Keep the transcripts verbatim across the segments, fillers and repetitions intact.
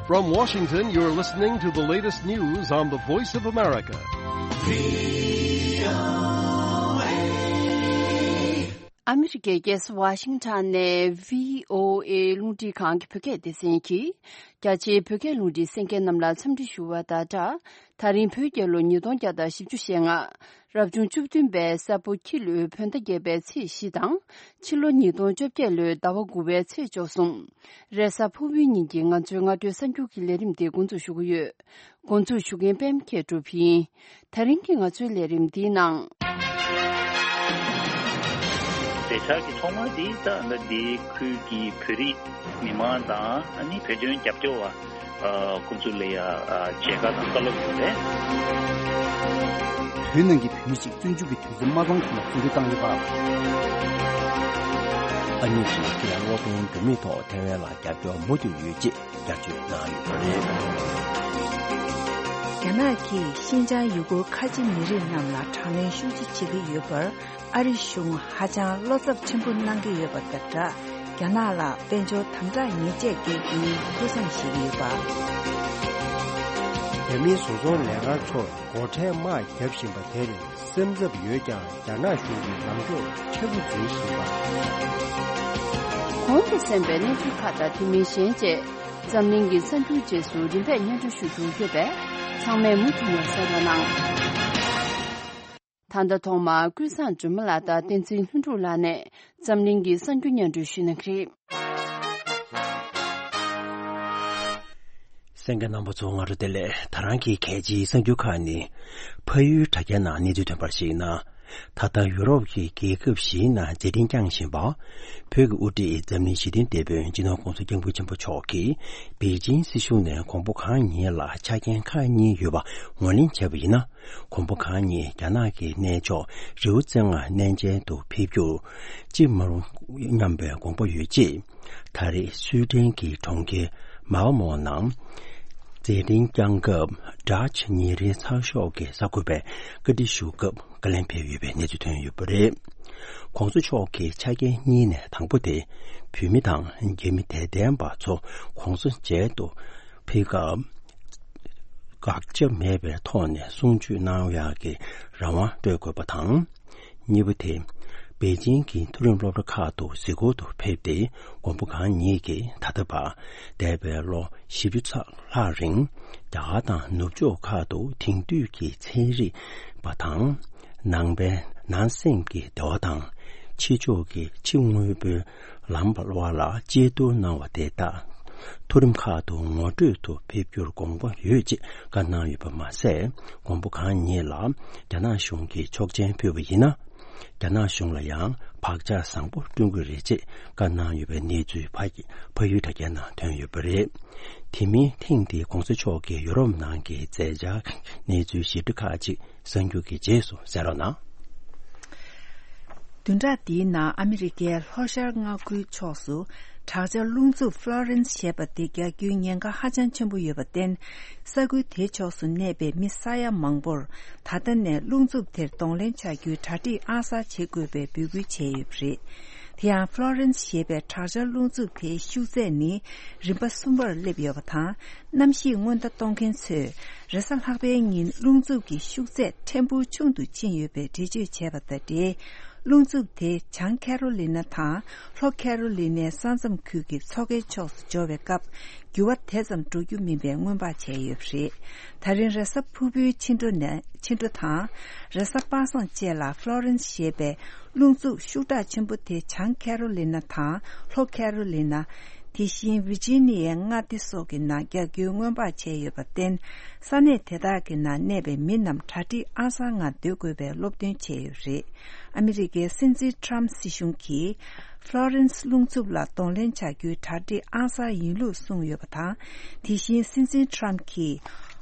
From Washington, you're listening to the latest news on the Voice of America. ཨ་མི་རི་ཀའི་རྒྱལ་ས་ཝ་ཤིང་ཊོན་ནས་བྷི་ཨོ་ཨེ་རླུང་འཕྲིན་ཁང་གི་བོད་སྐད་སྡེ་ཚན་གྱིས། རྒྱ་ཆེའི་བོད་སྐད་རླུང་འཕྲིན་གསན་མཁན་རྣམས་ལ་འཚམས་འདྲི་ཞུ་བ་དང་སྦྲགས། ད་རིང་བོད་རྒྱལ་ལོ་ཉིས་སྟོང་བརྒྱ་དང་བཞི་བཅུ་ཞེ་ལྔ། རབ་བྱུང་བཅུ་བདུན་པའི་ས་ཕོ་ཁྱི་ལོའི་བོད་ཟླ་བརྒྱད་པའི་ཚེས་བཞི་དང་། ཕྱི་ལོ་ཉིས་སྟོང་བཅོ་བརྒྱད་ལོའི་ཟླ་བ་དགུ་པའི་ཚེས་བཅུ་གསུམ། རེས་གཟའ་ཕུར་བུའི་ཉིན་གྱི་ང་ཚོའི་སྔ་དྲོའི་གསར་འགྱུར་གྱི་ལས་རིམ་དེ་འགོ་འཛུགས་ཞུ་གི་ཡོད། འགོ་འཛུགས་ཞུ་མཁན་པད་མ་མཁས་གྲུབ་ཡིན། ད་རིང་གི་ང་ཚོའི་ལས་རིམ་འདིའི་ནང་། མཛད་འཆར་གྱི་ཐོག་མ་འདི་ད་ལྟ་འདི་ཁུལ་གྱི་བོད་རིགས་མི་མང་དང་ཨ་ནི་བོད་དོན་རྒྱབ་སྐྱོར་བ་ཨ་ཁོང་ཚོ་ལ་ཡ་ཨ་མཇལ་ཁ་དང་བཀའ་སློབ་ཡོད་རེད། བོད་ནང་གི་བོད་མི་ཞིག་བཙོན་འཇུག་གི་དུས་ཚོད་མ་ཚང་གོང་ལ་བཙོན་འཛུལ་བཏང་ཡོད་པ། ཨ་ནི་ཞིག་གི་ལ་དབུ་མའི་འགྱུར་མེད་ཐོག་ཐེ་ཝན་ལ་རྒྱབ་སྐྱོར་མུ་མཐུད་ཡོད་ཅེས། རྒྱ་ཆེ་གནང་ཡོད་པ་རེད། རྒྱ་ནག་གིས་ཤིན་ཅང་ཡུ་གུར་ཁ་ཆེ་མི་རིགས་རྣམས་ལ་དྲག་གནོན་ཤུགས་ཆེ་བྱེད་ཀྱི་ཡོད་པར་ཨ་རི་གཞུང་ཧ་ཅང་བློ་འཚབ་ཆེན་པོ་གནང་གི་ཡོད་པ་དང་སྦྲགས། རྒྱ་ནག་ལ་དཔལ་འབྱོར་དམ་དྲག་ཉེས་ཆད་འགེལ་རྒྱུའི་ཐུགས་བསམ་བཞེས་ཀྱི་ཡོད་པ། རྒྱ་མིའི་བཟོ་ཚོང་ལས་ཀ་ཚོར་སྒོ་ཁྲལ་དམག་བརྒྱབ་བཞིན་པ་དེར། སེམས་འཚབ་ཡོད་ཀྱང་རྒྱ་ནག་གཞུང་གིས་ལངས་ཕྱོགས་ཆེ་རུ་འཛིན་བཞིན་པ། གོང་དུ་གསན་པའི་གནས་ཚུལ་ཁག་དང་དེ་མིན་གཞན་བཅས་འཛམ་གླིང་གི་གསར་འགྱུར་རྗེས་སུ་རིམ་པས་སྙན་སྒྲོན་ཞུ་རྒྱུ་ཡོད་པས་ཚང་མས་མུ་མཐུད་ནས་གསན་རོགས་གནང་། ད་ལྟ་ཐོག་མར་ཀུན་བཟང་སྒྲོལ་མ་ལགས་དང་བསྟན་འཛིན་ལྷུན་གྲུབ་ལགས་ནས་འཛམ་གླིང་གི་གསར་འགྱུར་སྙན་སྒྲོན་ཞུ་གནང་གི་རེད། གསན་མཁན་རྣམ་པ་ཚོ་སྔ་དྲོ་བདེ་ལེགས། ད་རང་གི་གལ་ཆེའི་གསར་འགྱུར་ཁག་ནི། ཕ་ཡུལ་དྲ་རྒྱའི་ནང་གནས་ཚུལ་ཐོན་པར་གཞིགས་ན། ད་ལྟ་ཡུ་རོབ་ཀྱི་རྒྱལ་ཁབ་བཞིའི་ནང་མཛད་འཕྲིན་བསྐྱངས་བཞིན་པ། བོད་ཀྱི་དབུ་ཁྲིད་འཛམ་གླིང་ཞི་མཐུན་དེད་དཔོན་སྤྱི་ནོར་༸གོང་ས་༸སྐྱབས་མགོན་ཆེན་པོ་མཆོག་གིས་པེ་ཅིང་སྲིད་གཞུང་ནས་དགོངས་པ་གང་ཡིན་ལ་ཆ་རྐྱེན་ཁག་གཉིས་ཡོད་པ་ངོས་ལེན་བྱས་པ་ཡིན་ན། དགོངས་པ་གང་ཉིད་རྒྱ་ནག་གི་གནས་མཆོག་རི་བོ་རྩེ་ལྔ་གནས་མཇལ་དུ་ཕེབས་རྒྱུར་ཅི་མ་རུང་སྙམ་པའི་དགོངས་པ་ཡོད་ཅེས། ད་རེས་སུའེ་ཏེན་གྱི་གྲོང་ཁྱེར་མཱལ་མོ་ནང་མཛད་འཕྲིན་བསྐྱངས་སྐབས་ཌ་ཆི་ཉིན་རེའི་ཚགས་ཤོག་གི་གསར་འགོད་པས་བཀའ་འདྲི་ཞུ་སྐབས་བཀའ་ལན་ཕེབས་ཡོད་པའི་གནས་ཚུལ་ཐོན་ཡོད་པ་རེད། ༸གོང་ས་མཆོག་གི་ཆ་རྐྱེན་གཉིས་ནས་དང་པོ་དེ་བོད་མི་དང་རྒྱ་མི་དད་ལྡན་པ་ཚོ་༸གོང་ས་མཇལ་དུ། ཕེབས་སྐབས། དགག་བྱ་མེད་པའི་ཐོག་ནས་གསུང་ཆོས་གནང་ཡག་གི་རང་དབང་སྤྲོད་དགོས་པ་དང་། གཉིས་པ་དེ། པེ་ཅིང་གི་མཐོ་རིམ་སློབ་གྲྭ་ཁག་ཏུ་གཟིགས་སྐོར་དུ་ཕེབས་ཏེ་དགོངས་པ་གང་ཉིད་ཀྱིས་ད་ལྟ་བར་འདས་པའི་ལོ་བཞི་བཅུ་ཚ་ལྷག་རིང་རྒྱ་གར་དང་ནུབ་ཕྱོགས་ཁག་ཏུ་དེང་དུས་ཀྱི་ཚན་རིག་པ་དང་། ནང་པའི་ནང་སེམས་ཀྱི་བདེ་བ་དང་། ཕྱི་ཕྱོགས་ཀྱི་ཕྱི་དངོས་པོའི་ལམ་བར་ལ་གཅེས་གཏོར་གནང་བ་དེ་དག་མཐོ་རིམ་ཁག་ཏུ་ངོ་སྤྲོད་དུ་ཕེབས་རྒྱུར་དགོངས་པ་ཡོད་ཅེས་བཀའ་གནང་ཡོད་པ་མ་ཟད། དགོངས་པ་གང་ཉིད་ལ་རྒྱ་ནག་གཞུང་གིས་ཆོག་མཆན་ཕུལ་བ་ཡིན་ན། རྒྱ་ནག་གཞུང་ལ་ཡང་བག་ཆགས་བཟང་པོ་བསྐྲུན་དགོས་རེད་ཅེས་བཀའ་གནང་ཡོད་པའི་གནས་ཚུལ་ཕ་ཕ་ཡུལ་དྲ་རྒྱའི་ནང་ཐོན་ཡོད་པ་རེད། དེ་མིན་ཐེངས་འདིའི་༸གོང་ས་མཆོག་གི་ཡུ་རོབ་ནང་གི་མཛད་འཆར་གནས་ཚུལ་ཞིབ་ཕྲ་ཁག་ཅིག་གསར་འགྱུར་གྱི་རྗེས་སུ་གསན་རོགས་གནང་། བདུན་ཕྲག་འདིའི་ནང་ཨ་མི་རི་ཀའི་ལྷོ་ཤར་མངའ་ཁུལ་ཕྱོགས་སུ་དྲག་ཆར་རླུང་འཚུབ་ཧྥ་ལོ་རེན་སི་ཞེས་པ་དེ་རྒྱག་རྒྱུའི་ཉེན་ཁ་ཧ་ཅང་ཆེན་པོ་ཡོད་པར་བརྟེན། ས་ཁུལ་དེའི་ཕྱོགས་སུ་གནས་པའི་མི་ས་ཡ་མང་པོར་ད་ལྟ་ནས་རླུང་འཚུབ་དེར་གདོང་ལེན་བྱ་རྒྱུའི་གྲ་སྒྲིག་ཨང་གསར་བྱེད་དགོས་པའི་འབོད་སྐུལ་བྱས་ཡོད་པ་རེད། དེ་ཡང་ཧྥ་ལོ་རེན་སི་ཞེས་པའི་དྲག་ཆར་རླུང་འཚུབ་དེའི་ཤུགས་ཚད་ནི་རིམ་པ་གསུམ་པར་སླེབས་ཡོད་པ་དང་། གནམ་གཤིས་སྔོན་བརྡ་གཏོང་མཁན་ཚོས་རེས་གཟའ་ལྷག་པའི་ཉིན་རླུང་འཚུབ་ཀྱི་ཤུགས་ཚད་ཕྲན་བུ་ཆུང་དུ་ཕྱིན་ཡོད་པའི་འགྲེལ་བརྗོད་བྱས་པ་དང་འབྲེལ། རླུང་འཚུབ་དེ་བྱང་ཁེ་རོ་ལི་ན་དང་ལྷོ་ཁེ་རོ་ལི་ནའི་ས་མཚམས་ཁུལ་གྱི་མཚོ་ཁའི་ཕྱོགས་སུ་འབྱོར་བའི་སྐབས་འགྱུར་བ་དེ་ཙམ་འགྲོ་རྒྱུ་མིན་པའི་སྔོན་དཔག་བྱས་ཡོད་པ་རེད། ད་རིང་རེས་གཟའ་ཕུར་བུའི་ཕྱི་དྲོ་ནས་ཕྱི་དྲོ་དང་། རེས་གཟའ་པ་སངས་བཅས་ལ་ཧྥ་ལོ་རེན་སི་ཞེས་པའི་རླུང་འཚུབ་ཤུགས་དྲག་ཆེན་པོ་དེ་བྱང་ཁེ་རོ་ལི་ན་དང་ལྷོ་ཁེ་རོ་ལི་ན། དེ་བཞིན་ཝི་ཇི་ནི་ཡའི་མངའ་སྡེ་སོགས་ཀྱི་ནང་རྒྱག་རྒྱུའི་སྔོན་དཔག་བྱས་ཡོད་པར་བརྟེན། ས་གནས་དེ་དག་གི་ནང་གནས་པའི་མི་རྣམས་གྲ་སྒྲིག་ཨང་གསར་ངང་སྡོད་དགོས་པའི་སློབ་སྟོན་བྱས་ཡོད་པ་རེད། ཨ་མི་རི་ཀའི་སྲིད་འཛིན་ཊམ་སྲིད་གཞུང་གིས། ཧྥ་ལོ་རེན་སི་རླུང་འཚུབ་ལ་གདོང་ལེན་བྱ་རྒྱུའི་གྲ་སྒྲིག་ཨང་གསར་ཡིན་ལུགས་གསུངས་ཡོད་པ་དང་། དེ་བཞིན་སྲིད་འཛིན་ཊམ་གྱིས།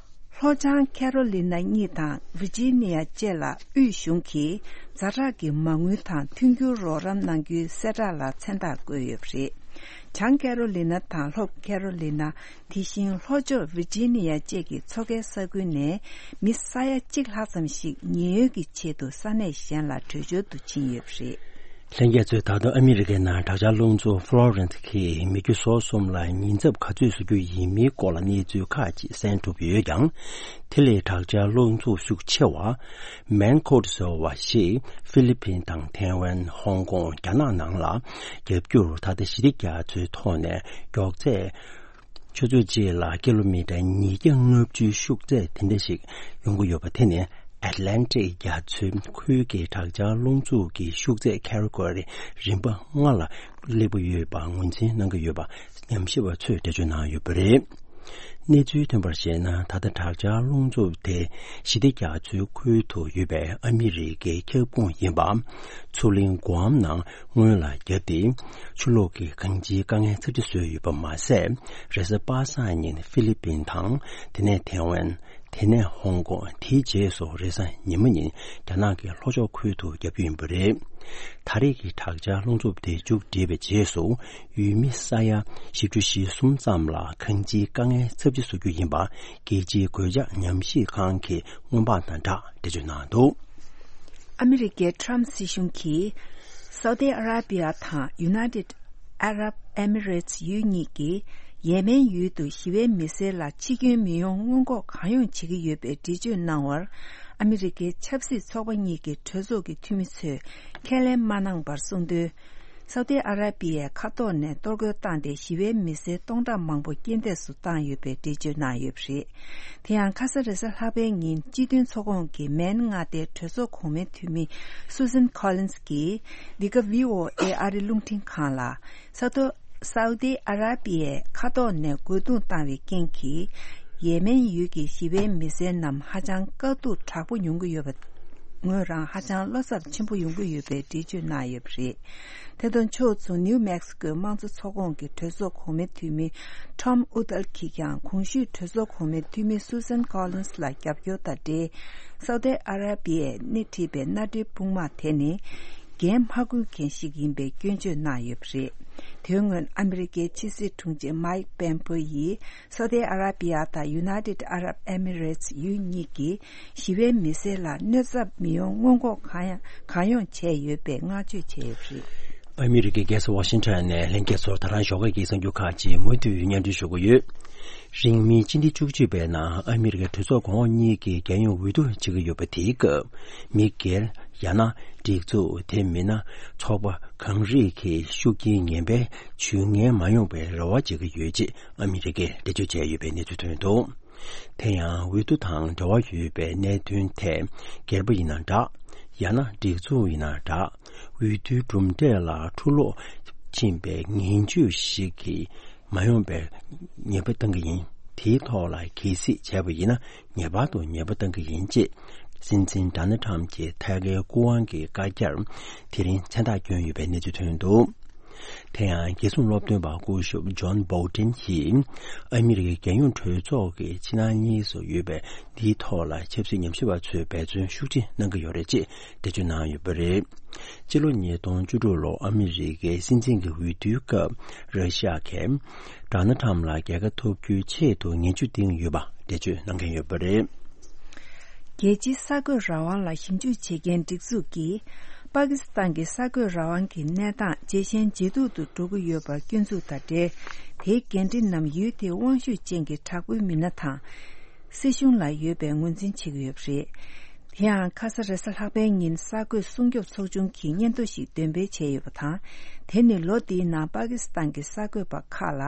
ལྷོ་བྱང་ཁེ་རོ་ལི་ན་གཉིས་དང་ཝི་ཇི་ནི་ཡ་བཅས་ལ་དབུས་གཞུང་གིས་ཛ་དྲག་གི་མ་དངུལ་དང་མཐུན་འགྱུར་རོགས་རམ་གནང་རྒྱུའི་གསལ་བསྒྲགས་ལ་མཚན་རྟགས་བཀོད་ཡོད་པ་རེད། བྱང་ཁེ་རོ་ལི་ན་དང་ལྷོ་ཁེ་རོ་ལི་ན། དེ་བཞིན་ལྷོ་ཕྱོགས་ཝི་ཇི་ནི་ཡ་བཅས་ཀྱི་མཚོ་ཁའི་ས་ཁུལ་ནས་མི་ས་ཡ་གཅིག་ལྷག་ཙམ་ཞིག་ཉེན་གཡོལ་གྱི་ཆེད་དུ་ས་གནས་གཞན་ལ་བྲོས་བྱོལ་དུ་ཕྱིན་ཡོད་པ་རེད། ལྷན་རྒྱས་ཚོས་ད་དུང་ཨ་མི་རི་ཀའི་ནང་དྲག་ཆར་རླུང་འཚུབ་ཧྥ་ལོ་རེན་ཐི་གིས་མི་རྒྱུ་ཟོག་གསུམ་ལ་ཉེན་ཚབས་ག་ཚོད་བཟོ་རྒྱུ་ཡིན་མིན་སྐོར་ལ་གནས་ཚུལ་ཁག་ཅིག་གསན་ཐུབ་ཡོད་ཀྱང་། དེ་ལས་དྲག་ཆར་རླུང་འཚུབ་ཤུགས་ཆེ་བ་མན་ཁོ་ཏི་ཟེར་བ་ཞིག་ཧྥི་ལི་ཕིན་དང་ཐེ་ཝན། ཧོང་ཀོང་། རྒྱ་ནག་ནང་ལ་བརྒྱབ་རྒྱུར་ད་ལྟ་ཞི་བདེ་རྒྱ་མཚོའི་ཐོག་ནས་མགྱོགས་ཚད། ཆུ་ཚོད་གཅིག་ལ་ཀི་ལོ་མི་ཊར་ཉིས་བརྒྱ་ལྔ་བཅུའི་ཤུགས་ཚད་དེ་འདྲ་ཞིག་ཡོང་གི་ཡོད་པ། དེ་ནི་ཨེཊ་ལན་ཊིག་རྒྱ་མཚོའི་ཁུལ་གྱི་དྲག་ཆར་རླུང་འཚུབ་ཀྱི་ཤུགས་ཚད་ཀེ་ཊི་གོ་རི་རིམ་པ་ལྔ་ལ་སླེབས་ཀྱི་ཡོད་པ་ངོས་འཛིན་གནང་གི་ཡོད་པ་ཉམས་ཞིབ་པ་ཚོས་འགྲེལ་བརྗོད་གནང་ཡོད་པ་རེད། གནས་ཚུལ་ཐོན་པར་བཞེངས་ན། ད་ལྟ་དྲག་ཆར་རླུང་འཚུབ་དེ་ཞི་བདེ་རྒྱ་མཚོའི་ཁུལ་དུ་ཡོད་པའི་ཨ་མི་རི་ཀའི་ཁྱབ་ཁོངས་ཡིན་པ། མཚོ་གླིང་གུའམ་ནང་སྔོན་ལ་བརྒྱབ་སྟེ། ཆུ་ལོག་གི་གངས་ཅན་དཀའ་ངལ་ཚབས་ཆེ་བཟོས་ཡོད་པ་མ་ཟད། རེས་གཟའ་པ་སངས་ཉིན་ཧྥི་ལི་པིན་དང་། དེ་ནས་ཐེ་ཝན། དེ་ནས་ཧོང་ཀོང་། དེའི་རྗེས་སུ་རེས་གཟའ་ཉི་མ་ཉིན་རྒྱ་ནག་གི་ལྷོ་ཕྱོགས་ཁུལ་དུ་བརྒྱབ་རྒྱུ་ཡིན་པ་རེད། ད་རེས་ཀྱི་དྲག་ཆར་རླུང་འཚུབ་དེ་མཇུག་བསྒྲིལ་བའི་རྗེས་སུ། ཡུལ་མི་ས་ཡ་བཞི་བཅུ་ཞེ་གསུམ་ཙམ་ལ་གངས་ཅན་དཀའ་ངལ་ཚབས་ཆེ་བཟོ་རྒྱུ་ཡིན་པ། རྒྱལ་སྤྱིའི་གོད་ཆག་ཉམས་ཞིབ་ཁང་གིས་སྔོན་དཔག་དང་སྦྲགས་འགྲེལ་བརྗོད་གནང་འདུག། ཨ་མི་རི་ཀའི་ཊམ་སྲིད་གཞུང་གིས། སའུ་ཏི་ཨ་ར་པི་ཡ་དང་ཡུ་ནའི་ཊེཌ་ཨ་རབ་ཨེ་མི་རེ་ཊི་ཡུལ་གཉིས་ཀྱིས་ཡེ་མེན་ཡུལ་དུ་ཞི་བའི་མི་སེར་ལ་འཆི་སྐྱོན་མི་ཡོང་སྔོན་འགོག་གང་ཡོང་བྱེད་ཀྱི་ཡོད་པའི་འགྲེལ་བརྗོད་གནང་བར། ཨ་མི་རི་ཀའི་ཆབ་སྲིད་ཚོགས་པ་གཉིས་ཀྱི་གྲོས་ཚོགས་ཀྱི་འཐུས་མི་ཚོས་ཁས་ལེན་མ་གནང་བར་གསུངས་དོན། སའུ་ཏི་ཨ་ར་པི་ཡའི་མཁའ་ཐོག་ནས་གཏོར་རྒོལ་བཏང་སྟེ་ཞི་བའི་མི་སེར་སྟོང་ཕྲག་མང་པོ་རྐྱེན་འདས་སུ་བཏང་ཡོད་པའི་འགྲེལ་བརྗོད་གནང་ཡོད་པ་རེད། དེ་ཡང་ཁ་ས་རེས་གཟའ་ལྷག་པའི་ཉིན་སྤྱི་མཐུན་ཚོགས་ཁོངས་ཀྱི་མེན་མངའ་སྡེའི་གྲོས་ཚོགས་གོང་མའི་འཐུས་མི་སུ་སན་ཁོ་ལིན་སི་གིས་འདི་ག་ཝི་ཨོ་ཨེ་ཨ་རི་རླུང་འཕྲིན་ཁང་ལ། ས་ཐོག་སའུ་ཏི་ཨ་ར་པི་ཡའི་མཁའ་ཐོག་ནས་རྒོལ་རྡུང་བཏང་བའི་རྐྱེན་གྱིས། ཡེ་མེན་ཡུལ་གྱི་ཞི་བའི་མི་སེར་རྣམས་ཧ་ཅང་དཀའ་སྡུག་དྲག་པོ་མྱོང་གི་ཡོད་པ། ངོས་རང་ཧ་ཅང་བློ་འཚབ་ཆེན་པོ་ཡོང་གི་ཡོད་པའི་འགྲེལ་བརྗོད་གནང་ཡོད་པ་རེད། དེ་དང་ཕྱོགས་མཚུངས་ནིའུ་མེག་སི་ཀོའི་དམངས་གཙོ་ཚོགས་ཁོངས་ཀྱི་གྲོས་ཚོགས་གོང་མའི་འཐུས་མི་ཊོམ་ཨུ་ཏལ་གྱིས་ཀྱང་གོང་ཞུས་གྲོས་ཚོགས་གོང་མའི་འཐུས་མི་སུ་སན་ཁོ་ལིན་སི་ལ་རྒྱབ་སྐྱོར་དང་འབྲེལ། སའུ་ཏི་ཨ་ར་པི་ཡས་སྣེ་ཁྲིད་པའི་མནའ་འབྲེལ་དཔུང་དམག་དེ་ནི། འགན་མ་འཁུར་མཁན་ཞིག་ཡིན་པའི་སྐྱོན་བརྗོད་གནང་ཡོད་པ་རེད། དོན་དངོས་ཨ་མི་རི་ཀའི་ཕྱི་སྲིད་དྲུང་ཆེ་མའིག་པེམ་པོ་ཡིས་སའུ་ཏི་ཨ་ར་པི་ཡ་དང་ཡུ་ནའི་ཏེད་ཨ་རབ་ཨེ་མི་རེ་ཊི་ཡུལ་གཉིས་ཀྱིས་ཞི་བའི་མི་སེར་ལ་གནོད་འཚེ་མི་ཡོང་སྔོན་འགོག་གང་ཡང་གང་ཡོང་བྱས་ཡོད་པའི་བསྔགས་བརྗོད་བྱས་ཡོད་པ་རེད། ཨ་མི་རི་ཀའི་རྒྱལ་ས་ཝ་ཤིང་ཊོན་ནས་ལྷན་རྒྱས་ཚོར་ད་རང་ཞོགས་ཀ་གི་གསར་འགྱུར་ཁག་ཅིག་མུ་མཐུད་སྙན་སྒྲོན་ཞུ་གི་ཡོད། རིང་མིན་སྤྱི་ཟླ་བཅུ་གཅིག་པའི་ནང་ཨ་མི་རི་ཀའི་གྲོས་ཚོགས་གོང་འོག་གཉིས་ཀྱི་རྒྱལ་ཡོངས་འོས་བསྡུ་བྱེད་ཀྱི་ཡོད་པ། དེའི་སྐབས་མི་སྒེར། ཡང་ན་སྒྲིག་འཛུགས། དེ་མིན་ན་ཚོགས་པ་གང་རིགས་ཀྱི་ཤུགས་རྐྱེན་ངན་པའི་ཇུས་ངན་མ་ཡོང་བའི་རེ་བ་བྱེད་ཀྱི་ཡོད་ཅེས་ཨ་མི་རི་ཀས་འགྲེལ་བརྗོད་བྱས་ཡོད་པའི་གནས་ཚུལ་ཐོན་འདུག། དེ་ཡང་འོས་བསྡུ་དང་འབྲེལ་བ་ཡོད་པའི་གནད་དོན་ཐད། སྒེར་པ་ཡིན་ན་འདྲ། ཡང་ན་སྒྲིག་འཛུགས་ཡིན་ན་འདྲ། འོས་བསྡུའི་གྲུབ་འབྲས་ལ་འཁྲུ་སློག་ཕྱིན་པའི་ངན་ཇུས་ཤིག་གིས་མ་ཡོང་པའི་ཉེས་པ་བཏང་གི་ཡིན། དེའི་ཐོག་ལ་གལ་སྲིད་བྱས་པ་ཡིན་ན། ངེས་པར་དུ་ཉེས་པ་བཏང་གི་ཡིན་ཅེས། སྲིད་འཛིན་ཌོ་ནལ་ཊམ་གྱི་ཐད་ཀའི་སྐུ་དབང་གི་བཀའ་རྒྱར་དེ་རིང་མཚན་རྟགས་བསྐྱོན་ཡོད་པའི་གནས་ཚུལ་ཐོན་འདུག། དེ་ཡང་རྒྱལ་སྲུང་སློབ་སྟོན་པ་སྐུ་ཞབས་ཇོན་བྷོལ་ཊིན་གྱིས། ཨ་མི་རི་ཀའི་རྒྱལ་ཡོངས་གྲོས་ཚོགས་ཀྱི་ཕྱི་ནང་གཉིས་སུ་ཡོད་པའི་འདིའི་ཐོག་ལ་ཆབ་སྲིད་ཉམས་ཞིབ་པ་ཚོས་འབད་བརྩོན་ཤུགས་ཆེ་གནང་གི་ཡོད་རེད་ཅེས་འགྲེལ་བརྗོད་གནང་ཡོད་པ་རེད། ཕྱི་ལོ་ཉིས་སྟོང་བཅུ་དྲུག་ལོ་ཨ་མི་རི་ཀའི་སྲིད་འཛིན་གྱི་འོས་བསྡུའི་སྐབས་ར་ཤི་ཡ་གིས་ཌོ་ནལ་ཊམ་ལ་རྒྱལ་ཁ་ཐོབ་རྒྱུའི་ཆེད་དུ་ངན་ཇུས་བཏིང་ཡོད་པ་འགྲེལ་བརྗོད་གནང་མཁན་ཡོད་པ་རེད། རྒྱལ་སྤྱིའི་གསར་འགོད་རང་དབང་ལ་ཞིབ་འཇུག་བྱེད་མཁན་སྒྲིག་འཛུགས་ཀྱིས། པ་ཀི་སི་ཐན་གྱི་གསར་འགོད་རང་དབང་གི་གནས་སྟངས་ཇེ་ཞན་ཇེ་སྡུག་ཏུ་འགྲོ་གི་ཡོད་པར་སྐྱོན་འཛུགས་དང་འབྲེལ། དེའི་འགན་འཁྲི་རྣམས་ཡུལ་དེའི་དབང་ཤུགས་ཅན་གྱི་དྲག་པོའི་མི་སྣ་དང་། སྲིད་གཞུང་ལ་ཡོད་པའི་ངོས་འཛིན་བྱེད་ཀྱི་ཡོད་པ་རེད། དེ་ཡང་ཁ་ས་རེས་གཟའ་ལྷག་པའི་ཉིན་གསར་འགོད་སྲུང་སྐྱོབ་ཚོགས་ཆུང་གིས་སྙན་ཐོ་ཞིག་འདོན་སྤེལ་བྱས་ཡོད་པ་དང་། དེ་ནི་ལོ་འདིའི་ནང་པ་ཀི་སི་ཐན་གྱི་གསར་འགོད་པ་ཁག་ལ་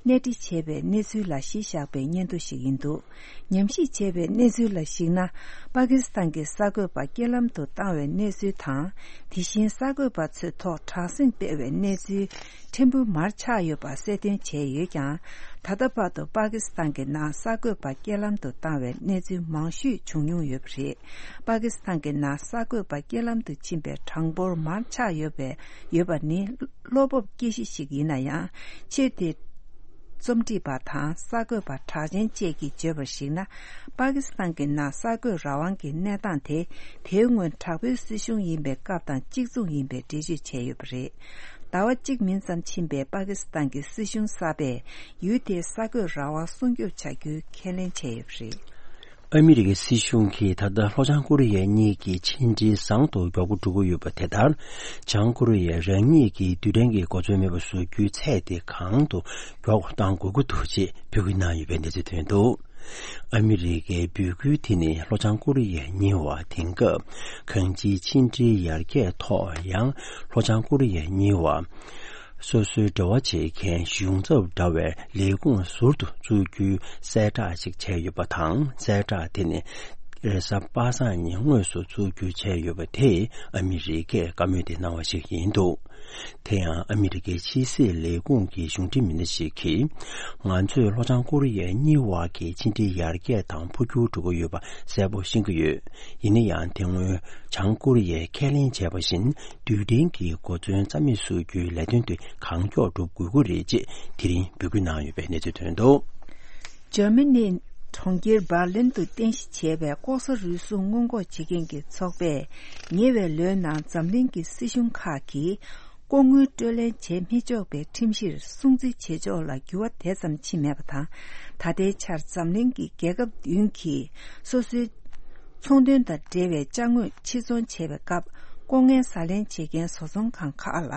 གནས་འདྲི་བྱས་པའི་གནས་ཚུལ་ལ་གཞི་བཞག་པའི་སྙན་ཐོ་ཞིག་ཡིན་འདུག། ཉམས་ཞིབ་བྱས་པའི་གནས་ཚུལ་ལ་གཞིགས་ན། པ་ཀི་སི་ཐན་གྱི་གསར་འགོད་པ་རྐྱེན་ལམ་དུ་བཏང་བའི་གནས་ཚུལ་དང་། དེ་བཞིན་གསར་འགོད་པ་ཚོའི་ཐོག་དྲག་ཟིང་སྤེལ་བའི་གནས་ཚུལ་ཕྲན་བུ་མར་ཆག་ཡོད་པ་གསལ་སྟོན་བྱས་ཡོད་ཀྱང་། ད་ལྟ་བར་དུ་པ་ཀི་སི་ཐན་གྱི་ནང་གསར་འགོད་པ་རྐྱེན་ལམ་དུ་བཏང་བའི་གནས་ཚུལ་མང་ཤོས་བྱུང་མྱོང་ཡོད་པ་རེད། པ་ཀི་སི་ཐན་གྱི་ནང་གསར་འགོད་པ་རྐྱེན་ལམ་དུ་ཕྱིན་པའི་གྲངས་འབོར་མར་ཆག་ཡོད་པའི་ཡོད་པ་ནི་བློ་སྤོབས་སྐྱེ་གཞི་ཞིག་ཡིན་ན་ཡང་། ཆེས་མཐོའི་རྩོམ་སྒྲིག་པ་དང་གསར་འགོད་པ་གྲགས་ཅན་བཅས་ཀྱིས་བརྗོད་པར་གཞིགས་ན། པ་ཀི་སི་ཐན་གྱི་ནང་གསར་འགོད་རང་དབང་གི་གནས་སྟངས་དེ། དེའི་སྔོན་དྲག་པོའི་སྲིད་གཞུང་ཡིན་པའི་སྐབས་དང་གཅིག་མཚུངས་ཡིན་པའི་འགྲེལ་བརྗོད་བྱས་ཡོད་པ་རེད། ཟླ་བ་གཅིག་མིན་ཙམ་ཕྱིན་པའི་པ་ཀི་སི་ཐན་གྱི་སྲིད་གཞུང་གསར་པས་ཡུལ་དེའི་གསར་འགོད་རང་དབང་སྲུང་སྐྱོབ་བྱ་རྒྱུའི་ཁས་ལེན་བྱས་ཡོད་པ་རེད། ཨ་མི་རི་ཀའི་སྲིད་གཞུང་གིས་ད་ལྟ་ལྷོ་བྱང་ཀོ་རི་ཡ་གཉིས་ཀྱི་ཕྱི་འབྲེལ་བཟང་དུ་མགྱོགས་པོ་འགྲོ་གི་ཡོད་པ་དེ་ལྟར། བྱང་ཀོ་རི་ཡས་རང་ཉིད་ཀྱི་རྡུལ་ཕྲན་གྱི་གོ་མཚོན་མེད་པ་བཟོ་རྒྱུའི་ཚད་དེ་གང་དུ་མགྱོགས་གཏང་དགོས་ཀྱི་འདུག་ཅེས་འབོད་སྐུལ་གནང་ཡོད་པའི་གནས་ཚུལ་ཐོན་འདུག་ཨ་མི་རི་ཀའི་འབོད་སྐུལ་དེ་ནི་ལྷོ་བྱང་ཀོ་རི་ཡ་གཉིས་བར་དེང་སྐབས་གང་ཅིའི་ཕྱི་འབྲེལ་ཡར་རྒྱས་ཐོག་ཡང་ལྷོ་བྱང་ཀོ་རི་ཡ་གཉིས་བར། སོ་སོའི་འབྲེལ་བ་བྱེད་མཁན་གཞུང་ཚབ་འདྲ་བའི་ལས་ཁུངས་ཟུར་དུ་བཙུགས་རྒྱུའི་གསལ་བསྒྲགས་ཤིག་བྱས་ཡོད་པ་དང་། གསལ་བསྒྲགས་དེ་ནི་རེས་གཟའ་པ་སངས་ཉིན་དངོས་སུ་བཙུགས་རྒྱུ་བྱས་ཡོད་པ་དེས་ཨ་མི་རི་ཀས་བཀའ་མོལ་དེ་གནང་བ་ཞིག་ཡིན་འདུག་དེ་ཡང་ཨ་མི་རི་ཀའི་ཕྱི་སྲིད་ལས་ཁུངས་ཀྱི་གཞུང་འབྲེལ་མི་སྣ་ཞིག་གིས། ང་ཚོས་ལྷོ་བྱང་ཀོ་རི་ཡ་གཉིས་བར་གྱི་ཕྱི་འབྲེལ་ཡར་རྒྱས་དང་འཕོ་འགྱུར་འགྲོ་གི་ཡོད་པ་གསལ་པོ་ཤེས་ཀྱི་ཡོད། ཡིན་ན་ཡང་དེ་སྔོན་བྱང་ཀོ་རི་ཡས་ཁས་ལེན་བྱས་པ་བཞིན། རྡུལ་ཕྲན་གྱི་གོ་མཚོན་རྩ་མེད་བཟོ་རྒྱུའི་ལས་དོན་དེ་གང་མགྱོགས་སྒྲུབ་དགོས་ཀྱི་རེད་ཅེས་དེ་རིང་འབོད་སྐུལ་གནང་ཡོད་པའི་གནས་ཚུལ་ཐོན་འདུག་འཇར་མ་ནི་གྲོང་ཁྱེར་འབར་ལིན་དུ་རྟེན་གཞི་བྱས་པའི་ལྐོག་ཟ་རུལ་སུངས་སྔོན་འགོག་བྱེད་མཁན་གྱི་ཚོགས་པས། ཉེ་བའི་ལོའི་ནང་འཛམ་གླིང་གི་སྲིད་གཞུང་ཁག་གིས་ལྐོག་དངུལ་སྤྲོད་ལེན་བྱེད་མི་ཆོག་པའི་ཁྲིམས་གཞིར་སྲུང་བརྩི་བྱེད་ཕྱོགས་ལ་འགྱུར་བ་དེ་ཙམ་ཕྱིན་མེད་པ་དང་། ད་ལྟའི་ཆར་འཛམ་གླིང་གི་རྒྱལ་ཁབ་བདུན་གྱིས་སོ་སོའི་ཚོང་དོན་དང་འབྲེལ་བའི་ཅ་དངོས་ཕྱིར་ཚོང་བྱེད་པའི་སྐབས། ལྐོག་རྔན་ཟ་ལེན་བྱེད་མཁན་བཟོ་ཚོང་ཁང་ཁག་ལ་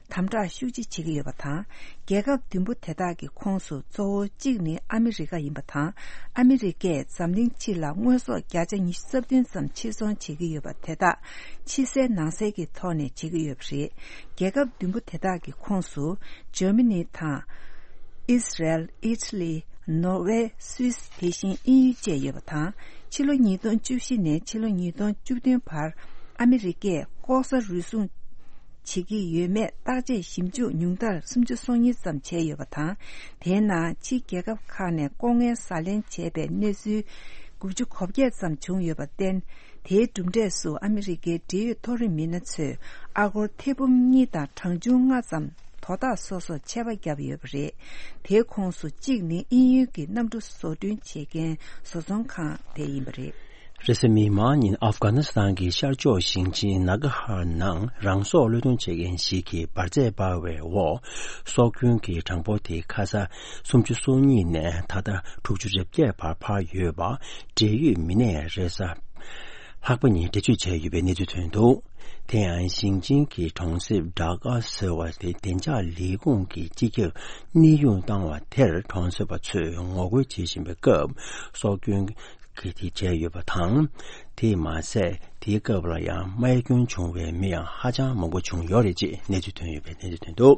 དམ་དྲག་ཤུགས་ཆེ་བྱེད་ཀྱི་ཡོད་པ་དང་། རྒྱལ་ཁབ་བདུན་པོ་དེ་དག་གི་ཁོངས་སུ་གཙོ་བོ་གཅིག་ནི་ཨ་མི་རི་ཀ་ཡིན་པ་དང་། ཨ་མི་རི་ཀས་འཛམ་གླིང་སྤྱི་ལ་དངོས་ཟོག་བརྒྱ་ཆ་ཉི་ཤུ་རྩ་བདུན་ཙམ་ཕྱིར་ཚོང་བྱེད་ཀྱི་ཡོད་པ་དེ་དག་ཕྱི་གསལ་ནང་གསལ་གྱི་ཐོག་ནས་བྱེད་ཀྱི་ཡོད་པ་རེད། རྒྱལ་ཁབ་བདུན་པོ་དེ་དག་གི་ཁོངས་སུ་འཇར་མ་ནི་དང་། ཨིས་རལ། ཨི་ཊ་ལི། ནོར་ཝེ། སུད་སི། དེ་བཞིན་དབྱིན་ཡུལ་བཅས་ཡོད་པ་དང་། ཕྱི་ལོ་ཉིས་སྟོང་བཅུ་བཞི་ནས་ཕྱི་ལོ་ཉིས་སྟོང་བཅུ་བདུན་བར་ཨ་མི་རི་ཀས་ལྐོག་ཟ་རུལ་སུངས་བྱེད་ཀྱི་ཡོད་མེད་བརྟག་དཔྱད་ཞིབ་འཇུག་ཉུང་མཐར་སུམ་ཅུ་སོ་གཉིས་ཙམ་བྱས་ཡོད་པ་དང་། དེའི་ནང་ཕྱིའི་རྒྱལ་ཁབ་ཁག་ནས་ལྐོག་རྔན་ཟ་ལེན་བྱས་པའི་གནས་ཚུལ་དགུ་བཅུ་གོ་བརྒྱད་ཙམ་བྱུང་ཡོད་པར་བརྟེན། དེའི་གྲུབ་འབྲས་སུ་ཨ་མི་རི་ཀའི་འབྲེལ་ཡོད་མཐོ་རིམ་མི་སྣ་ཚོས་ཨ་སྒོར་ཐེར་འབུམ་གཉིས་དང་གྲངས་ཆུང་ལྔ་ཙམ་དོ་བདག་སོ་སོར་ཆད་པ་བརྒྱབ་ཡོད་པ་རེད། དེའི་ཁོངས་སུ་གཅིག་ནི་དབྱིན་ཡུལ་གྱི་གནམ་གྲུ་བཟོ་སྐྲུན་བྱེད་མཁན་བཟོ་ཚོང་ཁང་དེ་ཡིན་པ་རེད། རེས་གཟའ་མིག་དམར་ཉིན་ཨབ་གྷ་ནི་སི་ཐན་གྱི་ཤར་ཕྱོགས་ཞིང་ཆེན་ནཱ་གྷ་ཧར་ནང་རང་སྲོག་བློས་གཏོང་བྱེད་མཁན་ཞིག་གིས་འབར་རྫས་སྤར་བའི་འོག་སྲོག་སྐྱོན་གྱི་གྲངས་འབོར་དེ་ཁ་ས་སུམ་ཅུ་སོ་གཉིས་ནས་ད་ལྟ་དྲུག་ཅུ་རེ་བརྒྱད་བར་འཕར་ཡོད་པ་འབྲེལ་ཡོད་མི་སྣས་རེས་གཟའ་ལྷག་པ་ཉིན་འགྲེལ་བརྗོད་བྱས་ཡོད་པའི་གནས་ཚུལ་ཐོན་འདུག་དེ་ཡང་ཞིང་ཆེན་གྱི་གྲོང་གསེབ་ཌ་ཀ་ཟེར་བ་དེ་བདེ་འཇགས་ལས་ཁུངས་ཀྱི་སྤྱི་ཁྱབ་གནས་དབྱུང་བཏང་བ་དེར་གྲོང་གསེབ་པ་ཚོས་ངོ་རྒོལ་བྱེད་བཞིན་པའི་སྐབས་སྲོག་སྐྱོན་གྱི་དེ་བྱས་ཡོད་པ་དང་། དེས་མ་ཟད་དེའི་སྐབས་ལ་ཡང་རྨས་སྐྱོན་བྱུང་བའི་མི་ཡང་ཧ་ཅང་མང་པོ་བྱུང་ཡོད་རེད་ཅེས་གནས་ཚུལ་ཐོན་ཡོད་པའི་གནས་ཚུལ་ཐོན་འདུག་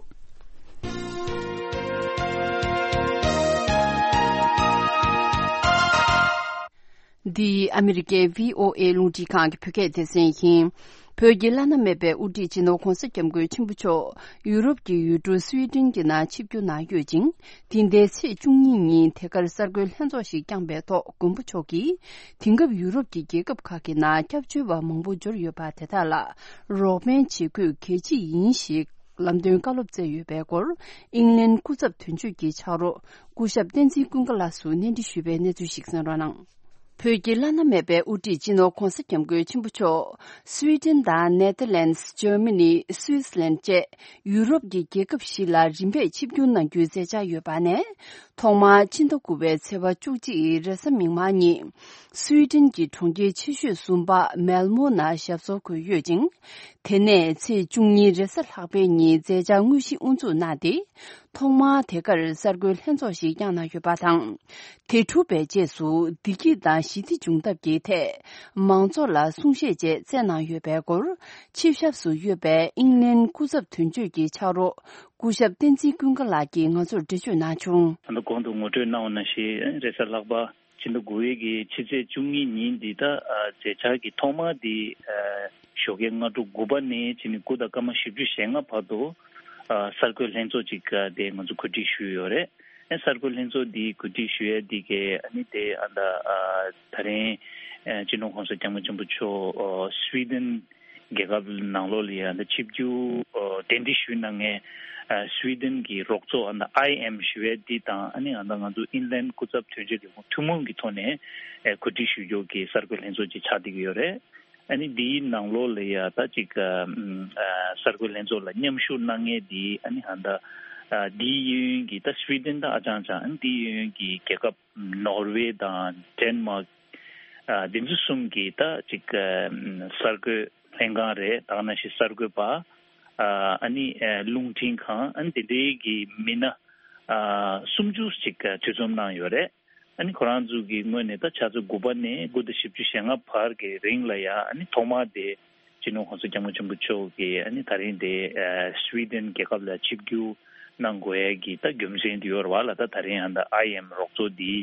འདི་ཨ་མི་རི་ཀའི་བྷི་ཨོ་ཨེ་རླུང་འཕྲིན་ཁང་གི་བོད་སྐད་སྡེ་ཚན་ཡིན། བོད་ཀྱི་བླ་ན་མེད་པའི་དབུ་ཁྲིད་སྤྱི་ནོར་༧གོང་ས་༧སྐྱབས་མགོན་ཆེན་པོ་མཆོག་ཡུ་རོབ་ཀྱི་ཡུལ་གྲུ་སུའི་ཏན་གྱི་ནང་ཆིབས་བསྒྱུར་གནང་ཡོད་ཅིང་། འདི་ཟླའི་ཚེས་བཅུ་གཉིས་ཉིན་དེ་གར་གསར་འགོད་ལྷན་ཚོགས་ཤིག་བསྐྱངས་པའི་ཐོག་མགོན་པོ་མཆོག་གིས། དེང་སྐབས་ཡུ་རོབ་ཀྱི་རྒྱལ་ཁབ་ཁག་གི་ནང་སྐྱབས་བཅོལ་བ་མང་པོ་འབྱོར་ཡོད་པ་དེ་དག་ལ་རོགས་ཕན་བྱེད་དགོས་གལ་ཆེ་ཡིན་ཞེས་ལམ་སྟོན་བཀའ་སློབ་སྩལ་ཡོད་པའི་སྐོར། ཨིང་ལན་སྐུ་ཚབ་དོན་གཅོད་ཀྱི་ཕྱག་རོགས་སྐུ་ཞབས་བསྟན་འཛིན་ཀུན་དགའ་ལགས་སུ་གནས་འདྲི་ཞུས་པའི་གནས་ཚུལ་ཞིག་གསན་རོགས་གནང་། བོད་ཀྱི་བླ་ན་མེད་པའི་དབུ་ཁྲིད་སྤྱི་ནོར་༧གོང་ས་༧སྐྱབས་མགོན་ཆེན་པོ་མཆོག་སུའེ་ཏེན་དང་ནེ་ཐར་ལེན་སི། འཇར་མ་ནི། སུའི་ཙི་ལན་བཅས་ཡུ་རོབ་ཀྱི་རྒྱལ་ཁབ་བཞི་ལ་རིམ་པས་ཆིབས་བསྒྱུར་གནང་རྒྱུའི་མཛད་འཆར་ཡོད་པ་ནས། ཐོག་མར་ཕྱི་ཟླ་དགུ་པའི་ཚེས་པ་བཅུ་གཅིག་རེས་གཟའ་མིག་དམར་ཉིན། སུའེ་ཏེན་གྱི་གྲོང་ཁྱེར་ཆེ་ཤོས་ཟུམ་པ་མེལ་མོ་ནང་ཞབས་སོར་འཁོད་ཡོད་ཅིང་། དེ་ནས་ཚེས་བཅུ་གཉིས་རེས་གཟའ་ལྷག་པའི་ཉིན་མཛད་འཆར་དངོས་གཞི་དབུ་འཛུགས་གནང་སྟེ། ཐོག་མར་དེ་གར་གསར་འགོད་ལྷན་ཚོགས་ཤིག་བསྐྱངས་གནང་ཡོད་པ་དང་། དེ་གྲུབ་པའི་རྗེས་སུ་བདེ་སྐྱིད་དང་ཞི་བདེ་འབྱུང་ཐབས་ཀྱི་ཐད་མང་ཚོགས་ལ་གསུང་བཤད་བཅས་སྩལ་གནང་ཡོད་པའི་སྐོར། ཆིབས་ཞབས་སུ་ཡོད་པའི་ཨིང་ལན་སྐུ་ཚབ་དོན་གཅོད་ཀྱི་ཕྱག་རོགས་སྐུ་ཞབས་བསྟན་འཛིན་ཀུན་དགའ་ལགས་ཀྱིས་ང་ཚོར་འགྲེལ་བརྗོད་གནང་བྱུང་། ད་ལྟ་གོང་དུ་ངོ་སྤྲོད་གནང་བ་ནང་བཞིན་རེས་གཟའ་ལྷག་པ་ཕྱི་ཟླ་དགུ་པའི་གི་ཕྱི་ཚེས་བཅུ་གཉིས་ཉིན་འདི་ད་ཨ་མཛད་འཆར་གྱི་ཐོག་མ་འདི་ཨ་ཞོགས་ཀའི་སྔ་དྲོ་དགུ་པ་ནས་བྱས་ནས་དགུ་དང་སྐར་མ་བཞི་བཅུ་ཞེ་ལྔ་བར་དུ་ཨ་གསར་འགོད་ལྷན་ཚོགས་ཅིག་ཨ་དེ་ང་ཚོ་གོ་སྒྲིག་ཞུས་ཡོད་རེད། ཨ་གསར་འགོད་ལྷན་ཚོགས་འདི་གོ་སྒྲིག་ཞུ་ཡས་འདི་གའི་ཨ་ནི་དེ་ཨ་ད་ཨ་ད་རིང་ཨ་སྤྱི་ནོར་༧གོང་ས་༧སྐྱབས་མགོན་ཆེན་པོ་མཆོག་ཨ་སུའེ་ཏེན་རྒྱལ་ཁབ་ནང་ལོགས་ལ་ཡ་ད་ཆིབས་བསྒྱུར་ཨ་གདན་འདྲེན་ཞུས་གནང་མཁན་ཨ་སུའེ་ཏེན་གྱི་རོགས་ཚོགས་ཨ་ད་ཨའི་ཨེམ་ཞུ་ཡས་འདི་དང་ཨ་ནི་ཨ་ད་ང་ཚོ་ཨིན་ལན་སྐུ་ཚབ་དོན་གཅོད་ལས་ཁུངས་ཐུན་མོང་གི་ཐོག་ནས་ཨ་གོ་སྒྲིག་ཞུ་རྒྱུ་གི་གསར་འགོད་ལྷན་ཚོགས་ཅིག་ཆགས་བསྡད་ཀྱི་ཡོད་རེད། ཨ་ནི་འདིའི་ནང་ལོགས་ལ་ཡ་ད་ཅིག་ཨ་ཨ་གསར་འགོད་ལྷན་ཚོགས་ལ་མཉམ་ཞུགས་གནང་མཁན་འདི་ཨ་ནི་ཨ་ད་ཨ་འདིའི་གཡས་གཡོན་གྱི་ད་སུའེ་ཏེན་ད་ཨ་ཅང་ཅང་ཨ་ནི་འདིའི་གཡས་གཡོན་གྱི་རྒྱལ་ཁབ་ནོར་ཝེ་དང་ཌེན་མཱག་ ཨ་འདི་ཚོ་གསུམ་གྱིས་ད་ཅིག་ཨ་གསར་འགོད་ལྷན་ཁང་རེད། ད་ག་ནང་བཞིན་གསར་འགོད་པ། ཨ་ཨ་ནི་ཨ་རླུང་འཕྲིན་ཁང་། ཨ་ནི་དེ་འདྲའི་གི་མི་སྣ་ཨ་སུམ་ཅུ་ཅིག་ཨ་འདུ་འཛོམས་གནང་ཡོད་རེད། ཨ་ནི་ཁོ་རང་ཚོ་གི་ངོས་ནས་ད་ཆུ་ཚོད་དགུ་པ་ནས་དགུ་དང་བཞི་བཅུ་ཞེ་ལྔ་བར་གྱི་རིང་ལ་ཡ། ཨ་ནི་ཐོག་མར་དེ་སྤྱི་ནོར་༸གོང་ས་༸སྐྱབས་མགོན་ཆེན་པོ་མཆོག་གིས་ཨ་ནི་ད་རིང་དེ་ཨ་སུའི་ཌེན་རྒྱལ་ཁབ་ལ་ཆིབས་བསྒྱུར་གནང་དགོས་ཡ་གི་ད་རྒྱུ་མཚན་དེ་ཡོད་རེད་བ་ལ། ད་ད་རིང་ཨ་ད་ཨའི་ཨེམ་རོགས་ཚོགས་འདི་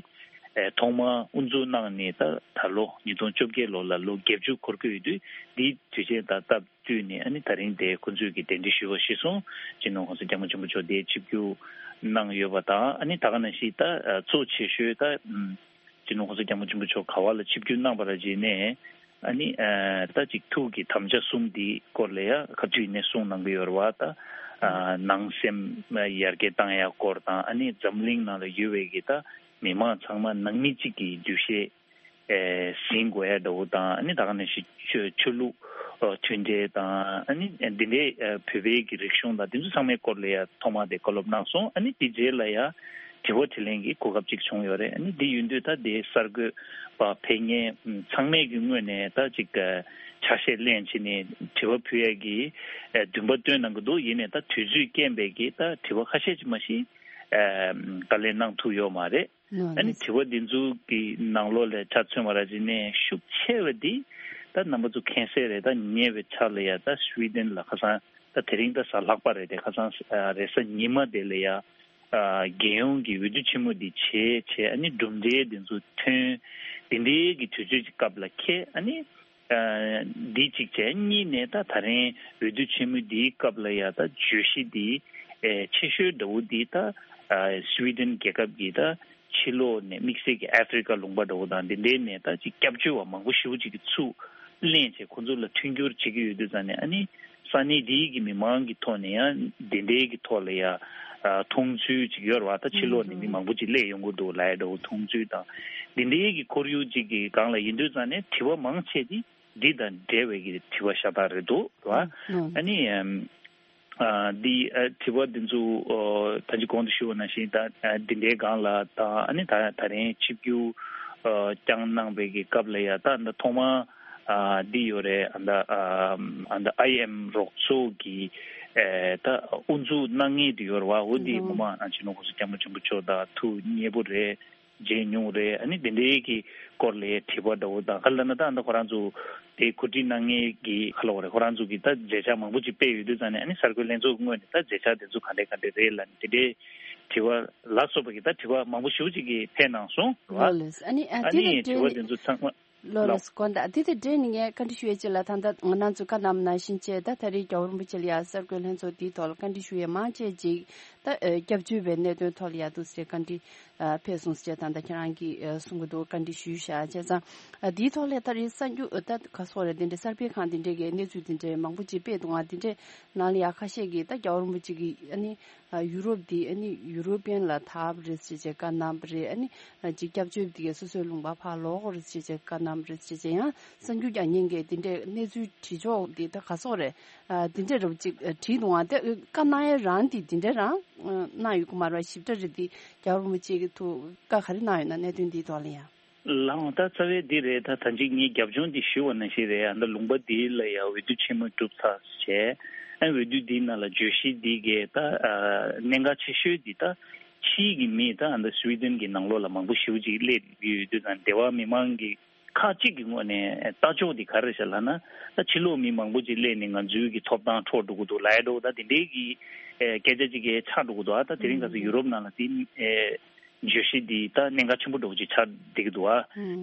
ཨ་ཐོག་མར་དབུ་འཛུགས་གནང་ནས་ད་ད་ལོ་ཉིས་སྟོང་བཅོ་བརྒྱད་ལོ་ལ་ལོ་བརྒྱད་ཅུ་འཁོར་གྱི་ཡོད་དུས། འདིའི་དུས་ཆེན་དང་སྟབས་བསྟུན་ནས་ཨ་ནི་ད་རིང་དེ་ཁོ་ཚོས་ཀྱི་གདན་འདྲེན་ཞུས་པ་གཞིར་བཟུང་། སྤྱི་ནོར་༸གོང་ས་༸སྐྱབས་མགོན་ཆེན་པོ་མཆོག་དེ་ཆིབས་བསྒྱུར་གནང་ཡོད་པ་དང་། ཨ་ནི་ད་ག་ནང་བཞིན་ད་ཨ་གཙོ་ཆེ་ཤོས་ད་ཨམ་སྤྱི་ནོར་༸གོང་ས་༸སྐྱབས་མགོན་ཆེན་པོ་མཆོག་ག་བ་ལ་ཆིབས་བསྒྱུར་གནང་བ་ར་བྱས་ནས། ཨ་ནི་ཨ་ད་ཅིག་ཐུགས་ཀྱི་དམ་བཅའ་གསུམ་འདི་སྐོར་ལ་ཡ་ཁ་བྲིས་ནས་གསུངས་གནང་གི་ཡོད་རེད་བ། ད་ཨ་ནང་སེམས་ཡར་རྒྱས་བཏང་ཡ་སྐོར་དང་། ཨ་ནི་འཛམ་གླིང་ནང་ལ་ཡོད་པའི་གི་ད་མི་མང་ཚང་མ་ནང་མི་གཅིག་གི་འདུ་ཤེས་ཨེ་ཟིན་དགོས་ཡ་འདྲ་བོ་དང་། ཨ་ནི་ད་ག་ནང་བཞིན་ཆོས་ཆོས་ལུགས་ཨ་མཐུན་འབྲེལ་དང་། ཨ་ནི་འདི་འདྲའི་ཨ་བོད་པའི་གི་རིག་གཞུང་དང་དེ་ཚོ་ཚང་མའི་སྐོར་ལ་ཡ་ཐོག་མ་དེ་བཀའ་སློབ་གནང་སོང་། ཨ་ནི་དེ་རྗེས་ལ་ཡ་དྲི་བ་དྲིས་ལན་གྱི་གོ་སྐབས་ཅིག་བྱུང་ཡོད་རེད། ཨ་ནི་འདི་ཡིན་དུས་ད་དེ་གསར་འགོད་པ་ཕེབས་མཁན་ཚང་མས་ཀྱི་ངོས་ནས་ད་ཅིག་ཨ་ཆ་ཤས་ལེན་བྱས་ནས་དྲི་བ་ཕུལ་ཡ་གི་ཨ་འདུན་པ་བཏོན་གནང་གི་འདུག་ཡིན་ནའི་ད་དུས་ཚོད་རྐྱེན་པས་ཀྱི་ད་དྲི་བ་ཁ་ཤས་ཅིག་མ་གཞི་ཨ་བཀའ་ལན་གནང་ཐུབ་ཡོད་མ་རེད། ཨ་ནི་དྲི་བ་འདི་ཚོ་གི་ནང་ལོགས་ལ་ཆ་མཚོན་པ་ར་བྱས་ནས་ཤུགས་ཆེ་བ་འདི་ད་རྣམ་པ་ཚོ་མཁྱེན་གསལ་རེད། ད་ཉེ་བའི་ཆར་ལ་ཡ་ད་སུའི་ཌེན་ལ་ཁ་སང་ད་དེ་རིང་ད་གཟའ་ལྷག་པ་རེད་དེ། ཁ་སང་རེས་གཟའ་ཉི་མ་དེ་ལ་ཡ་རྒྱལ་ཡོངས་ཀྱི་འོས་བསྡུ་ཆེན་མོ་འདི་བྱས་བྱས། ཨ་ནི་གྲུབ་འབྲས་འདི་ཚོ་ཐོན། འདི་འདྲའི་གི་དུས་ཚོད་ཀྱི་སྐབས་ལ་ཁེལ། ཨ་ནི་འདི་གཅིག་བྱས། གཉིས་ནས་ད་ད་རིང་འོས་བསྡུ་ཆེན་མོ་འདིའི་སྐབས་ལ་ཡ་ད་བརྗོད་གཞི་འདི་ཨེ་ཆེ་ཤོས་འདྲ་བོ་འདི་ད་ཨ་སུའི་ཌེན་རྒྱལ་ཁབ་ཀྱི་ད་ཕྱི་ལོགས་ནས་དམིགས་བསལ་གྱི་ཨ་ཧྥི་རི་ཀ་ལུང་པ་འདྲ་བོ་དང་འདི་འདྲའི་ནས་ད་ཅིག་སྐྱབས་བཅོལ་བ་མང་པོ་ཞེ་པོ་ཅིག་གི་ཚུར་ལེན་བྱས་ཁོ་ཚོ་ལ་མཐུན་འགྱུར་བྱེད་ཀྱི་ཡོད་དུས་ཙང་ནས། ཨ་ནི་ས་གནས་འདིའི་གི་མི་མང་གི་ཐོག་ནས་ཡང་འདི་འདྲའི་གི་ཐོག་ལ་ཡ་ཨ་མཐོང་ཚུལ་ཅིག་ཡོད་རེད་བ། ད་ཕྱི་ལོགས་ནས་མི་མང་པོ་ཅིག་སླེབས་ཡོང་གི་འདུག་ལབ་ཡ་འདྲ་བོ་མཐོང་ཚུལ་དང་། འདི་འདྲའི་གི་ཁོར་ཡུག་ཅིག་གི་སྒང་ལ་ཡིན་དུས་ཙང་ནས་དྲི་བ་མང་ཆེ་འདི་འདི་དང་འབྲེལ་བའི་གི་དྲི་བ་ཤ་སྟག་རེད་འདུག་ར། ཨ་ནི་ཨམ་ཨ་འདི་ཨ་དྲི་བ་འདི་ཚོ་ཨ་ད་ཅི་གོང་དུ་ཞུས་པ་ནང་བཞིན་ད་ཨ་འདི་འདྲའི་སྒང་ལ་དང་། ཨ་ནི་ད་ད་རིང་ཆིབས་བསྒྱུར་ཨ་བསྐྱངས་གནང་བའི་གི་སྐབས་ལ་ཡ་ད་ད་ཐོག་མ་ཨ་འདི་ཡོད་རེད། ཨ་ད་ཨ་ཨ་ད་ཨའི་ཨེམ་རོགས་ཚོགས་ཀྱི་ཨེ་ད་དབུ་འཛུགས་གནང་མཁན་དེ་ཡོད་རེད་བ། འོ་འདི་ངོ་མ་ཨ་སྤྱི་ནོར་༸གོང་ས་༸སྐྱབས་མགོན་ཆེན་པོ་མཆོག་དང་ཐུགས་མཉེས་པོ་རེད། མཇལ་མྱོང་རེད། ཨ་ནི་དེ་འདྲའི་གི་སྐོར་ལ་དྲི་བ་འདྲ་བོ་དང་། ག་ལ་ན་ད་ཨ་ད་ཁོ་རང་ཚོ་དེ་གོ་སྒྲིག་གནང་མཁན་གྱི་ག་ལ་བ་རེད། ཁོ་རང་ཚོ་གི་ད་མཛད་འཆར་མང་པོ་ཅིག་སྤེལ་ཡོད་དུས་ཙང་ནས། ཨ་ནི་གསར་འགོད་ལྷན་ཚོགས་ཀྱི་ངོས་ནས་ད་མཛད་འཆར་དེ་ཚོ་ག་འདྲ་ག་འདྲ་རེད་ལབ་ནས་དེ་འདྲའི་དྲི་བ་ལ་སོགས་པ་གི་ད་དྲི་བ་མང་པོ་ཞེ་པོ་ཅིག་གི་ཕེབས་གནང་སོང་རེད་བ། ལགས་ལགས། ཨ་ནི་ཨ་ཨ་དེ་ནི་དང་དྲི་བ་འབྲེལ་དེ་ཚོ་ཚང་མ། ལགས་ལགས། དགོངས་དག། དེ་དང་འབྲེལ་ནས་ངས་བཀའ་འདྲི་ཞུ་ཡས་ཅིག་ལ། ད་ལྟ་ང་རང་ཚོས་བཀའ་གནང་བ་ནང་བཞིན་བྱས། ད་ད་རེས་རྒྱལ་བ་རིན་པོ་ཆེ་ལ་ཡ་གསར་འགོད་ལྷན་ཚོགས་འདིའི་ཐོག་ལ་བཀའ་འདྲི་ཞུ་ཡས་མང་ཆེ་ཅིག་ད་ཨ་སྐྱབས་བཅོལ་བའི་གནད་དོན་ཐོག་ལ་ཡ་འདུག་ཟེར་བཀའ་འདྲི་ཨ་ཕེབས་སོང་ཟེར་བྱས་ད་ལྟ་ཁྱེད་རང་གིས་ཨ་གསུང་གི་འདུག། བཀའ་འདྲི་ཞུས་བཞག་བྱས་ཙང་། ཨ་འདིའི་ཐོག་ལ་ད་རེས་གསར་འགྱུར་ཨ་ད་ག་སོགས་རེད། དེ་འདྲའི་གསར་སྤེལ་ཁང་དེ་འདྲས་ཀྱི་གནས་ཚུལ་དེ་འདྲས་མང་པོ་ཅིག་སྤེལ་འདུག། ང་དེ་འདྲས་ནང་ལ་ཡ་ཁ་ཤས་ཀྱིས་ད་རྒྱལ་བ་རིན་པོ་ཆེ་གིས་ཨ་ནི་ཨ་ཡུ་རོབ་འདི་ཨ་ནི་ཡུ་རོ་པི་ཡན་ལ་ཐར་བ་རེད་ཟེར་བྱས་བཀའ་གནང་བ་རེད། ཨ་ནི་ཨ་ཅིག་སྐྱབས་བཅོལ་བ་འདི་གས་སོ་སོའི་ལུང་པ་ཕར་ལོག་དགོས་རེད་ཟེར་བྱས་བཀའ་གནང་བ་རེད་ཟེར་བྱས། ཡང་གསར་འགྱུར་རྒྱག་མཁན་གྱིས་འདི་འདྲའི་གནས་ཚུལ་བྲིས་ཕྱོགས་འདི་ད་ག་སོགས་རེད། ཨ་འདི་འདྲ་རབ་ཅིག་ཨ་བྲིས་འདུག་ཨང་། དེ་བཀའ་གནང་ཡ་རང་འདི་འདི་འདྲ་རང་ཨ་གནང་ཡོད་ཀྱི་མ་རེད་བ། ཞིབ་ཕྲ་རེད། འདི་རྒྱལ་བ་རིན་པོ་ཆེ་གི་ཐུགས་བཀའ་ག་རེ་གནང་ཡོད་ན་གནད་དོན་འདིའི་ཐོག་ལ་ཡང་། ལགས་འོང་། ད་རྩ་བའི་འདི་རེད། ད་ད་ཅིག་ངས་རྒྱབ་ལྗོངས་འདི་ཞུས་པ་ནང་བཞིན་རེད། ཨ་ད་ལུང་པ་འདི་ལ་ཡང་འོས་བསྡུ་ཆེན་མོ་གྲུབ་ཚར་བྱས། ཨ་འོས་བསྡུ་འདིའི་ནང་ལ་བརྗོད་གཞི་འདི་གས་ད་ཨ་གནད་འགག་ཆེ་ཤོས་འདི་ད་ཕྱིའི་གི་མི་ད་ཨ་ད་སུའི་ཌེན་གྱི་ནང་ལོགས་ལ་མང་པོ་ཞེ་པོ་ཅིག་སླེབས་ཡོད་དུས་ཙང་། སྡེ་བ་མི་མང་གི་ཁག་ཅིག་གི་ངོས་ནས་ལྟ་ཕྱོགས་འདི་ག་རེ་རེད་ཤག་ལབ་ན། ད་ཕྱི་ལོགས་མི་མང་པོ་ཅིག་སླེབས་ནས་ང་ཚོའི་གི་ཐོབ་ཐང་འཕྲོག་འགྲོ་གི་འདུག་ལབ་ཡ་འདྲ་བོ་ད་དེ་འདྲའི་གི་ཨེ་སྐད་ཆ་ཅིག་གི་ཆགས་འགྲོ་གི་འདུག། ཨ་ད་དེ་རིང་ཁ་སང་ཡུ་རོབ་ནང་ལ་དེ་ཨེ་བརྗོད་གཞི་འདི་ད་གནད་འགག་ཆེན་པོ་འདྲ་བོ་ཅིག་ཆགས་བསྡད་ཀྱི་འདུག། ཨ་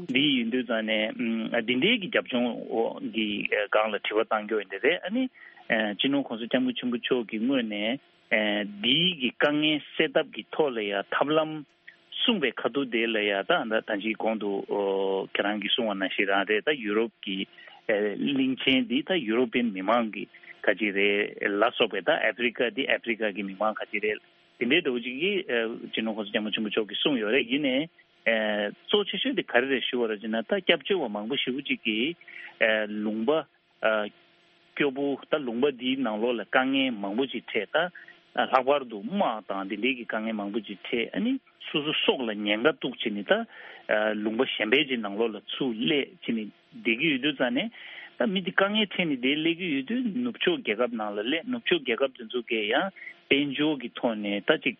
འདི་ཡིན་དུས་ཙང་ནས་ཨ་འདི་འདྲའི་གི་རྒྱབ་ལྗོངས་འོག་གི་ཨེ་སྒང་ལ་དྲི་བ་བཏང་རྒྱུ་ཡིན་དེ་རེད། ཨ་ནི་ཨེ་སྤྱི་ནོར་༸གོང་ས་༸སྐྱབས་མགོན་ཆེན་པོ་མཆོག་གི་ངོས་ནས་ཨེ་འདིའི་གི་དཀའ་ངལ་སེལ་ཐབས་ཀྱི་ཐོག་ལ་ཡ་ཐབས་ལམ་གསུངས་པའི་ཁ་ཐུག་དེ་ལ་ཡ་ད་ད་ད་ཅིག་གོང་དུ་ཨོ་ཁྱེད་རང་གིས་གསུངས་པ་ནང་བཞིན་རང་རེད། ད་ཡུ་རོབ་ཀྱི་ཨེ་གླིང་ཆེན་འདི་ད་ཡུ་རོ་པི་ཡན་མི་མང་གི་ག་ཅིག་རེད་ལ་སོགས་པའི། ད་ཨ་ཧྥི་རི་ཀ་འདི་ཨ་ཧྥི་རི་ཀ་གི་མི་མང་ག་ཅིག་རེད། དེ་འདྲའི་འདྲ་བོ་ཅིག་གིས་ཨེ་སྤྱི་ནོར་༸གོང་ས་༸སྐྱབས་མགོན་ཆེན་པོ་མཆོག་གིས་གསུངས་ཡོད་རེད། ཡིན་ནའི་ཨེ་གཙོ་ཆེ་ཤོས་དེ་ག་རེ་རེད་ཞུ་བ་རེད་ཅེ་ན། ད་སྐྱབས་བཅོལ་བ་མང་པོ་ཞེ་པོ་ཅིག་གིས་ཨེ་ལུང་པ་ཨ་སྐྱོ་པོ། ད་ལུང་པ་འདིའི་ནང་ལོགས་ལ་དཀའ་ངལ་མང་པོ་ཅིག་འཕྲད། ད་ ལྷག་པར་དུ་དམག་དང་དེ་འདྲའི་གི་དཀའ་ངལ་མང་པོ་ཅིག་འཕྲད། ཨ་ནི་སོ་སོ་སྲོག་ལ་ཉེན་ཁ་གཏུགས་བྱས་ནས་ད་ལུང་པ་གཞན་པའི་ཅིག་ནང་ལོགས་ལ་ཚུར་སླེབས་བྱས་ནས་བསྡད་ཀྱི་ཡོད་དུས་ཙང་ནས། ད་མི་དེ་དཀའ་ངལ་འཕྲད་ནས་དེ་སླེབས་ཀྱི་ཡོད་དུས་ནུབ་ཕྱོགས་རྒྱལ་ཁབ་ནང་ལ་སླེབས། ནུབ་ཕྱོགས་རྒྱལ་ཁབ་དེ་ཚོ་གས་ཡང་དཔལ་འབྱོར་གྱི་ཐོག་ནས་ད་ཅིག་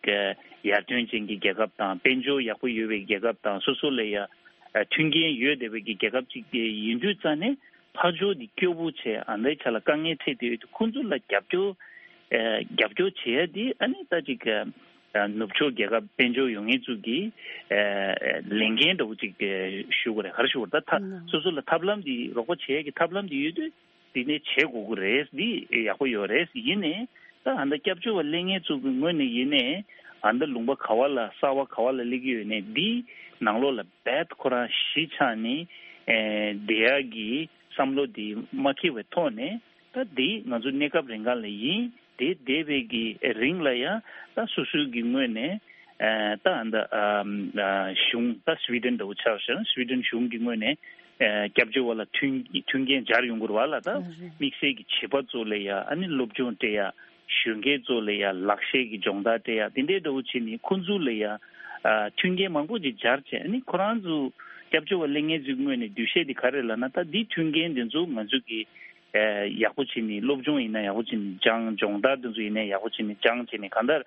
ཡར་ཐོན་ཅན་གྱི་རྒྱལ་ཁབ་དང་དཔལ་འབྱོར་ཡག་པོ་ཡོད་པའི་རྒྱལ་ཁབ་དང་སོ་སོ་ལ་ཡང་མཐུན་རྐྱེན་ཡོད་བསྡད་པའི་གི་རྒྱལ་ཁབ་ཅིག་ཡིན་དུས་ཙང་ནས། ཕར་ཕྱོགས་འདི་སྐྱོ་པོ་བྱས། ཨ་འདྲའི་ཆ་ལ་དཀའ་ངལ་འཕྲད་དེ་ཡོད་དུས་ཁོང་ཚོ་ལ་རྒྱབ་སྐྱོར་ཨ་རྒྱབ་སྐྱོར་བྱེད་ཡ་འདི་ཨ་ནི་ད་ཅིག་ཨ་ནུབ་ཕྱོགས་རྒྱལ་ཁབ་དཔལ་འབྱོར་ཡོད་མཁན་ཚོ་གི་ཨ་ལས་འགན་འདྲ་བོ་ཅིག་ཞུ་དགོས་རེད། ག་རེ་ཞུ་དགོས་རེད། ད་ད་སོ་སོ་ལ་ཐབས་ལམ་འདི་རོགས་པ་བྱེད་ཡ་གི་ཐབས་ལམ་འདི་ཡོད་དུས་འདི་ནས་བྱེད་དགོས་ཀྱི་རེད། འདི་ཡག་པོ་ཡོད་རེད། ཡིན་ནའི་ད་ཨ་འདྲ་སྐྱབས་བཅོལ་བ་སླེབས་མཁན་ཚོ་གི་ངོས་ནས་ཡིན་ནའི་ཨ་འདྲ་ལུང་པ་ག་བ་ལ་གསར་བ་ག་བ་ལ་སླེབས་ཀྱི་ཡོད་ནའི་འདི་ནང་ལོགས་ལ་རྦད་ཁོ་རང་གཞིས་ཆགས་ནས་ཨེ་བསྡད་ཡག་གི་བསམ་བློ་འདི་མ་འཁྱེར་བའི་ཐོག་ནས། ད་འདི་ང་ཚོ་གནས་སྐབས་རིང་ག་ལ་ཡིན། དེ་བསྡད་པའི་གི་རིང་ལ་ཡང་ད་སོ་སོའི་གི་ངོས་ནས་ཨ་ད་ཨ་ད་ཨ་ཨ་གཞུང་ད་སི་ཝི་ཌེན་འདྲ་བོ་ཆ་བཞག་ན་སི་ཝི་ཌེན་གཞུང་གི་ངོས་ནས་ཨ་སྐྱབས་བཅོལ་བ་ལ་མཐུན་མཐུན་རྐྱེན་སྦྱར་ཡོང་གི་རེད་བ་ལ། ད་དམིགས་བསལ་གྱི་བྱིས་པ་ཚོ་ལ་ཡང་ཨ་ནི་སློབ་སྦྱོང་སྤྲད་ཡ། གཞོན་སྐྱེས་ཚོ་ལ་ཡང་ལག་ཤེས་ཀྱི་སྦྱོང་བརྡར་སྤྲད་ཡ། དེ་འདྲའི་འདྲ་བོ་བྱས་ནས་ཁོང་ཚོ་ལ་ཡང་ཨ་མཐུན་རྐྱེན་མང་པོ་ཅིག་སྦྱར་བྱས། ཨ་ནི་ཁོ་རང་ཚོ་སྐྱབས་བཅོལ་བ་སླེབས་མཁན་ཚོའི་ངོས་ནས་འདུ་ཤེས་དེ་ག་རེ་ལབ་ན། ད་འདི་མཐུན་རྐྱེན་དེ་ཚོ་ང་ཚོ་གི་ཨ་ཡག་པོ་བྱས་ནས་སློབ་སྦྱོང་ཡིན་ན་ཡག་པོ་བྱས་ནས་སྦྱང་། སྦྱོང་བརྡར་དེ་ཚོ་ཡིན་ན་ཡག་པོ་བྱས་ནས་སྦྱང་བྱས་ནས། གང་ལྟར་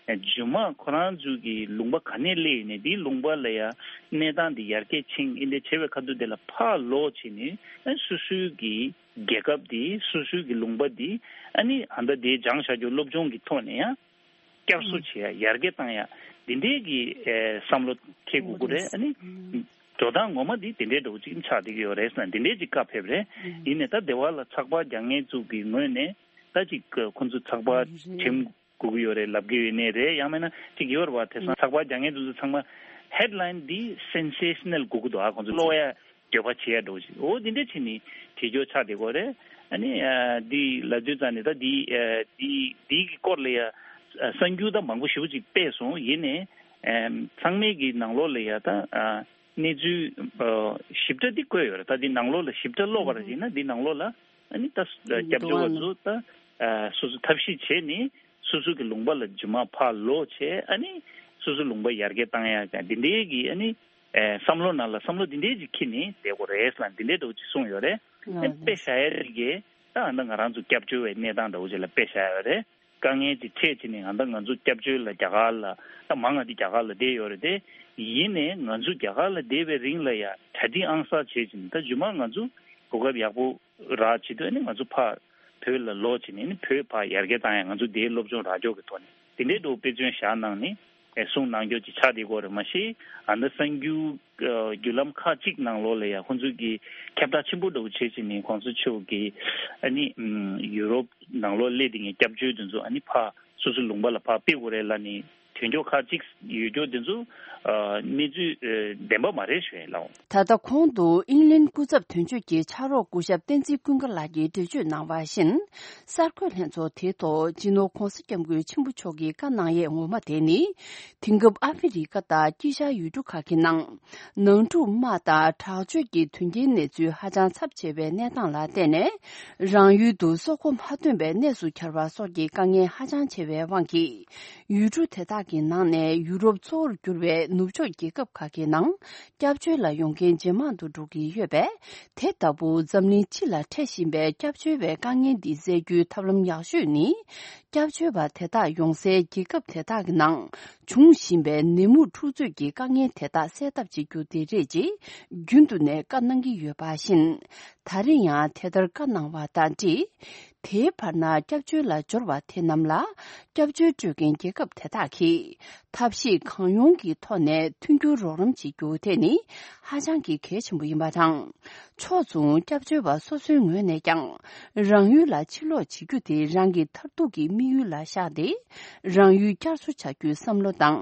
རྗེས་མ་ཁོ་རང་ཚོ་གི་ལུང་པ་ག་ནས་སླེབས་ཡིན་ནའི་དེའི་ལུང་པ་ལ་ཡང་གནས་སྟངས་དེ་ཡར་རྒྱས་ཕྱིན་ཨིན་དེ་བྱས་པའི་ཁ་ཐུག་དེ་ལ་ཕར་ལོག་བྱས་ནས་ཨ་སོ་སོའི་གི་རྒྱལ་ཁབ་དེ། སོ་སོའི་གི་ལུང་པ་དེ་ཨ་ནི་ཨ་ད་དེ་སྦྱངས་བཞག་རྒྱུ་སློབ་སྦྱོང་གི་ཐོག་ནས་ཡང་བསྐྱར་གསོ་བྱེད་ཡ། ཡར་རྒྱས་བཏང་ཡ། འདི་འདྲའི་གི་ཨེ་བསམ་བློ་འཁྱེར་དགོས་ཀྱི་རེད། ཨ་ནི་འགྲོ་སྟངས་ངོ་མ་འདི་དེ་འདྲའི་འདྲ་བོ་ཅིག་ཆགས་བསྡད་ཀྱི་ཡོད་རེད་ཟེར་ན་འདི་འདྲའི་ཅིག་བཀའ་ཕེབས་རེད། ཡིན་ནའི་ད་སྡེ་བ་ལ་ཚགས་པར་རྒྱག་མཁན་ཚོ་གི་ངོས་ནས་ད་ཅིག་ཁོ་ཚོ་ཚགས་པར་འགྲེམས་དགོས་ཀྱི་ཡོད་རེད་ལབ་ཀྱི་ཡོད་ནའི་རེད། ཡང་མིན་ན་ཅིག་ཡོད་རེད་བ། དེང་སང་ཚགས་པར་རྒྱག་མཁན་དེ་ཚོ་ཚང་མ་ཧེཌ་ལའིན་འདི་སེན་སེ་ཤ་ནལ་དགོས་ཀྱི་འདུག་ཨ་ཁོང་ཚོ་ཀློག་ཡ་འགྱོད་པ་བྱེད་ཡ་འདྲ་བོ་ཞིག་འོ་འདི་འདྲ་བྱས་ནས་བྲིས་རྒྱུ་ཆགས་བསྡད་ཀྱི་ཡོད་རེད། ཨ་ནི་ཨ་འདི་ལབ་དུས་ཙང་ནས་ད་འདི་ཨ་འདི་འདི་གི་སྐོར་ལ་ཡ་ཨ་གསར་འགྱུར་ད་མང་པོ་ཞེ་པོ་ཅིག་སྤེལ་སོང་། ཡིན་ནའི་ཨ་ཚང་མའི་གི་ནང་ལོགས་ལ་ཡ་ད་ཨ་གནས་ཚུལ་ཨ་ཞིབ་ཕྲ་འདི་བཀོད་ཡོད་རེད། ད་འདི་ནང་ལོགས་ལ་ཞིབ་ཕྲ་ཀློག་པ་རེད་ཡིན་ན་འདི་ནང་ལོགས་ལ་ཨ་ནི་ད་སྐྱབས་བཅོལ་བ་ཚོ་ད་ཨ་སོ་སོ་ཐབས་ཤེས་བྱས་ནས་སོ་སོ་གི་ལུང་པ་ལ་རྗེས་མ་ཕར་ལོག་བྱས། ཨ་ནི་སོ་སོ་ལུང་པ་ཡར་རྒྱས་བཏང་ཡ་ག་འདི་འདྲའི་གི་ཨ་ནི་ཨེ་བསམ་བློ་ནང་ལ་བསམ་བློ་འདི་འདྲའི་ཅིག་འཁྱེར་ནས་བསྡད་དགོས་རེད་ལབ་འདི་འདྲའི་འདྲ་བོ་ཅིག་གསུངས་ཡོད་རེད། ཨ་ནི་དཔེ་བཞག་ཡ་ཅིག་གིས་ད་ཨ་ད་ང་རང་ཚོ་སྐྱབས་བཅོལ་བའི་གནས་སྟངས་འདྲ་བོ་ཅིག་ལ་དཔེ་བཞག་ཡོད་རེད། དཀའ་ངལ་ཅིག་འཕྲད་བྱས་ནས་ཨ་ད་ང་ཚོ་སྐྱབས་བཅོལ་ལ་རྒྱ་གར་ལ་ད་མང་ང་འདི་རྒྱ་གར་ལ་བསྡད་ཡོད་རེད་དེ། ཡིན་ནའི་ང་ཚོ་རྒྱ་གར་ལ་བསྡད་པའི་རིང་ལ་ཡ་གྲ་སྒྲིག་ཨང་གསར་བྱས་བྱས་ནས་ད་རྗེས་མ་ང་ཚོ་གོ་སྐབས་ཡག་པོ་རག་བྱེད་དུས་ཨ་ནི་ང་ཚོ་ཕར་བོད་ལ་ལོག་བྱས་ནས་ཨ་ནི་བོད་ཕར་ཡར་རྒྱས་བཏང་ཡ། ང་ཚོ་འདིའི་སློབ་སྦྱོང་རག་རྒྱུ་གི་ཐོག་ནས་དེ་འདྲའི་འདྲ་བོ་དཔེ་མཚོན་བཞག་གནང་ནས་ཨེ་གསུང་གནང་རྒྱུ་ཅིག་ཆགས་བསྡད་ཀྱི་ཡོད་རེད། མ་གཞི་ཨ་ད་གསར་འགྱུར་ཨ་བརྒྱུད་ལམ་ཁག་ཅིག་ནང་ལོགས་ལ་ཡ་ཁོང་ཚོས་ཀྱི་ཁྱབ་བསྒྲགས་ཆེན་པོ་འདྲ་བོ་བྱེད་བྱས་ནས་གོང་ས་མཆོག་གིས་ཨ་ནི་ཨམ་ཡུ་རོབ་ནང་ལོགས་སླེབས་བསྡད་མཁན་སྐྱབས་བཅོལ་དེ་ཚོ་ཨ་ནི་ཕར་སོ་སོའི་ལུང་པ་ལ་ཕར་ཕེབས་དགོས་རེད་ལབ་ནས་དོན་འཁྱོལ་ཁག་ཅིག་ཡོད་རྒྱུ་དེ་ཚོ་ཨ་གནས་ཚུལ་ཨ་བདེན་པ་མ་རེད་ཞུ་ཡ་ལགས། ད་ལྟ་གོང་དུ་ཨིང་ལན་སྐུ་ཚབ་དོན་གཅོད་ཀྱི་ཕྱག་རོགས་སྐུ་ཞབས་བསྟན་འཛིན་ཀུན་དགའ་ལགས་ཀྱིས་འགྲེལ་བརྗོད་གནང་བ་བཞིན། གསར་འགོད་ལྷན་ཚོགས་དེའི་ཐོག་སྤྱི་ནོར་༧གོང་ས་༧སྐྱབས་མགོན་ཆེན་པོ་མཆོག་གིས་བཀའ་གནང་ཡས་ངོ་མ་དེ་ནི། དེང་སྐབས་ཨ་ཧྥེ་རི་ཁ་དང་དཀྱིལ་ཤར་ཡུལ་གྲུ་ཁག་གི་ནང་། ནང་འཁྲུག་དམག་དང་དྲག་སྤྱོད་ཀྱི་དོན་རྐྱེན་གནས་ཚུལ་ཧ་ཅང་ཚབས་ཆེ་བའི་གནས་སྟངས་ལ་བརྟེན་ནས། རང་ཡུལ་དུ་སྲོག་མགོ་མ་ཐོན་པའི་གནས་སུ་གྱར་བ་སོགས་ཀྱི་དཀའ་ངལ་ཧ་ཅང་ཆེ་བའི་དབང་གིས། ཡུལ་གྲུ་དེ་དག་གི་ནང་ནས་ཡུ་རོབ་གཙོ་བོར་གྱུར་བའི་ནུབ་ཕྱོགས་རྒྱལ་ཁབ་ཁག་གི་ནང་སྐྱབས་བཅོལ་ལ་ཡོང་མཁན་ཇེ་མང་དུ་འགྲོ་གི་ཡོད་པས། དེ་ལྟ་བུ་འཛམ་གླིང་སྤྱི་ལ་འཕྲད་བཞིན་པའི་སྐྱབས་བཅོལ་བའི་དཀའ་ངལ་འདི་སེལ་རྒྱུའི་ཐབས་ལམ་ཡག་ཤོས་ནི། སྐྱབས་བཅོལ་བ་དེ་དག་ཡོང་སའི་རྒྱལ་ཁབ་དེ་དག་གི་ནང་འབྱུང་བཞིན་པའི་ནད་མུག་འཁྲུག་རྩོད་ཀྱི་དཀའ་ངལ་དེ་དག་སེལ་ཐབས་བྱེད་རྒྱུ་དེ་རེད་ཅེས་རྒྱུན་དུ་ནས་བཀའ་གནང་གི་ཡོད་པ་བཞིན། ད་རེས་ཡང་དེ་ལྟར་བཀའ་གནང་བ་དང་འབྲེལ། དེའི་བར་ན་སྐྱབས་བཅོལ་ལ་འབྱོར་བ་དེ་རྣམས་ལ་སྐྱབས་བཅོལ་སྤྲོད་མཁན་རྒྱལ་ཁབ་དེ་དག་གིས་ཐབས་ཤེས་གང་ཡོང་གི་ཐོག་ནས་མཐུན་འགྱུར་རོགས་རམ་བྱེད་རྒྱུ་དེ་ནི་ཧ་ཅང་གི་གལ་ཆེན་པོ་ཡིན་པ་དང་། ཕྱོགས་མཚུངས་སྐྱབས་བཅོལ་བ་སོ་སོའི་ངོས་ནས་ཀྱང་རང་ཡུལ་ལ་ཕྱིར་ལོག་བྱེད་རྒྱུ་དེ་རང་གི་མཐར་ཐུག་གི་དམིགས་ཡུལ་ལ་བཞག་སྟེ། རང་ཡུལ་བསྐྱར་གསོ་བྱ་རྒྱུའི་བསམ་བློ་དང་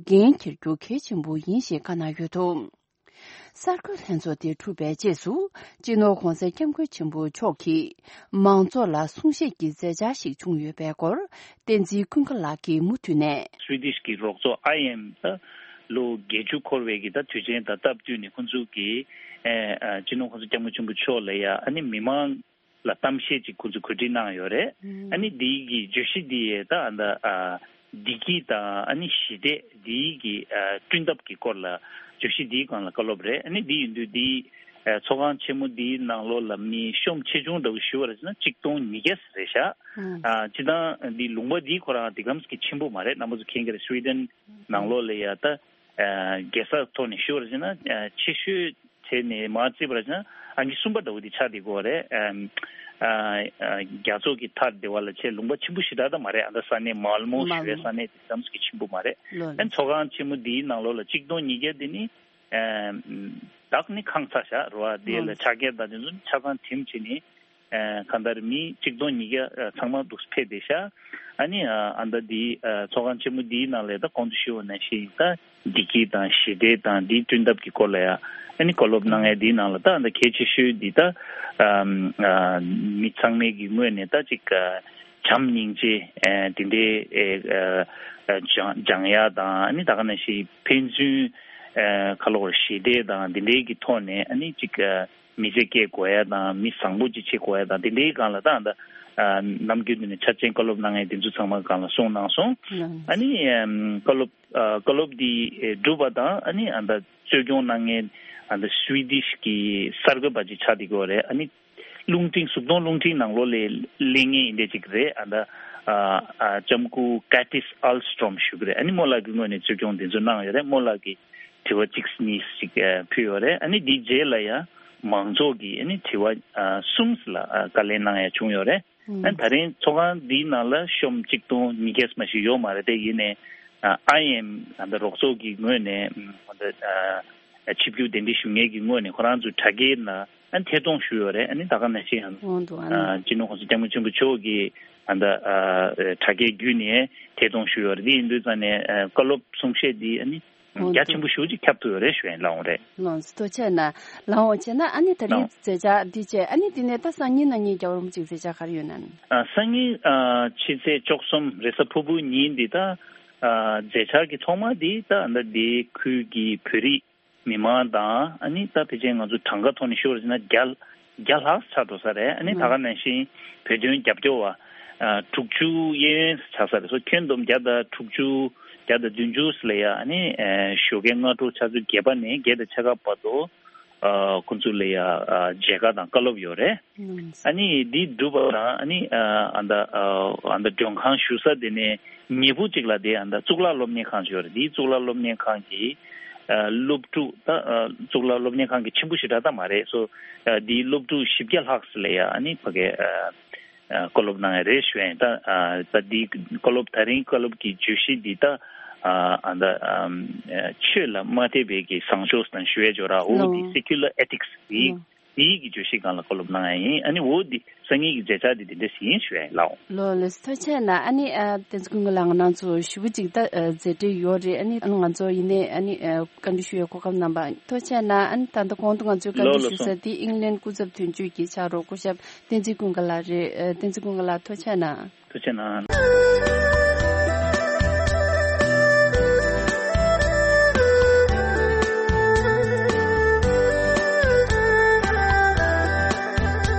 འགན་འཁྱེར་རྒྱུ་གལ་ཆེན་པོ་ཡིན་ཞེས་བཀའ་གནང་ཡོད་འདུག་གསར་འགོད་ལྷན་ཚོགས་དེ་གྲུབ་པའི་རྗེས་སུ། སྤྱི་ནོར་༧གོང་ས་༧སྐྱབས་མགོན་ཆེན་པོ་མཆོག་གིས་མང་ཚོགས་ལ་གསུང་བཤད་ཀྱི་མཛད་འཆར་ཞིག་བྱུང་ཡོད་པའི་སྐོར། བསྟན་འཛིན་ཀུན་དགའ་ལགས་ཀྱིས་མུ་མཐུད་ནས། སུའི་དིཤ་གི་རོགས་ཚོགས་ཨའི་ཨེམ་ད་ལོ་བརྒྱད་ཅུ་འཁོར་བའི་གི་ད་དུས་ཆེན་དང་སྟབས་བསྟུན་ནས་ཁོང་ཚོ་གིས་ཨེ་ཨ་སྤྱི་ནོར་༧གོང་ས་༧སྐྱབས་མགོན་ཆེན་པོ་མཆོག་ལ་ཡ་ཨ་ནི་མི་མང་ ལ་གཏམ་བཤད་ཅིག་ཁོ་ཚོས་གོ་སྒྲིག་གནང་ཡོད་རེད། ཨ་ནི་འདིའི་གི་བརྗོད་གཞི་འདི་ཡས་ད་ཨ་ད་ཨ་བདེ་སྐྱིད་དང་ཨ་ནི་ཞི་བདེ་འདིའི་གི་ཨ་བསྐྲུན་ཐབས་ཀྱི་སྐོར་ལ་བརྗོད་གཞི་འདིའི་སྒང་ལ་བཀའ་སློབ་རེད། ཨ་ནི་འདི་ཡིན་དུས་འདིའི་ཨ་ཚོགས་ཁང་ཆེན་མོ་འདིའི་ནང་ལོགས་ལ་མི་ཤོམ་ཆེ་ཆུང་འདྲ་བོ་ཞུ་བ་རེད་ཟེར་ན་གཅིག་སྟོང་ཉིས་བརྒྱ་རེད་ཤག་ཨ་སྤྱིར་བཏང་འདི་ལུང་པ་འདིའི་ཁོ་རང་འདི་གམ་གི་ཆེན་པོ་མ་རེད། རྣམ་པ་ཚོ་མཁྱེན་གྱི་རེད། སུའི་ཌེན་ནང་ལོགས་ལ་ཡ་ད་ཨ་རྒྱལ་ས་ཐོག་ནས་ཞུ་བ་རེད་ཟེར་ན་ཨ་ཆེ་ཤོས་བྱས་ནས་མར་བརྩིས་པ་རེད་ཟེར་ན་ཨང་ཀི་གསུམ་པ་འདྲ་བོ་འདི་ཆགས་བསྡད་ཀྱི་ཡོད་རེད། ཨམ། ཨ་ཨ་རྒྱ་མཚོ་གི་མཐའ་སྡེ་བ་ལ་ཆེས་ལུང་པ་ཆེན་པོ་ཞེ་དྲག་ད་མ་རེད། ཨ་ད་ས་གནས་མལ་མོ་ཞུ་བའི་ས་གནས་དེ་ཙམ་ཞིག་ཆེན་པོ་མ་རེད། ལོ་ཨན་ཚོགས་ཁང་ཆེན་མོ་འདིའི་ནང་ལོགས་ལ་གཅིག་སྟོང་ཉིས་བརྒྱ་དེ་ནི་ཨམ། བདག་ནི་ཁང་ཚ་ཤག་རོ་ཨ་དེ་ལ་ལོ་ཆ་རྐྱེན་དང་དེ་ཚོ་ཆ་ཚང་དེམ་བྱས་ནི་ཨ་གང་ལྟར་མི་གཅིག་སྟོང་ཉིས་བརྒྱ་ཨ་ཚང་མ་འདུག་ཕེབས་བསྡད་ཤག་ཨ་ནི་ཨ་ཨ་ད་འདི་ཨ་ཚོགས་ཁང་ཆེན་མོ་འདིའི་ནང་ལ་ད་གོང་དུ་ཞུས་པ་ནང་བཞིན་ད་བདེ་སྐྱིད་དང་ཞི་བདེ་དང་འདི་བསྐྲུན་ཐབས་ཀྱི་སྐོར་ལ་ཡ་ཨ་ནི་བཀའ་སློབ་གནང་ཡ་འདིའི་ནང་ལ་ད་ཨ་ད་གལ་ཆེ་ཤོས་འདི་ད་ཨ་ཨ་མི་ཚང་མའི་གི་ངོས་ནས་ད་ཅིག་ཨ་བྱམས་སྙིང་རྗེ་ཨ་དེ་འདྲའི་ཨ་ཨ་སྦྱང་སྦྱང་ཡ་དང་ཨ་ནི་ད་ག་ནང་བཞིན་ཕན་ཚུན་ཨ་ཁ་ལོ་ཞི་བདེ་དང་དེ་འདྲའི་གི་ཐོག་ནས་ཨ་ནི་ཅིག་ཨ་མི་ཚེ་སྐྱེལ་དགོས་ཡ་དང་མི་བཟང་པོ་ཅིག་བྱེད་དགོས་ཡ་དང་དེ་འདྲའི་སྒང་ལ་ད་ད་ནམ་རྒྱུན་དུ་ནས་འཆར་ཅན་བཀའ་སློབ་གནང་མཁན་དེ་ཚོ་ཚང་མ་སྒང་ལ་གསུངས་གནང་སོང་། ཨ་ནི་བཀའ་སློབ་བཀའ་སློབ་འདི་གྲུབ་པ་དང་ཨ་ནི་ཨ་ད་གཙོ་སྐྱོང་གནང་མཁན་ཨ་ད་སུའི་ཌིཤ་གི་གསར་འགོད་པ་ཅིག་ཆགས་བསྡད་ཀྱི་ཡོད་རེད། ཨ་ནི་རླུང་འཕྲིན་གཟུགས་མཐོང་རླུང་འཕྲིན་ནང་ལོགས་ལ་གླེང་མཁན་ཡིན་བསྡད་ཅིག་རེད། ཨ་ད་ལྕམ་སྐུ་ཀ་ཏིས་ཨལ་སི་ཊོམ་ཞུ་གི་རེད། ཨ་ནི་རྨོ་ལགས་ཀྱི་ངོས་ནས་གཙོ་སྐྱོང་འདི་ཚོ་གནང་ཡོད་རེད། རྨོ་ལགས་ཀྱི་དྲི་བ་གཅིག་གཉིས་ཤིག་ཨ་ཕུལ་ཡོད་རེད། ཨ་ནི་འདིའི་རྗེས་ལ་ཡང་མང་ཚོགས་ཀྱིས་ཨ་ནི་དྲི་བ་ཨ་གསུམ་ལ་ཨ་བཀའ་ལན་གནང་ཡ་བྱུང་ཡོད་རེད། ཨ་ནི་ད་རིང་ཚོགས་ཁང་འདིའི་ནང་ལ་ཤོམ་གཅིག་སྟོང་ཉིས་བརྒྱ་མ་ཞིག་ཡོད་མ་རེད་དེ། ཡིན་ནའི་ཨ་ཨའི་ཨེམ་ཨ་ད་རོགས་ཚོགས་ཀྱི་ངོས་ནས་ཨ་ད་ཨ་ཆིབས་བསྒྱུར་གདན་འདྲེན་ཞུ་མཁན་གྱི་ངོས་ནས་ཁོ་རང་ཚོའི་དྲ་རྒྱའི་ནང་ཨ་ཐད་གཏོང་ཞུས་ཡོད་རེད། ཨ་ནི་ད་ག་ནང་བཞིན་ཨ་འོང་འདུག་ཨ་ནི། ཨ་སྤྱི་ནོར་གོང་ས་སྐྱབས་མགོན་ཆེན་པོ་མཆོག་གིས་ཨ་ད་ཨ་དྲ་རྒྱའི་བརྒྱུད་ནས་ཐད་གཏོང་ཞུས་ཡོད་རེད། འདི་ཡིན་དུས་ཙང་ནས་ཨ་བཀའ་སློབ་གསུང་བཤད་འདི་ཨ་ནི་འོང་རྒྱ་ཆེན་པོ་འདུག་ཞེ་པོ་ཅིག་ཁྱབ་ཐུབ་ཡོད་རེད་ཞུ་ཡ་ལགས། འོང་རེད། ལགས་སོ། ཐུགས་རྗེ་ཆེ་གནང་། ལགས་འོང་། བྱས་ན་ཨ་ནི་ད་རིང་ལགས། མཛད་འཆར་འདི་བྱས་ཨ་ནི་འདི་ནས་ད་སང་ཉིན་གནངས་ཉིན་རྒྱལ་བ་རིན་པོ་ཆེའི་མཛད་འཆར་ག་རེ་ཡོད་ན། ཨ་སང་ཉིན་ཨ་ཕྱི་ཚེས་བཅུ་གསུམ་རེས་གཟའ་ཕུར་བུ་ཉིན་འདི་ད་ཨ་མཛད་འཆར་གྱི་ཐོག་མ་འདི་ད་ཨ་ད་འདི་ཁུལ་གྱི་བོད་རིགས་མི་མང་དང་ཨ་ནི་ད་ཕལ་ཆེར་ང་ཚོ་གྲངས་ཀ་ཐོག་ནས་ཤོད་པ་ཡིན་ན་བརྒྱ་བརྒྱ་ལྷག་ཆགས་འགྲོ་ས་རེད། ཨ་ནི་ད་ག་ནང་བཞིན་བོད་དོན་རྒྱབ་སྐྱོར་བ་ཨ་དྲུག་ཅུ་གཡས་གཡོན་ཆགས་ས་རེད། སོ་ཁྱོན་བསྡོམས་བརྒྱ་དང་དྲུག་ཅུ་བརྒྱ་དང་བདུན་ཅུ་ལ་ཡ་ཨ་ནི་ཨ་ཞོགས་ཀའི་སྔ་དྲོ་ཆུ་ཚོད་བརྒྱད་པ་ནས་བརྒྱད་དང་ཕྱེད་ཀ་བར་དུ་ཨ་ཁོང་ཚོ་ལ་ཡ་ཨ་མཇལ་ཁ་དང་བཀའ་སློབ་ཡོད་རེད། ཨ་ནི་འདི་འགྲུབ་པ་དང་ཨ་ནི་ཨ་ཨ་ད་ཨ་ཨ་ད་མགྲོན་ཁང་བཞུགས་ས་དེ་ནས་ཉེ་པོ་གཅིག་ལ་དེ་ཨ་ད་གཙུག་ལག་སློབ་གཉེར་ཁང་ཞིག་ཡོད་རེད། འདིའི་གཙུག་ལག་སློབ་གཉེར་ཁང་གི་ཨ་སློབ་ཕྲུག་ད་ཨ་གཙུག་ལག་སློབ་གཉེར་ཁང་གི་ཆེན་པོ་ཞེ་དྲག་ད་མ་རེད། སོ་ཨ་འདིའི་སློབ་ཕྲུག་བཞི་བརྒྱ་ལྷག་ཙམ་ལ་ཡ་ཨ་ནི་ཕ་གི་ཨ་ཨ་བཀའ་སློབ་གནང་ཡ་རེད་ཞུ་ཡ་ཡིན། ད་ཨ་ད་འདིའི་བཀའ་སློབ་ད་རིང་བཀའ་སློབ་ཀྱི་བརྗོད་གཞི་འདི་ད་ཨ་ཨ་ད་ཨ་ཆོས་ལ་མ་དད་པའི་གི་བཟང་ཕྱོགས་དང་ཞུ་ཡ་ཇོ་ར་འོ་འདི་ལོ། སེ་ཀུ་ལར་ཨེ་ཐིག་སི་འདི་ལོ། འདིའི་གི་བརྗོད་གཞིའི་སྒང་ལ་བཀའ་སློབ་གནང་ཡ་ཡིན། ཨ་ནི་འོ་འདི་སང་ཉིན་གྱི་མཛད་འཆར་འདི་འདི་འདྲ་ཞིག་ཡིན་ཞུ་ཡ་ཡིན་ལགས། ལོ་ལགས་སོ། ཐུགས་རྗེ་ཆེ་གནང་། ཨ་ནི་ཨ་བསྟན་འཛིན་ཀུན་དགའ་ལགས་ང་རང་ཚོ་ཞེ་པོ་ཅིག་ད་ཨ་མཛད་བྲེལ་ཡོད་རེད། ཨ་ནི་ཨ་ང་ཚོ་ཡིན་ནའི་ཨ་ནི་ཨ་བཀའ་འདྲི་ཞུ་ཡའི་གོ་སྐབས་གནང་བ་ཐུགས་རྗེ་ཆེ་གནང་། ཨ་ནི་ད་ལྟ་གོང་དུ་ང་ཚོས་བཀའ་ལོ་འདྲི་ལགས་ཞུ་ས་སོ། དེ་ཨིང་ལན་སྐུ་ཚབ་དོན་གཅོད་ཀྱི་ཕྱག་རོགས་སྐུ་ཞབས་བསྟན་འཛིན་ཀུན་དགའ་ལགས་རེད། ཨ་བསྟན་འཛིན་ཀུན་དགའ་ལགས་ཐུགས་རྗེ་ཆེ་གནང་། ཐུགས་རྗེ་ཆེ་གནང་།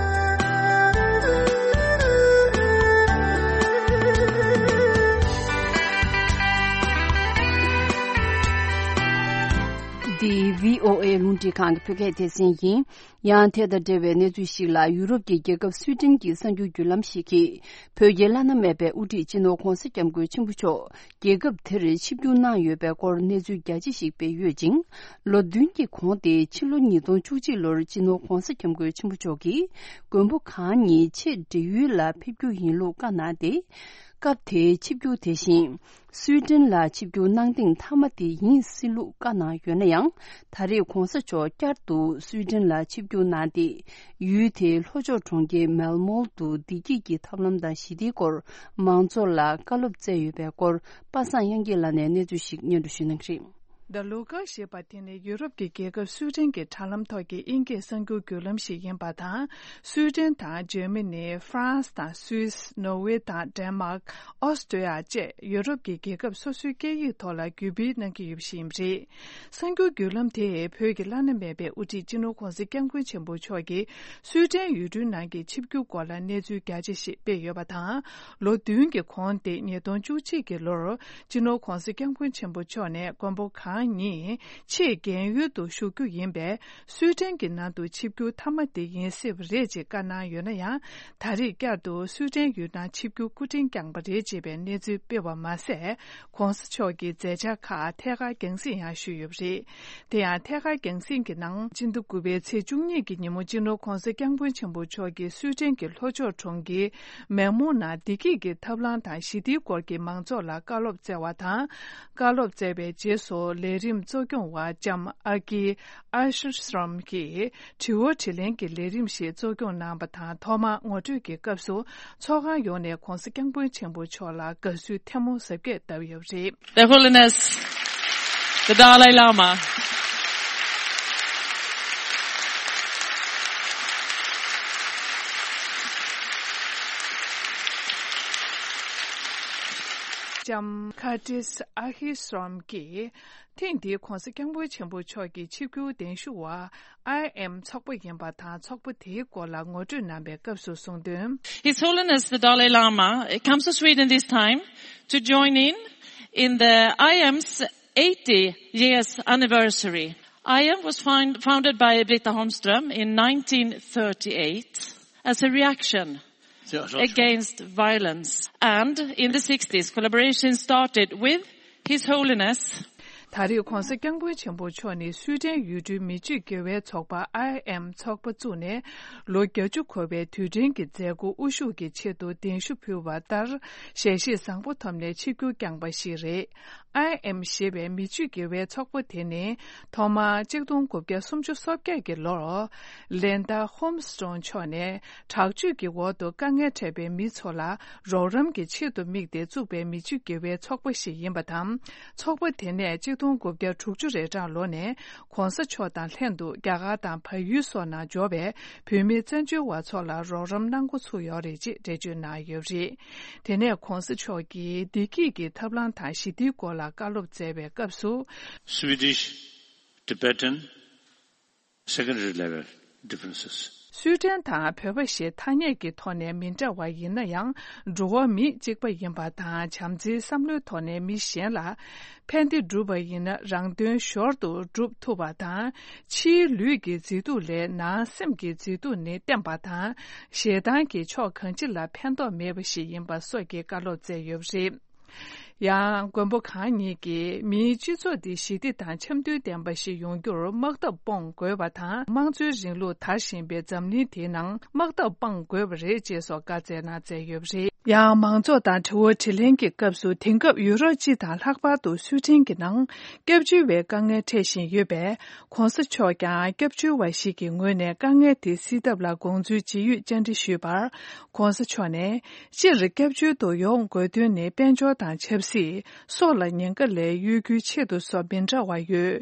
འདི་བྷི་ཨོ་ཨེ་རླུང་འཕྲིན་ཁང་གི་བོད་སྐད་སྡེ་ཚན་ཡིན། ཡང་དེ་དང་འབྲེལ་བའི་གནས་ཚུལ་ཞིག་ལ། ཡུ་རོབ་ཀྱི་རྒྱལ་ཁབ་སུའི་ཏན་གྱི་གསར་འགྱུར་བརྒྱུད་ལམ་ཞིག་གིས། བོད་ཀྱི་བླ་ན་མེད་པའི་དབུ་ཁྲིད་སྤྱི་ནོར་༧གོང་ས་༧སྐྱབས་མགོན་ཆེན་པོ་མཆོག་རྒྱལ་ཁབ་དེར་ཆིབས་བསྒྱུར་གནང་ཡོད་པའི་སྐོར་གནས་ཚུལ་རྒྱ་ཆེ་ཞིག་སྤེལ་ཡོད་ཅིང་། ལོ་བདུན་གྱི་གོང་སྟེ་ཕྱི་ལོ་ཉིས་སྟོང་བཅུ་གཅིག་ལོར་སྤྱི་ནོར་༧གོང་ས་༧སྐྱབས་མགོན་ཆེན་པོ་མཆོག་གིས་མགོན་པོ་གང་ཉིད་ཆེས་བགྲེས་ཡོལ་ལ་ཕེབས་རྒྱུ་ཡིན་ལུགས་བཀའ་གནང་སྟེ། སྐབས་དེའི་ཆིབས་བསྒྱུར་དེ་བཞིན། སུའི་ཏན་ལ་ཆིབས་བསྒྱུར་གནང་ཐེངས་མཐའ་མ་དེ་ཡིན་སྲིད་ལུགས་བཀའ་གནང་ཡོད་ན་ཡང་། ད་རེས་༧གོང་ས་མཆོག་བསྐྱར་དུ་སུའི་ཏན་ལ་ཆིབས་བསྒྱུར་གནང་སྟེ། ཡུལ་དེའི་ལྷོ་ཕྱོགས་གྲོང་ཁྱེར་མེལ་མོལ་དུ་བདེ་སྐྱིད་ཀྱི་ཐབས་ལམ་དང་ཞི་བདེའི་སྐོར་མང་ཚོགས་ལ་བཀའ་སློབ་སྩལ་ཡོད་པའི་སྐོར། པ་སངས་དབྱངས་སྐྱིད་ལགས་ནས་གནས་ཚུལ་ཞིག་སྙན་སྒྲོན་ཞུ་གནང་གི་རེད། The Local ཞེས་པ་དེ་ནི་ཡུ་རོབ་ཀྱི་རྒྱལ་ཁབ་སུའི་ཏན་གྱི་དྲ་ལམ་ཐོག་གི་དབྱིན་སྐད་གསར་འགྱུར་བརྒྱུད་ལམ་ཞིག་ཡིན་པ་དང་། སུའི་ཏན་དང་འཇར་མ་ནི། ཧྥ་རན་སི་དང་སུད་སི། ནོར་ཝེ་དང་ཌེན་མཱག་ཨོ་སི་ཀྲི་ཡ་བཅས་ཡུ་རོབ་ཀྱི་རྒྱལ་ཁབ་སོ་སོའི་སྐད་ཡིག་ཐོག་ལ་བརྒྱུད་སྤེལ་གནང་གི་ཡོད་པ་ཞིག་ཡིན་པ་རེད། གསར་འགྱུར་བརྒྱུད་ལམ་དེས་བོད་ཀྱི་བླ་ན་མེད་པའི་དབུ་ཁྲིད་སྤྱི་ནོར་༧གོང་ས་༧སྐྱབས་མགོན་ཆེན་པོ་མཆོག་གིས་སུའི་ཏན་ཡུལ་གྲུའི་ནང་གི་ཆིབས་བསྒྱུར་སྐོར་ལ་གནས་ཚུལ་རྒྱ་ཆེ་ཞིག་སྤེལ་ཡོད་པ་དང་། ལོ་བདུན་གྱི་གོང་སྟེ་ཉིས་སྟོང་བཅུ་གཅིག་གི་ལོར་སྤྱི་ནོར་༧གོང་ས་༧སྐྱབས་མགོན་ཆེན་པོ་མཆོག་ནས་མགོན་པོ་གང་ཉིད་ཆེས་རྒན་ཡོལ་དུ་བཞུགས་རྒྱུ་ཡིན་པས། སུའི་ཏན་གྱི་ནང་དུ་ཆིབས་བསྒྱུར་མཐའ་མ་དེ་ཡིན་སྲིད་པ་རེད་ཅེས་བཀའ་གནང་ཡོད་ན་ཡང་། ད་རེས་བསྐྱར་དུ་སུའི་ཏན་ཡུལ་ནང་ཆིབས་བསྒྱུར་སྐུ་དྲིན་བསྐྱངས་པ་རེད་ཅེས་པའི་གནས་ཚུལ་སྤེལ་བ་མ་ཟད། ༧གོང་ས་མཆོག་གི་མཛད་འཆར་ཁག་ཐད་ཀར་རྒྱང་སྲིང་ཡང་ཞུས་ཡོད་པ་རེད། དེ་ཡང་ཐད་ཀར་རྒྱང་སྲིང་གི་ནང་སྤྱི་ཟླ་དགུ་པའི་ཚེས་བཅུ་གཉིས་ཀྱི་ཉིན་མོ་སྤྱི་ནོར་༧གོང་ས་༧སྐྱབས་མགོན་ཆེན་པོ་མཆོག་གིས་སུའི་ཏན་གྱི་ལྷོ་ཕྱོགས་གྲོང་ཁྱེར་མེག་མུག་ནང་བདེ་སྐྱིད་ཀྱི་ཐབས་ལམ་དང་ཞི་བདེའི་སྐོར་གྱི་མང་ཚོགས་ལ་བཀའ་སློབ་སྩལ་བ་དང་། བཀའ་སློབ་སྩལ་བའི་རྗེས་སུ་ལས་རིམ་གཙོ་སྐྱོང་བ་ལྕམ་ཨར་ཀི་ཨར་ཤི་སྲོམ་གྱིས་དྲི་བ་དྲིས་ལན་གྱི་ལས་རིམ་ཞིག་གཙོ་སྐྱོང་གནང་བ་དང་། ཐོག་མར་ངོ་སྤྲོད་ཀྱི་སྐབས་སུ་ཚོགས་ཁང་ཡོངས་ནས་༧གོང་ས་༧སྐྱབས་མགོན་ཆེན་པོ་མཆོག་ལ་དགའ་བསུའི་ཐལ་མོ་གཟབ་རྒྱས་བཏབ་ཡོད་པ་རེད། Their Holiness, the Dalai Lama. ལྕམ་ཁར་ཏིས་ཨར་ཤི་སྲོམ་གྱིས་ཐེངས་འདིའི་༧གོང་ས་༧སྐྱབས་མགོན་ཆེན་པོ་མཆོག་གི་ཆིབས་བསྒྱུར་གདན་ཞུ་བ་ཨའི་ཨེམ་ཚོགས་པ་ཡིན་པ་དང་། ཚོགས་པ་དེའི་སྐོར་ལ་ངོ་སྤྲོད་གནང་བའི་སྐབས་སུ་གསུངས་དོན། His Holiness the Dalai Lama comes to Sweden this time to join in in the I M's eighty years anniversary. I M was find, founded by Britta Holmström in nineteen thirty-eight as a reaction against violence. And in the sixties, collaboration started with His Holiness. ད་རེས་༧གོང་ས་༧སྐྱབས་མགོན་ཆེན་པོ་མཆོག་ནི་སུའི་ཏན་ཡུལ་གྲུའི་མི་སྤྱོད་དགེ་བའི་ཚོགས་པ་ཨའི་ཨེམ་ཚོགས་པ་བཙུགས་ནས་ལོ་བརྒྱད་ཅུ་འཁོར་བའི་དུས་དྲན་གྱི་མཛད་སྒོ་དབུ་བཞུགས་ཀྱི་ཆེད་དུ་གདན་ཞུ་ཕུལ་བ་ལྟར། ཞལ་བཞེས་བཟང་པོ་ཐོབ་ནས་ཆིབས་བསྒྱུར་བསྐྱངས་པ་ཞིག་རེད། ཨའི་ཨེམ་ཞེས་པའི་མི་སྤྱོད་དགེ་བའི་ཚོགས་པ་དེ་ནི་ཐོག་མར་ཆིག་སྟོང་དགུ་བརྒྱ་སུམ་ཅུ་སོ་བརྒྱད་ཀྱི་ལོར་ལིན་ཌ་ཧོམ་སི་ཀྲོང་མཆོག་ནས་དྲག་སྤྱོད་ཀྱི་འོག་ཏུ་དཀའ་ངལ་འཕྲད་པའི་མི་ཚོ་ལ་རོགས་རམ་གྱི་ཆེད་དུ་དམིགས་ཏེ་བཙུགས་པའི་མི་སྤྱོད་དགེ་བའི་ཚོགས་པ་ཞིག་ཡིན་པ་དང་། ཚོགས་པ་དེ་ནས་ཆིག་སྟོང་དགུ་བརྒྱ་དྲུག་ཅུ་རེ་གྲངས་ལོ་ནས་༧གོང་ས་མཆོག་དང་ལྷན་དུ་རྒྱ་གར་དང་བལ་ཡུལ་སོགས་ནང་འབྱོར་བའི་བོད་མི་བཙན་བྱོལ་བ་ཚོ་ལ་རོགས་རམ་གནང་འགོ་ཚུགས་ཡོད་རེད་ཅེས་འགྲེལ་བརྗོད་གནང་ཡོད་པ་རེད། དེ་ནས་༧གོང་ས་མཆོག་གིས་བདེ་སྐྱིད་ཀྱི་ཐབས་ལམ་དང་ཞི་བདེའི་སྐོར་ལ་བཀའ་སློབ་སྩལ་བའི་སྐབས་སུ། Swedish Tibetan secondary level differences. སུའི་ཏན་དང་བོད་པ་ཞེས་ཐ་སྙད་ཀྱི་ཐོག་ནས་མི་འདྲ་བ་ཡིན་ན་ཡང་། འགྲོ་བ་མི་གཅིག་པ་ཡིན་པ་དང་། བྱམས་བརྩེའི་བསམ་བློའི་ཐོག་ནས་མི་གཞན་ལ་ཕན་བདེ་བསྒྲུབ་པ་ཡིན་ན་རང་དོན་ཞོར་དུ་སྒྲུབ་ཐུབ་པ་དང་། ཕྱིའི་ལུས་ཀྱི་མཛེས་སྡུག་ལས་ནང་སེམས་ཀྱི་མཛེས་སྡུག་ནི་བརྟན་པ་དང་། ཞེ་སྡང་གི་ཕྱོགས་གང་ཅི་ལ་ཕན་ཐོགས་མེད་པ་ཞིག་ཡིན་པ་སོགས་ཀྱི་བཀའ་སློབ་སྩལ་ཡོད་པ་རེད། ཡང་མགོན་པོ་གང་ཉིད་ཀྱིས་མིའི་སྤྱི་ཚོགས་འདི་ཞི་བདེ་དང་འཆམ་མཐུན་ལྡན་པ་ཞིག་ཡོང་རྒྱུར་དམག་འཐབ་སྤོང་དགོས་པ་དང་། དམངས་གཙོའི་རིང་ལུགས་དར་བཞིན་པའི་འཛམ་གླིང་དེའི་ནང་དམག་འཐབ་སྤང་དགོས་པ་རེད་ཅེས་སོགས་བཀའ་སྩལ་གནང་མཛད་ཡོད་པ་རེད། ཡང་མང་ཚོགས་དང་དྲི་བ་དྲིས་ལན་གྱི་སྐབས་སུ། དེང་སྐབས་ཡུ་རོབ་སྤྱི་དང་ལྷག་པར་དུ་སུའི་ཏན་གྱི་ནང་སྐྱབས་བཅོལ་བའི་དཀའ་ངལ་འཕྲད་བཞིན་ཡོད་པས། ༸གོང་ས་མཆོག་ཀྱང་སྐྱབས་བཅོལ་བ་ཞིག་གི་ངོས་ནས་དཀའ་ངལ་དེ་སེལ་ཐབས་ལ་དགོངས་ཚུལ་ཇི་ཡོད་བཅར་འདྲི་ཞུས་པར། ༸གོང་ས་མཆོག་ནས། སྤྱིར་སྐྱབས་བཅོལ་དུ་ཡོང་དགོས་དོན་ནི་དཔལ་འབྱོར་དང་ཆབ་སྲིད། སྲོག་ལ་ཉེན་ཁ་ལས་གཡོལ་རྒྱུའི་ཆེད་དུ་སོགས་མི་འདྲ་བ་ཡོད།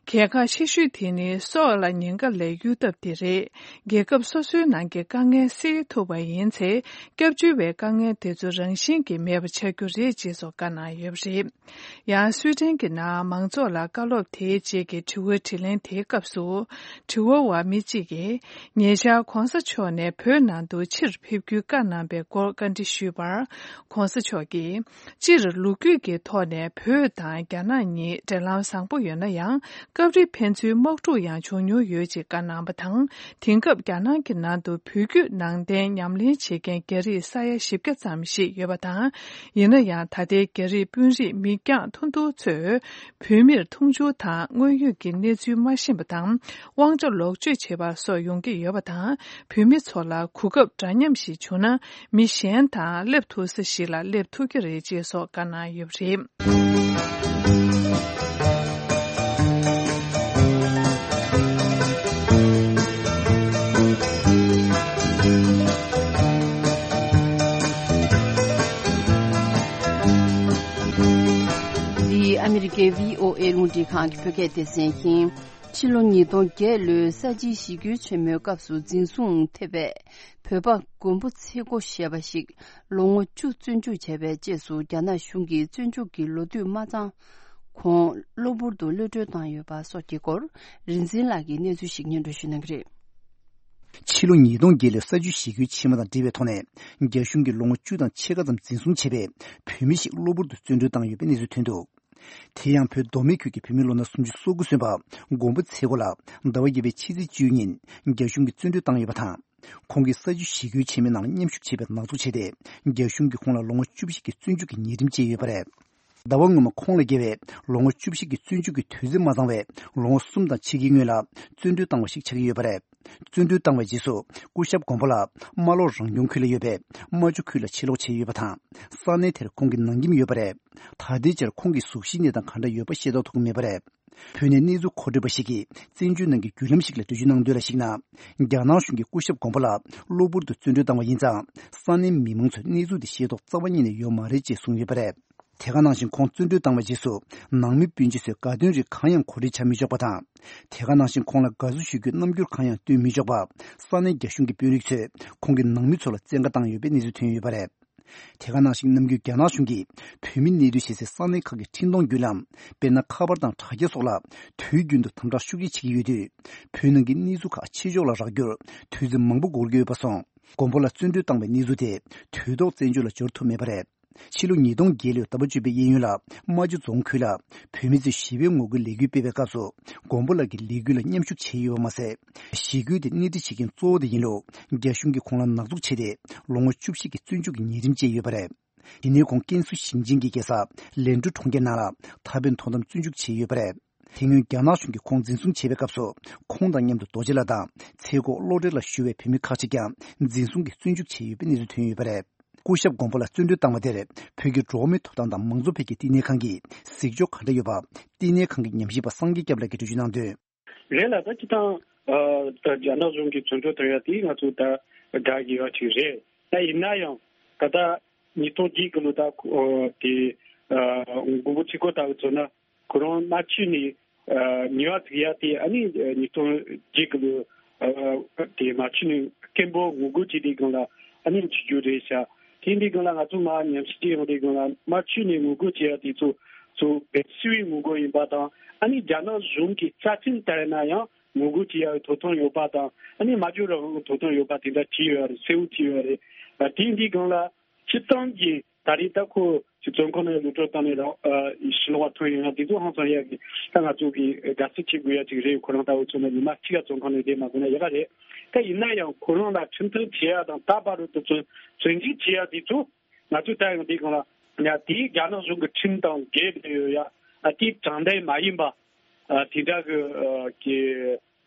གལ་ཁ་ཆེ་ཤོས་དེ་ནི་སྲོག་ལ་ཉེན་ཁ་ལས་གཡོལ་ཐབས་དེ་རེད། རྒྱལ་ཁབ་སོ་སོའི་ནང་གི་དཀའ་ངལ་སེལ་ཐུབ་པ་ཡིན་ཚེ། སྐྱབས་བཅོལ་བའི་དཀའ་ངལ་དེ་ཚོ་རང་བཞིན་གྱིས་མེད་པ་ཆགས་རྒྱུ་རེད་ཅེས་སོགས་བཀའ་གནང་ཡོད་པ་རེད། ཡང་སུའི་ཏན་གྱི་ནང་མང་ཚོགས་ལ་བཀའ་སློབ་དེའི་རྗེས་ཀྱི་དྲི་བ་དྲིས་ལན་དེའི་སྐབས་སུ། དྲི་བ་བ་མི་གཅིག་གིས། ཉེ་ཆར་༸གོང་ས་མཆོག་ནས་བོད་ནང་དུ་ཕྱིར་ཕེབས་རྒྱུའི་བཀའ་གནང་བའི་སྐོར་བཀའ་འདྲི་ཞུས་པར། ༸གོང་ས་མཆོག་གིས། སྤྱིར་ལོ་རྒྱུས་ཀྱི་ཐོག་ནས་བོད་དང་རྒྱ་ནག་གཉིས་འབྲེལ་ལམ་བཟང་པོ་ཡོད་ན་ཡང་། སྐབས་རེ་ཕན་ཚུན་དམག་འཁྲུག་ཡང་བྱུང་མྱོང་ཡོད་ཅེས་བཀའ་གནང་བ་དང་། དེང་སྐབས་རྒྱ་ནག་གི་ནང་དུ་བོད་བརྒྱུད་ནང་བསྟན་ཉམས་ལེན་བྱེད་མཁན་རྒྱ་རིགས་ས་ཡ་བཞི་བརྒྱ་ཙམ་ཞིག་ཡོད་པ་དང་། ཡིན་ན་ཡང་ད་ལྟའི་རྒྱ་རིགས་དཔོན་རིགས་མི་འགྱངས་ཐུང་ཐུང་ཚོས་བོད་མིར་མཐོང་ཆུང་དང་དངོས་ཡོད་ཀྱི་གནས་ཚུལ་མ་ཤེས་པ་དང་། དབང་ཆ་ལོག་སྤྱོད་བྱེད་པ་སོགས་ཡོང་གི་ཡོད་པ་དང་། བོད་མི་ཚོ་ལ་གོ་སྐབས་འདྲ་མཉམ་ཞིག་བྱུང་ན། མི་གཞན་དང་སླེབས་ཐུབ་ས་ཞིག་ལ་སླེབས་ཐུབ་ཀྱི་རེད་ཅེས་སོགས་བཀའ་གནང་ཡོད་པ་རེད། The འདི་ཨ་མི་རི་ཀའི་བྷི་ཨོ་ཨེ་རླུང་འཕྲིན་ཁང་གི་བོད་སྐད་སྡེ་ཚན་ཡིན། ཕྱི་ལོ་ཉིས་སྟོང་བརྒྱད་ལོའི་ས་བྱི་ཞི་རྒོལ་ཆེན་མོའི་སྐབས་སུ་འཛིན་བཟུང་ཐེབས་པའི་བོད་པ་མགོན་པོ་ཚེ་རྒོད་ཞེས་པ་ཞིག་ལོ་ངོ་བཅུ་བཙོན་འཇུག་བྱས་པའི་རྗེས་སུ། རྒྱ་ནག་གཞུང་གིས་བཙོན་འཇུག་གི་ལོ་དུས་མ་ཚང་གོང་གློ་བུར་དུ་གློད་གྲོལ་བཏང་ཡོད་པ་སོགས་ཀྱི་སྐོར། རིག་འཛིན་ལགས་ཀྱིས་གནས་ཚུལ་ཞིག་སྙན་སྒྲོན་ཞུ་གནང་གི་རེད། ཕྱི་ལོ་ཉིས་སྟོང་བརྒྱད་ལོའི་ས་བྱི་ཞི་རྒོལ་ཆེན་མོ་དང་འབྲེལ་བའི་ཐོག་ནས། རྒྱ་གཞུང་གིས་ལོ་ངོ་བཅུ་དང་ཕྱེད་ཀ་ཙམ་འཛིན་བཟུང་བྱས་པའི་བོད་མི་ཞིག་གློ་བུར་དུ་བཙོན་གྲོལ་བཏང་ཡོད་པའི་གནས་ཚུལ་ཐོན་འདུག། དེ་ཡང་བོད་མདོ་སྨད་ཁུལ་གྱི་བོད་མི་ལོ་ན་སུམ་ཅུ་སོ་དགུ་སོན་པ་མགོན་པོ་ཚེ་རྒོད་ལགས་ཟླ་བ་བརྒྱད་པའི་ཕྱི་ཚེས་བཅུའི་ཉིན་རྒྱ་གཞུང་གིས་བཙོན་གྲོལ་བཏང་ཡོད་པ་དང་། ཁོང་གིས་ས་བྱི་ཞི་རྒོལ་ཆེན་མོའི་ནང་མཉམ་ཞུགས་བྱས་པའི་ནག་འཛུགས་བྱས་ཏེ། རྒྱ་གཞུང་གིས་ཁོང་ལ་ལོ་ངོ་བཅུ་བཞི་གི་བཙོན་འཇུག་གི་ཉེས་ཁྲིམས་བཅད་ཡོད་པ་རེད། ཟླ་བ་སྔོན་མ་ཁོང་ལ་འགེལ་བའི་ལོ་ངོ་བཅུ་བཞི་གི་བཙོན་འཇུག་གི་དུས་ཚོད་མ་ཚང་བའི་ལོ་ངོ་གསུམ་དང་ཕྱེད་ཀའི་སྔོན་ལ་བཙོན་གྲོལ་བཏང་བ་ཞིག་ཆགས་ཀྱི་ཡོད་པ་རེད། བཙོན་གྲོལ་བཏང་བའི་རྗེས་སུ་སྐུ་ཞབས་མགོན་པོ་ལགས་རྨ་ལྷོ་རང་སྐྱོང་ཁུལ་ལ་ཡོད་པའི་རྨ་ཆུ་ཁུལ་ལ་ཕྱིར་ལོག་བྱས་ཡོད་པ་དང་། ས་གནས་དེར་ཁོང་གི་ནང་ཁྱིམ་ཡོད་པ་རེད། ད་ལྟའི་ཆར་ཁོང་གི་གཟུགས་གཞི་གནས་སྟངས་ག་འདྲ་ཡོད་པ་ཤེས་རྟོགས་ཐུབ་ཀྱི་མེད་པ་རེད། བོད་ནས་གནས་ཚུལ་མཁོ་སྤྲོད་པ་ཞིག་གིས་བཙན་བྱོལ་ནང་གི་བརྒྱུད་ལམ་ཞིག་ལ་འགྲེལ་བརྗོད་གནང་དོན་ལ་གཞིགས་ན། རྒྱ་ནག་གཞུང་གིས་སྐུ་ཞབས་མགོན་པོ་ལགས་གློ་བུར་དུ་བཙོན་གྲོལ་བཏང་བ་ཡིན་ཙང་། ས་གནས་མི་མང་ཚོས་གནས་ཚུལ་དེ་ཤེས་རྟོགས་རྩ་བ་ཉིད་ནས་ཡོད་མ་རེད་ཅེས་གསུངས་ཡོད་པ་རེད། དེ་ག་ནང་བཞིན་ཁོང་བཙོན་གྲོལ་བཏང་བའི་རྗེས་སུ་ནང་མི་སྤུན་མཆེད་ཚོས་དགའ་སྟོན་རིགས་གང་ཡང་གོ་སྒྲིག་བྱ་མི་ཆོག་པ་དང་། དེ་ག་ནང་བཞིན་ཁོང་ལ་དགའ་བསུ་ཞུ་རྒྱུའི་རྣམ་འགྱུར་གང་ཡང་སྟོན་མི་ཆོག་པ། ས་གནས་རྒྱ་གཞུང་གི་དཔོན་རིགས་ཚོས་ཁོང་གི་ནང་མི་ཚོ་ལ་བཙན་བཀའ་བཏང་ཡོད་པའི་གནས་ཚུལ་ཐོན་ཡོད་པ་རེད། དེ་ག་ནང་བཞིན་ནམ་རྒྱུན་རྒྱ་ནག་གཞུང་གིས་བོད་མི་གནས་སྡོད་བྱེད་སའི་ས་གནས་ཁག་གི་འཕྲིན་གཏོང་བརྒྱུད་ལམ། དཔེར་ན་ཁ་པར་དང་དྲ་རྒྱ་སོགས་ལ་དུས་རྒྱུན་དུ་དམ་དྲག་ཤུགས་ཆེ་བྱེད་ཀྱི་ཡོད་དུས། བོད་ནང་གི་གནས་ཚུལ་ཁག་ཕྱི་ཕྱོགས་ལ་རག་རྒྱུར་དུས་ཚོད་མང་པོ་འགོར་གྱི་ཡོད་པ་སོང་། མགོན་པོ་ལགས་བཙོན་གྲོལ་བཏང་བའི་གནས་ཚུལ་དེ་དུས་ཐོག་བཙན་བྱོལ་ལ་འབྱོར་ཐུབ་མེད་པ་རེད། ཕྱི་ལོ་ཉིས་སྟོང་བརྒྱད་ལོའི་ཟླ་བ་བཅུ་པའི་གཡས་གཡོན་ལ་རྨ་ཆུ་རྫོང་ཁུལ་ལ་བོད་མི་ཚོས་ཞི་བའི་ངོ་རྒོལ་ལས་འགུལ་སྤེལ་བའི་སྐབས་སུ། མགོན་པོ་ལགས་ཀྱིས་ལས་འགུལ་ལ་མཉམ་ཞུགས་བྱས་ཡོད་པ་མ་ཟད། ཞི་རྒོལ་དེ་སྣེ་ཁྲིད་བྱེད་མཁན་གཙོ་བོ་དེ་ཡིན་ལུགས་རྒྱ་གཞུང་གིས་ཁོང་ལ་ནག་འཛུགས་བྱས་ཏེ། ལོ་ངོ་བཅུ་བཞི་གི་བཙོན་འཇུག་གི་ཉེས་ཁྲིམས་བཅད་ཡོད་པ་རེད། དེ་ནས་ཁོང་ཀན་སུའུ་ཞིང་ཆེན་གྱི་རྒྱལ་ས་ལན་ཀྲུའུ་གྲོང་ཁྱེར་ནང་ལ་ད་ཕན་དོ་དམ་བཙོན་འཇུག་བྱས་ཡོད་པ་རེད། དེ་སྔོན་རྒྱ་ནག་གཞུང་གིས་ཁོང་འཛིན་བཟུང་བྱས་པའི་སྐབས་སུ། ཁོང་དང་མཉམ་དུ་རྡོ་རྗེ་ལགས་དང་ཚེ་སྒོ་བློ་གྲོས་ལ་ཞུ་བའི་བོད་མི་ཁག་ཅིག་ཀྱང་འཛིན་བཟུང་གིས་བཙོན་འཇུག་བྱས་ཡོད་པའི་གནས་ཚུལ་ཐོན་ཡོད་པ་རེད། སྐུ་ཞབས་མགོན་པོ་ལགས་བཙོན་གྲོལ་བཏང་བ་དེར་བོད་ཀྱི་འགྲོ་བ་མིའི་ཐོབ་ཐང་དང་མང་གཙོ་འཕེལ་རྒྱས་བསྟི་གནས་ཁང་གིས་གཟིགས་ཕྱོགས་ག་འདྲ་ཡོད་པ། བསྟི་གནས་ཁང་གི་ཉམས་ཞིབ་པ་སངས་རྒྱས་སྐྱབས་ལགས་ཀྱིས་འགྲེལ་བརྗོད་གནང་དོན། རེད་ལ། ད་སྤྱིར་བཏང་ཨ་ད་རྒྱ་ནག་གཞུང་གིས་བཙོན་གྲོལ་བཏང་ཡ་དེ་ང་ཚོ་ད་དགའ་གི་ཡོད་ཅིག་རེད། ད་ཡིན་ན་ཡང་ད་ལྟ་ཉིས་སྟོང་བརྒྱད་གི་ལོ་ད་ཨ་དེ་ཨ་མགོན་པོ་ཚེ་སྒོ་ལྟ་བུ་མཚོན་ན། ཁོ་རང་རྨ་ཆུ་ནས་ཨ་ཉེས་པ་བཙུགས་ཡ་དེ། ཨ་ནི་ཉིས་སྟོང་བརྒྱད་གི་ལོ་ཨ་དེ་རྨ་ཆུ་ནས་སྐད་འབོད་ངོ་རྒོལ་བྱས་དེའི་སྒང་ལ་ཨ་ནི་འཇིགས་རྒྱུ་རེད་ཤག་དེ་འདི་སྒང་ལ་ང་ཚོ་མར་ཉམས་ཞིབ་བྱས་ཡོང་དེའི་སྒང་ལ། རྨ་ཆུ་ནས་ངོ་རྒོལ་བྱེད་ཡ་དེ་ཚོ་ཚོ་བོད་སིལ་བུའི་ངོ་རྒོལ་ཡིན་པ་དང་། ཨ་ནི་རྒྱ་ནག་གཞུང་གི་རྩ་ཁྲིམས་ལྟར་ན་ཡང་ངོ་རྒོལ་བྱེད་ཡ་གི་ཐོབ་ཐང་ཡོད་པ་དང་། ཨ་ནི་སྨྲ་བརྗོད་རང་དབང་གི་ཐོབ་ཐང་ཡོད་པ་དེ་འདྲ་བྲིས་ཡོད་རེད། གསལ་བོ་བྲིས་ཡོད་རེད། ཨ་དེ་འདི་སྒང་ལ་སྤྱིར་བཏང་གི་ད་རེས་ད་ཁོ་ཅིག་བཙོན་ཁང་ནང་གློད་གྲོལ་བཏང་ནས་རང་ཨ་ཕྱི་ལོགས་ལ་ཐོན་ཡོང་ཡ་དེ་ཚོ་ཧང་སང་ཡ་གི་ད་ང་ཚོ་གི་དགའ་བསུ་བྱེད་དགོས་ཡ་ཅིག་རེད། ཁོ་རང་ལྟ་བུ་ཚོ་ན་ཉི་མ་གཅིག་ལ་བཙོན་ཁང་ནང་བསྡད་མ་དགོས་ན་ཡག་ག་རེད། ད་ཡིན་ན་ཡང་ཁོ་རང་ལ་ཁྲིམས་ཐག་བཅད་ཡ་དང་ད་བར་དུ་བཙོན་བཙོན་འཇུག་བྱེད་ཡ་དེ་ཚོ་ང་ཚོས་ད་ཡང་དེའི་སྒང་ལ་ཡ་དེའི་རྒྱ་ནག་གཞུང་གི་ཁྲིམས་དང་འགལ་བསྡད་ཡོད་ཡ། ཨ་དེའི་དྲང་བདེན་མ་ཡིན་པ་ཨ་དེ་འདྲ་གི་ཨ་གི་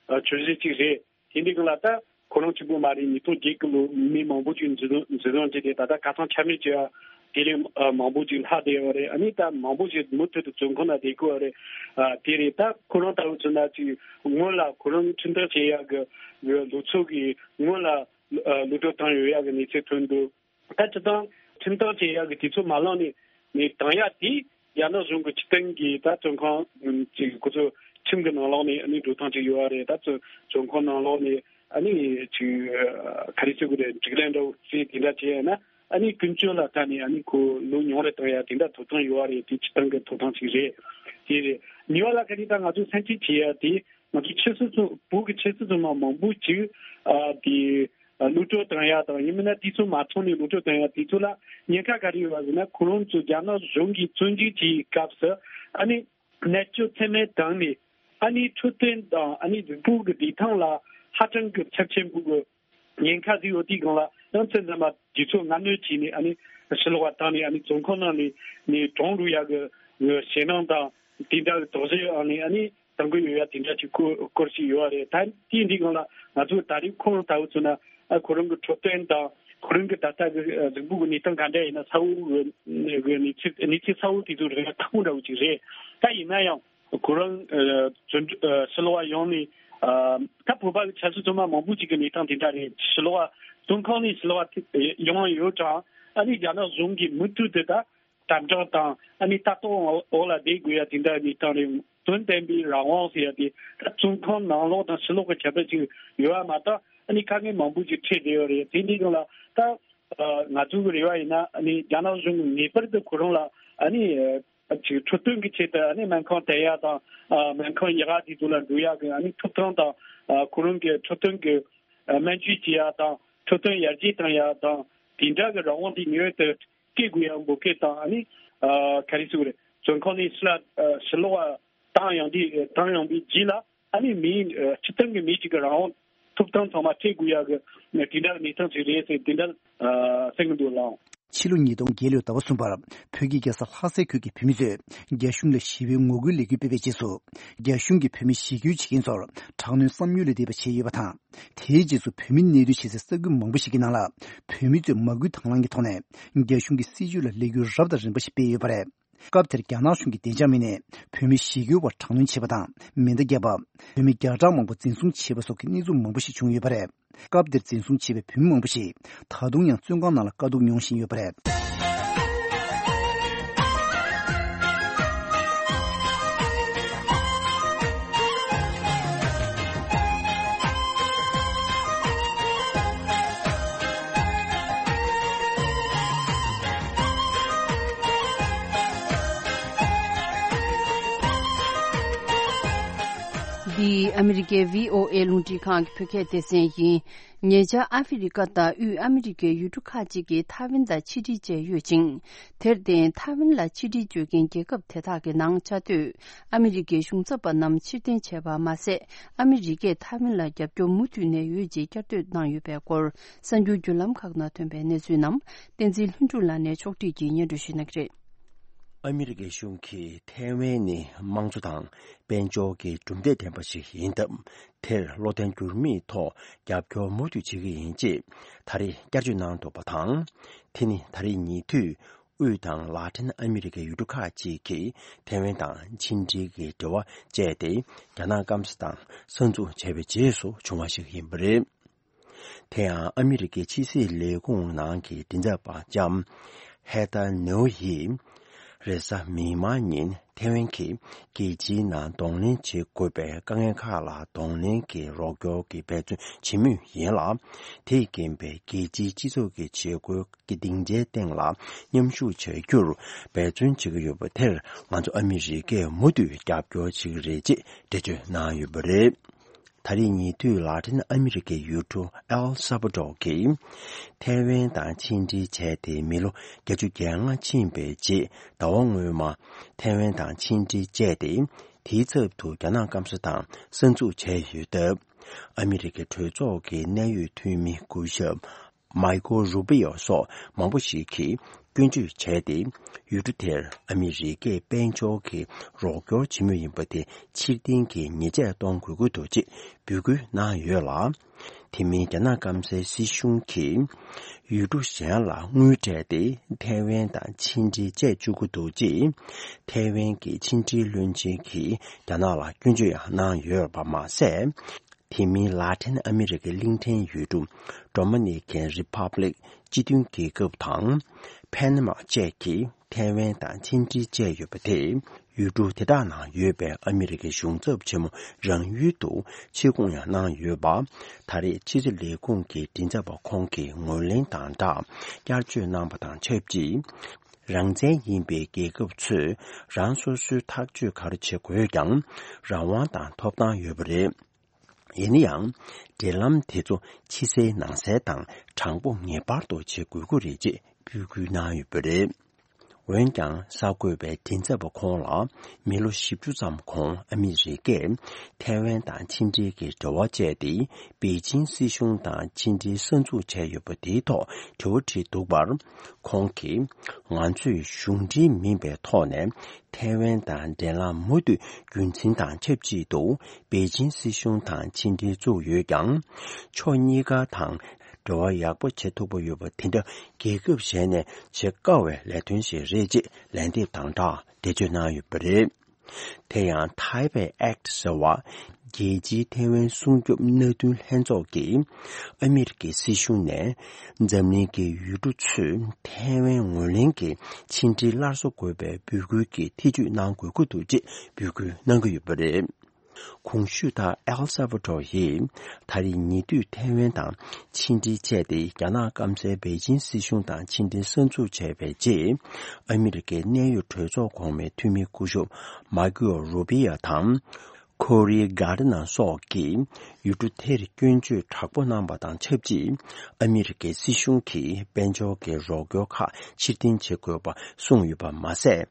ཨ་བརྗོད་གཞི་གཅིག་རེད། དེ་འདི་སྒང་ལ་ད་ཁོ་རང་གཅིག་པུ་མ་རེད། ཉིས་སྟོང་བརྒྱད་གི་ལོ་མི་མང་པོ་ཅིག་འཛིན་བཟུང་འཛིན་བཟུང་བྱས་ཏེ་ད་ལྟ་ཁ་སང་ཆ་མེད་བྱས་ཡ་དེ་རིང་ཨ་མང་པོ་ཅིག་ལྷག་བསྡད་ཡོད་རེད། ཨ་ནི་ད་མང་པོ་ཞིག་མུ་མཐུད་དུ་བཙོན་ཁང་ནང་བསྡད་དགོས་རེད། ཨ་དེ་རེད། ད་ཁོ་རང་ལྟ་བུ་ཚོ་ན་ཅིག་སྔོན་ལ་ཁོ་རང་ཁྲིམས་ཐག་བཅད་ཡ་གི་གི་ལོ་ཚོད་ཀྱི་སྔོན་ལ་ཨ་གློད་གྲོལ་བཏང་ཡོད་ཡ་གི་གནས་ཚུལ་ཐོན་འདུག་ད་སྤྱིར་བཏང་ཁྲིམས་ཐག་བཅད་ཡག་གི་དུས་ཚོད་མ་ལངས་ནས་ནས་བཏང་ཡག་དེ་རྒྱ་ནག་གཞུང་གི་སྤྱི་བཏང་གི་ད་བཙོན་ཁང་ཅིག་ཁོ་ཚོ་ཁྲིམས་ཀྱི་ནང་ལོགས་ནས་ཨ་ནི་འགྲོ་སྟངས་ཅིག་ཡོད་རེད། ད་བཙོན་བཙོན་ཁང་ནང་ལོགས་ནས་ཨ་ནི་ཅིག་ག་རེ་ཟེར་དགོས་རེད། སྒྲིག་ལམ་འདྲ་བོ་བརྩིས་དེ་འདྲ་བྱས་ཡོད་ན་ཨ་ནི་ཀུན་སྤྱོད་ལ་ལྟ་ནས་ཨ་ནི་ཁོ་ལོ་ཉུང་རེ་བཏང་ཡག་དེ་འདྲ་ཐོབ་ཐང་ཡོད་རེད། དེ་སྤྱི་བཏང་གི་ཐོབ་ཐང་ཅིག་རེད། དེ་རེད། གཉིས་པ་ལ་ག་རེ་ད་ང་ཚོ་སེམས་ཁྲལ་བྱེད་ཡག་དེ། ང་ཚོ་ཆབ་སྲིད་བཙོན། བོད་ཀྱི་ཆབ་སྲིད་བཙོན་པ་མང་པོ་ཅིག་ཨ་དེ་ཨ་གློད་གྲོལ་བཏང་ཡ་དང་། ཡིན་མིན་ན་དུས་ཚོད་མ་ཚང་ནས་གློད་གྲོལ་བཏང་ཡ་དེ་ཚོ་ལ་ཉེན་ཁ་ག་རེ་ཡོད་པ་ཟེར་ན། ཁོ་རང་ཚོ་རྒྱ་ནག་གཞུང་གིས་བཙོན་འཇུག་བྱེད་ཡའི་སྐབས་སུ་ཨ་ནི་ནད་བཅོས་ཚད་མེད་བཏང་ནས་ཨ་ནི་འཕྲོད་བསྟེན་དང་ཨ་ནི་གཟུགས་པོ་གི་བདེ་ཐང་ལ་ཧ་ཅང་གི་ཚབས་ཆེན་པོ་གི་ཉེན་ཁ་ཟིག་ཡོད་དུས་སྒང་ལ་ཡང་མཚན་ཙམ་པ་དུས་ཚོད་སྔ་སྣུར་བྱས་ནས་ཨ་ནི་ཕྱི་ལོགས་པ་བཏང་ནས་ཨ་ནི་བཙོན་ཁང་ནང་ནས་ནས་གྲོངས་འགྲོ་ཡ་གི་ཞེད་སྣང་དང་དེ་འདྲ་གི་དོགས་གཞི་ཡོད་ཨ་ནི་ཨ་ནི། གཏང་གི་ཡོད་ཡ་དེ་འདྲ་ཅིག་སྐོར་སྐོར་ཞིག་ཡོད་རེད། ད་དེའི་འདི་སྒང་ལ་ང་ཚོ་ད་རེས་ཁོང་ལྟ་བུ་ཚོ་ན་ཨ་ཁོ་རང་གི་འཕྲོད་བསྟེན་དང་ཁོ་རང་གི་ད་ལྟ་གི་གཟུགས་པོ་གི་གནས་སྟངས་ག་འདྲ་ཡིན་ན་གསལ་བོ་གི་གནས་ཚུལ་གནས་ཚུལ་གསལ་བོ་དེ་ཚོ་རེད་ན་ཁག་པོ་འདྲ་བོ་ཅིག་རེད། ད་ཡིན་ན་ཡང་ཁོ་རང་ཨ་ཕྱི་ལོགས་པ་ཡོང་ནས་ཨ་ད་བོད་པ་གི་ཆབ་སྲིད་བཙོན་པ་མང་པོ་ཅིག་གི་གནས་སྟངས་དེ་འདྲ་རེད། ཕྱི་ལོགས་པ་བཙོན་ཁང་ནས་ཕྱི་ལོགས་པ་ཡོང་ཡོད་ཀྱང་ཨ་ནི་རྒྱ་ནག་གཞུང་གིས་མུ་མཐུད་དུ་ད། དམ་དྲག་དང་ཨ་ནི་ལྟ་རྟོག་འོག་ལ་བསྡད་དགོས་ཡ་དེ་འདྲ་གནས་སྟངས་རེད། དོན་དམ་པའི་རང་དབང་ཟེར་ཡ་དེ་ད་བཙོན་ཁང་ནང་ལོགས་དང་ཕྱི་ལོགས་ཀྱི་ཁྱད་པར་ཅིག་ཡོད་པ་མ་གཏོགས་ཨ་ནི་དཀའ་ངལ་མང་པོ་ཅིག་འཕྲད་བསྡད་ཡོད་རེད། དེ་འདྲའི་སྒང་ལ་ད་ང་ཚོ་གི་རེ་བ་ཡིན་ན་ཨ་ནི་རྒྱ་ནག་གཞུང་གིས་ངེས་པར་དུ་ཁོ་རང་ལ་ཨ་ནི་ཅིག་འཕྲོད་བསྟེན་གྱི་ཆེད་དུ་ཨ་ནི་སྨན་ཁང་དར་ཡ་དང་སྨན་ཁང་ཡག་ག་དེ་ཚོ་ལ་འགྲོ་ཡ་གི་ཨ་ནི་ཐོབ་ཐང་དང་ཁོ་རང་གི་འཕྲོད་བསྟེན་གྱི་སྨན་བཅོས་བྱེད་ཡ་དང་འཕྲོད་བསྟེན་ཡར་རྒྱས་གཏོང་ཡ་དང་དེ་འདྲ་གི་རང་དབང་དེ་ངེས་པར་དུ་སྐྱེད་དགོས་ཡ་འབོད་སྐུལ་དང་ཨ་ནི་ག་རེ་ཟེར་དགོས་རེད། བཙོན་ཁང་ནས་ཕྱི་ལ་ཕྱི་ལོགས་ལ་བཏང་ཡོང་དུས་བཏང་ཡོང་པའི་རྗེས་ལ་ཨ་ནི་མིའི་སྤྱི་བཏང་གི་མི་གཅིག་གི་རང་དབང་ཐོབ་ཐང་ཚང་མ་སྤྲད་དགོས་ཡ་གི་དེ་འདྲ་གནས་སྟངས་ཅིག་རེད་ཟེར་དེ་འདྲ་གསུང་གི་འདུག་ལགས། ཕྱི་ལོ་ཉིས་སྟོང་བརྒྱད་ལོའི་ཟླ་བ་གསུམ་པར་བོད་ཀྱི་རྒྱལ་ས་ལྷ་སའི་ཁུལ་གྱི་བོད་མི་ཚོས་རྒྱ་གཞུང་ལ་ཞི་བའི་ངོ་རྒོལ་ལས་འགུལ་སྤེལ་བའི་རྗེས་སུ། རྒྱ་གཞུང་གིས་བོད་མི་ཞི་རྒོལ་བྱེད་མཁན་ཚོར་དྲག་གནོན་བསམ་ཡུལ་ལས་འདས་པ་བྱས་ཡོད་པ་དང་། དེའི་རྗེས་སུ་བོད་མི་གནས་སྡོད་བྱེད་སའི་ས་ཁུལ་མང་པོ་ཞིག་གི་ནང་ལ་བོད་མི་ཚོས་མ་སྐུལ་དང་བླངས་ཀྱི་ཐོག་ནས་རྒྱ་གཞུང་གི་སྲིད་བྱུས་ལ་ལས་འགུལ་རབ་དང་རིམ་པ་ཞིག་སྤེལ་ཡོད་པ་རེད། སྐབས་དེར་རྒྱ་ནག་གཞུང་གིས་བདེ་འཇགས་མི་སྣས་བོད་མི་ཞི་རྒོལ་བར་དྲག་གནོན་བྱས་པ་དང་མེ་མདའ་བརྒྱབ་པ། བོད་མི་བརྒྱ་ཕྲག་མང་པོ་འཛིན་བཟུང་བྱས་པ་སོགས་ཀྱི་གནས་ཚུལ་མང་པོ་ཞིག་བྱུང་ཡོད་པ་རེད། སྐབས་དེར་འཛིན་བཟུང་བྱས་པའི་བོད་མི་མང་པོ་ཞིག་ད་དུང་ཡང་བཙོན་ཁང་ནང་ལ་དཀའ་སྡུག་མྱོང་བཞིན་ཡོད་པ་རེད། འདི་ཨ་མི་རི་ཀའི་བྷི་ཨོ་ཨེ་རླུང་འཕྲིན་ཁང་གི་བོད་སྐད་སྡེ་ཚན་ཡིན། ཉེ་ཆར་ཨ་ཧྥེ་རི་ཀ་དང་དབུས་ཨ་མི་རི་ཀའི་ཡུལ་གྲུ་ཁག་ཅིག་གིས་ཐའེ་ཝན་དང་ཕྱི་འབྲེལ་བཅད་ཡོད་ཅིང་། དེར་བརྟེན་ཐའེ་ཝན་ལ་ཕྱི་འབྲེལ་གཅོད་མཁན་རྒྱལ་ཁབ་དེ་དག་གི་ནང་བཅའ་སྡོད་ཨ་མི་རི་ཀའི་གཞུང་ཚབ་པ་རྣམས་ཕྱིར་འཐེན་བྱས་པ་མ་ཟད། ཨ་མི་རི་ཀས་ཐའེ་ཝན་ལ་རྒྱབ་སྐྱོར་མུ་མཐུད་ནས་ཡོད་ཅེས་བསྐྱར་ཟློས་གནང་ཡོད་པའི་སྐོར། གསར་འགྱུར་བརྒྱུད་ལམ་ཁག་ནང་ཐོན་པའི་གནས་ཚུལ་རྣམས་བསྟན་འཛིན་ལྷུན་གྲུབ་ལགས་ནས་ཕྱོགས་སྒྲིག་གིས་སྙན་སྒྲོན་ཞུ་གནང་གི་རེད། ཨ་མི་རི་ཀའི་གཞུང་གིས་ཐའེ་ཝན་ནི་དམངས་གཙོ་དང་དཔལ་འབྱོར་གྱི་གྲུབ་འབྲས་ལྡན་པ་ཞིག་ཡིན་སྟབས། དེར་བློ་བརྟན་འགྱུར་མེད་ཐོག་རྒྱབ་སྐྱོར་མུ་མཐུད་བྱེད་ཀྱི་ཡིན་ཅེས་ད་རེས་བསྐྱར་བརྗོད་གནང་འདུག་པ་དང་། དེ་ནི་ད་རེས་ཉེ་དུས་དབུས་དང་ལ་ཏིན་ཨ་མི་རི་ཀའི་ཡུལ་གྲུ་ཁག་ཅིག་གིས་ཐའེ་ཝན་དང་ཕྱི་འབྲེལ་གྱི་འབྲེལ་བ་བཅད་དེ། རྒྱ་ནག་སྐམ་ས་དང་ས་འཛུགས་བྱས་པའི་རྗེས་སུ་བྱུང་བ་ཞིག་ཡིན་པ་རེད། དེ་ཡང་ཨ་མི་རི་ཀའི་ཕྱི་སྲིད་ལས་ཁུངས་ནང་གི་མགྲིན་ཚབ་པ་ལྕམ་ཧེ་ཐར་ནེའུ་ཡིས་རེས་གཟའ་མིག་དམར་ཉིན་ཐའེ་ཝན་གྱིས་རྒྱལ་སྤྱིའི་ནང་གདོང་ལེན་བྱེད་དགོས་པའི་དཀའ་ངལ་ཁག་ལ་གདོང་ལེན་གྱི་རོགས་སྐྱོར་གྱི་འབད་བརྩོན་བྱེད་མུས་ཡིན་ལ། དེས་རྐྱེན་པས་རྒྱལ་སྤྱིའི་སྤྱི་ཚོགས་ཀྱི་བྱེད་སྒོའི་གི་སྡིངས་ཆའི་སྟེང་ལ་མཉམ་ཞུགས་བྱ་རྒྱུར་འབད་བརྩོན་བྱེད་ཀྱི་ཡོད་པ་དེར་ང་ཚོ་ཨ་མི་རི་ཀས་མུ་མཐུད་རྒྱབ་སྐྱོར་བྱེད་ཀྱི་རེད་ཅེས་འགྲེལ་བརྗོད་གནང་ཡོད་པ་རེད། ད་རེས་ཉེ་དུས་ལ་ཏིན་ཨ་མི་རི་ཀའི་ཡུལ་གྲུ་ཨེལ་སཱ་བ་ཏོར་གྱིས་ཐའེ་ཝན་དང་ཕྱི་འབྲེལ་བྱས་ཏེ་མི་ལོ་བརྒྱད་ཅུ་གྱ་ལྔ་ཕྱིན་པའི་རྗེས་ཟླ་བ་སྔོན་མ་ཐའེ་ཝན་དང་ཕྱི་འབྲེལ་བཅད་དེ། དེའི་ཚབ་ཏུ་རྒྱ་ནག་སྐམ་ས་དང་ས་འཛུགས་བྱས་ཡོད་སྟབས། ཨ་མི་རི་ཀའི་གྲོས་ཚོགས་ཀྱི་གནད་ཡོད་འཐུས་མི་སྐུ་ཞབས་མའི་ཀོ་རུ་པི་ཡོ་སོགས་མང་པོ་ཞིག་གིས་སྐྱོན་བརྗོད་བྱས་ཏེ། ཡུལ་གྲུ་དེར་ཨ་མི་རི་ཀས་དཔལ་འབྱོར་གྱི་རོགས་སྐྱོར་བྱེད་མུས་ཡིན་པ་དེ་ཕྱིར་འཐེན་གྱི་ཉེས་ཆད་གཏོང་དགོས་ཀྱི་འདུག་ཅེས་འབོད་སྐུལ་གནང་ཡོད་ལ། དེ་མིན་རྒྱ་ནག་སྐམ་སའི་སྲིད་གཞུང་གིས་ཡུལ་གྲུ་གཞན་ལ་དངུལ་སྤྲད་དེ་ཐའེ་ཝན་དང་ཕྱི་འབྲེལ་བཅད་བཅུག་གི་འདུག་ཅེས་ཐའེ་ཝན་གྱི་ཕྱི་འབྲེལ་བློན་ཆེན་གྱིས་རྒྱ་ནག་ལ་སྐྱོན་བརྗོད་ཡང་གནང་ཡོད་པ་མ་ཟད། དེ་མིན་ལ་ཏིན་ཨ་མི་རི་ཀའི་གླིང་ཕྲན་ཡུལ་གྲུ་ཌོ་མི་ནི་ཀན་རི་ཕབ་ལིག་སྤྱི་མཐུན་རྒྱལ་ཁབ་དང་ཕན་མ་བཅས་ཀྱིས་ཐའེ་ཝན་དང་ཕྱི་འབྲེལ་བཅད་ཡོད་པ་དེས་ཡུལ་གྲུ་དེ་དག་ནང་ཡོད་པའི་ཨ་མི་རི་ཀའི་གཞུང་ཚབ་ཆེན་མོ་རང་ཡུལ་དུ་ཕྱིར་འགོང་ཡང་གནང་ཡོད་པ། ད་རེས་ཕྱི་སྲིད་ལས་ཁུངས་ཀྱི་མགྲིན་ཚབ་པ་ཁོང་གིས་ངོས་ལེན་དང་སྦྲགས་བསྐྱར་བརྗོད་གནང་པ་དང་ཆབས་ཅིག་རང་བཙན་ཡིན་པའི་རྒྱལ་ཁབ་ཚོས་རང་སོ་སོའི་ཐག་གཅོད་ག་རེ་བྱེད་དགོས་ཀྱང་རང་དབང་དང་ཐོབ་ཐང་ཡོད་པ་རེད། ཡིན་ན་ཡང་། འབྲེལ་ལམ་དེ་ཚོ་ཕྱི་གསལ་ནང་གསལ་དང་དྲང་པོ་ངེས་པར་དུ་བྱེད་དགོས་ཀྱི་རེད་ཅེས་འབོད་སྐུལ་གནང་ཡོད་པ་རེད། འོན་ཀྱང་གསར་འགོད་པས་མགྲིན་ཚབ་པ་ཁོང་ལ་མི་ལོ་བཞི་བཅུ་ཙམ་གོང་ཨ་མི་རི་ཀས་ཐའེ་ཝན་དང་ཕྱི་འབྲེལ་གྱི་འབྲེལ་བ་བཅད་དེ་པེ་ཅིང་སྲིད་གཞུང་དང་ཕྱི་འབྲེལ་གསར་འཛུགས་བྱས་ཡོད་པ་དེའི་ཐོག་དྲི་བ་དྲིས་འདུག་པར། ཁོང་གིས། ང་ཚོས་གཞུང་འབྲེལ་མིན་པའི་ཐོག་ནས་ཐའེ་ཝན་དང་འབྲེལ་ལམ་མུ་མཐུད་རྒྱུན་འཛིན་དང་ཆབས་ཅིག་ཏུ་པེ་ཅིང་སྲིད་གཞུང་དང་ཕྱི་འབྲེལ་བཙུགས་ཡོད་ཀྱང་། ཕྱོགས་གཉིས་ཀ་དང་འབྲེལ་བ་ཡག་པོ་བྱེད་ཐུབ་པ་ཡོད་པ་དེ་འདྲ་རྒྱལ་ཁབ་གཞན་ནས་བྱེད་དཀའ་བའི་ལས་དོན་ཞིག་རེད་ཅེས་ལན་འདེབས་དང་སྦྲགས་འགྲེལ་བརྗོད་གནང་ཡོད་པ་རེད། དེ་ཡང་Taipei Act ཟེར་བ། རྒྱལ་སྤྱིའི་ཐའེ་ཝན་སྲུང་སྐྱོབ་མནའ་མཐུན་ལྷན་ཚོགས་ཀྱིས་ཨ་མི་རི་ཀའི་སྲིད་གཞུང་ནས་འཛམ་གླིང་གི་ཡུལ་གྲུ་ཚོས་ཐའེ་ཝན་ངོས་ལེན་གྱི་ཕྱི་འབྲེལ་སླར་གསོ་དགོས་པའི་འབོད་སྐུལ་གྱི་ཐེ་བྱུས་གནང་དགོས་ཀྱི་འདུག་ཅེས་འབོད་སྐུལ་གནང་གི་ཡོད་པ་རེད། གོང་ཞུས་ལྟར། ཨེལ་སཱ་ཝཱ་ཏོར་ཡིས་ད་རེས་ཉེ་དུས་ཐའེ་ཝན་དང་ཕྱི་འབྲེལ་བཅད་དེ། རྒྱ་ནག་སྐམ་སའི་པེ་ཅིན་སྲིད་གཞུང་དང་ཕྱི་འབྲེལ་གསར་འཛུགས་བྱས་པའི་རྗེས། ཨ་མི་རི་ཀའི་གནད་ཡོད་གྲོས་ཚོགས་གོང་མའི་འཐུས་མི་སྐུ་ཞབས་མཱ་ཀོ་རུ་པི་ཡ་དང་། ཁོ་རི་གྷར་ཌི་ནར་སོགས་ཀྱིས་ཡུལ་གྲུ་དེར་སྐྱོན་བརྗོད་དྲག་པོ་གནང་བ་དང་ཆབས་ཅིག་ཨ་མི་རི་ཀའི་སྲིད་གཞུང་གིས་དཔལ་འབྱོར་གྱི་རོགས་སྐྱོར་ཁག་ཕྱིར་འཐེན་བྱེད་དགོས་པ་གསུངས་ཡོད་པ་མ་ཟད།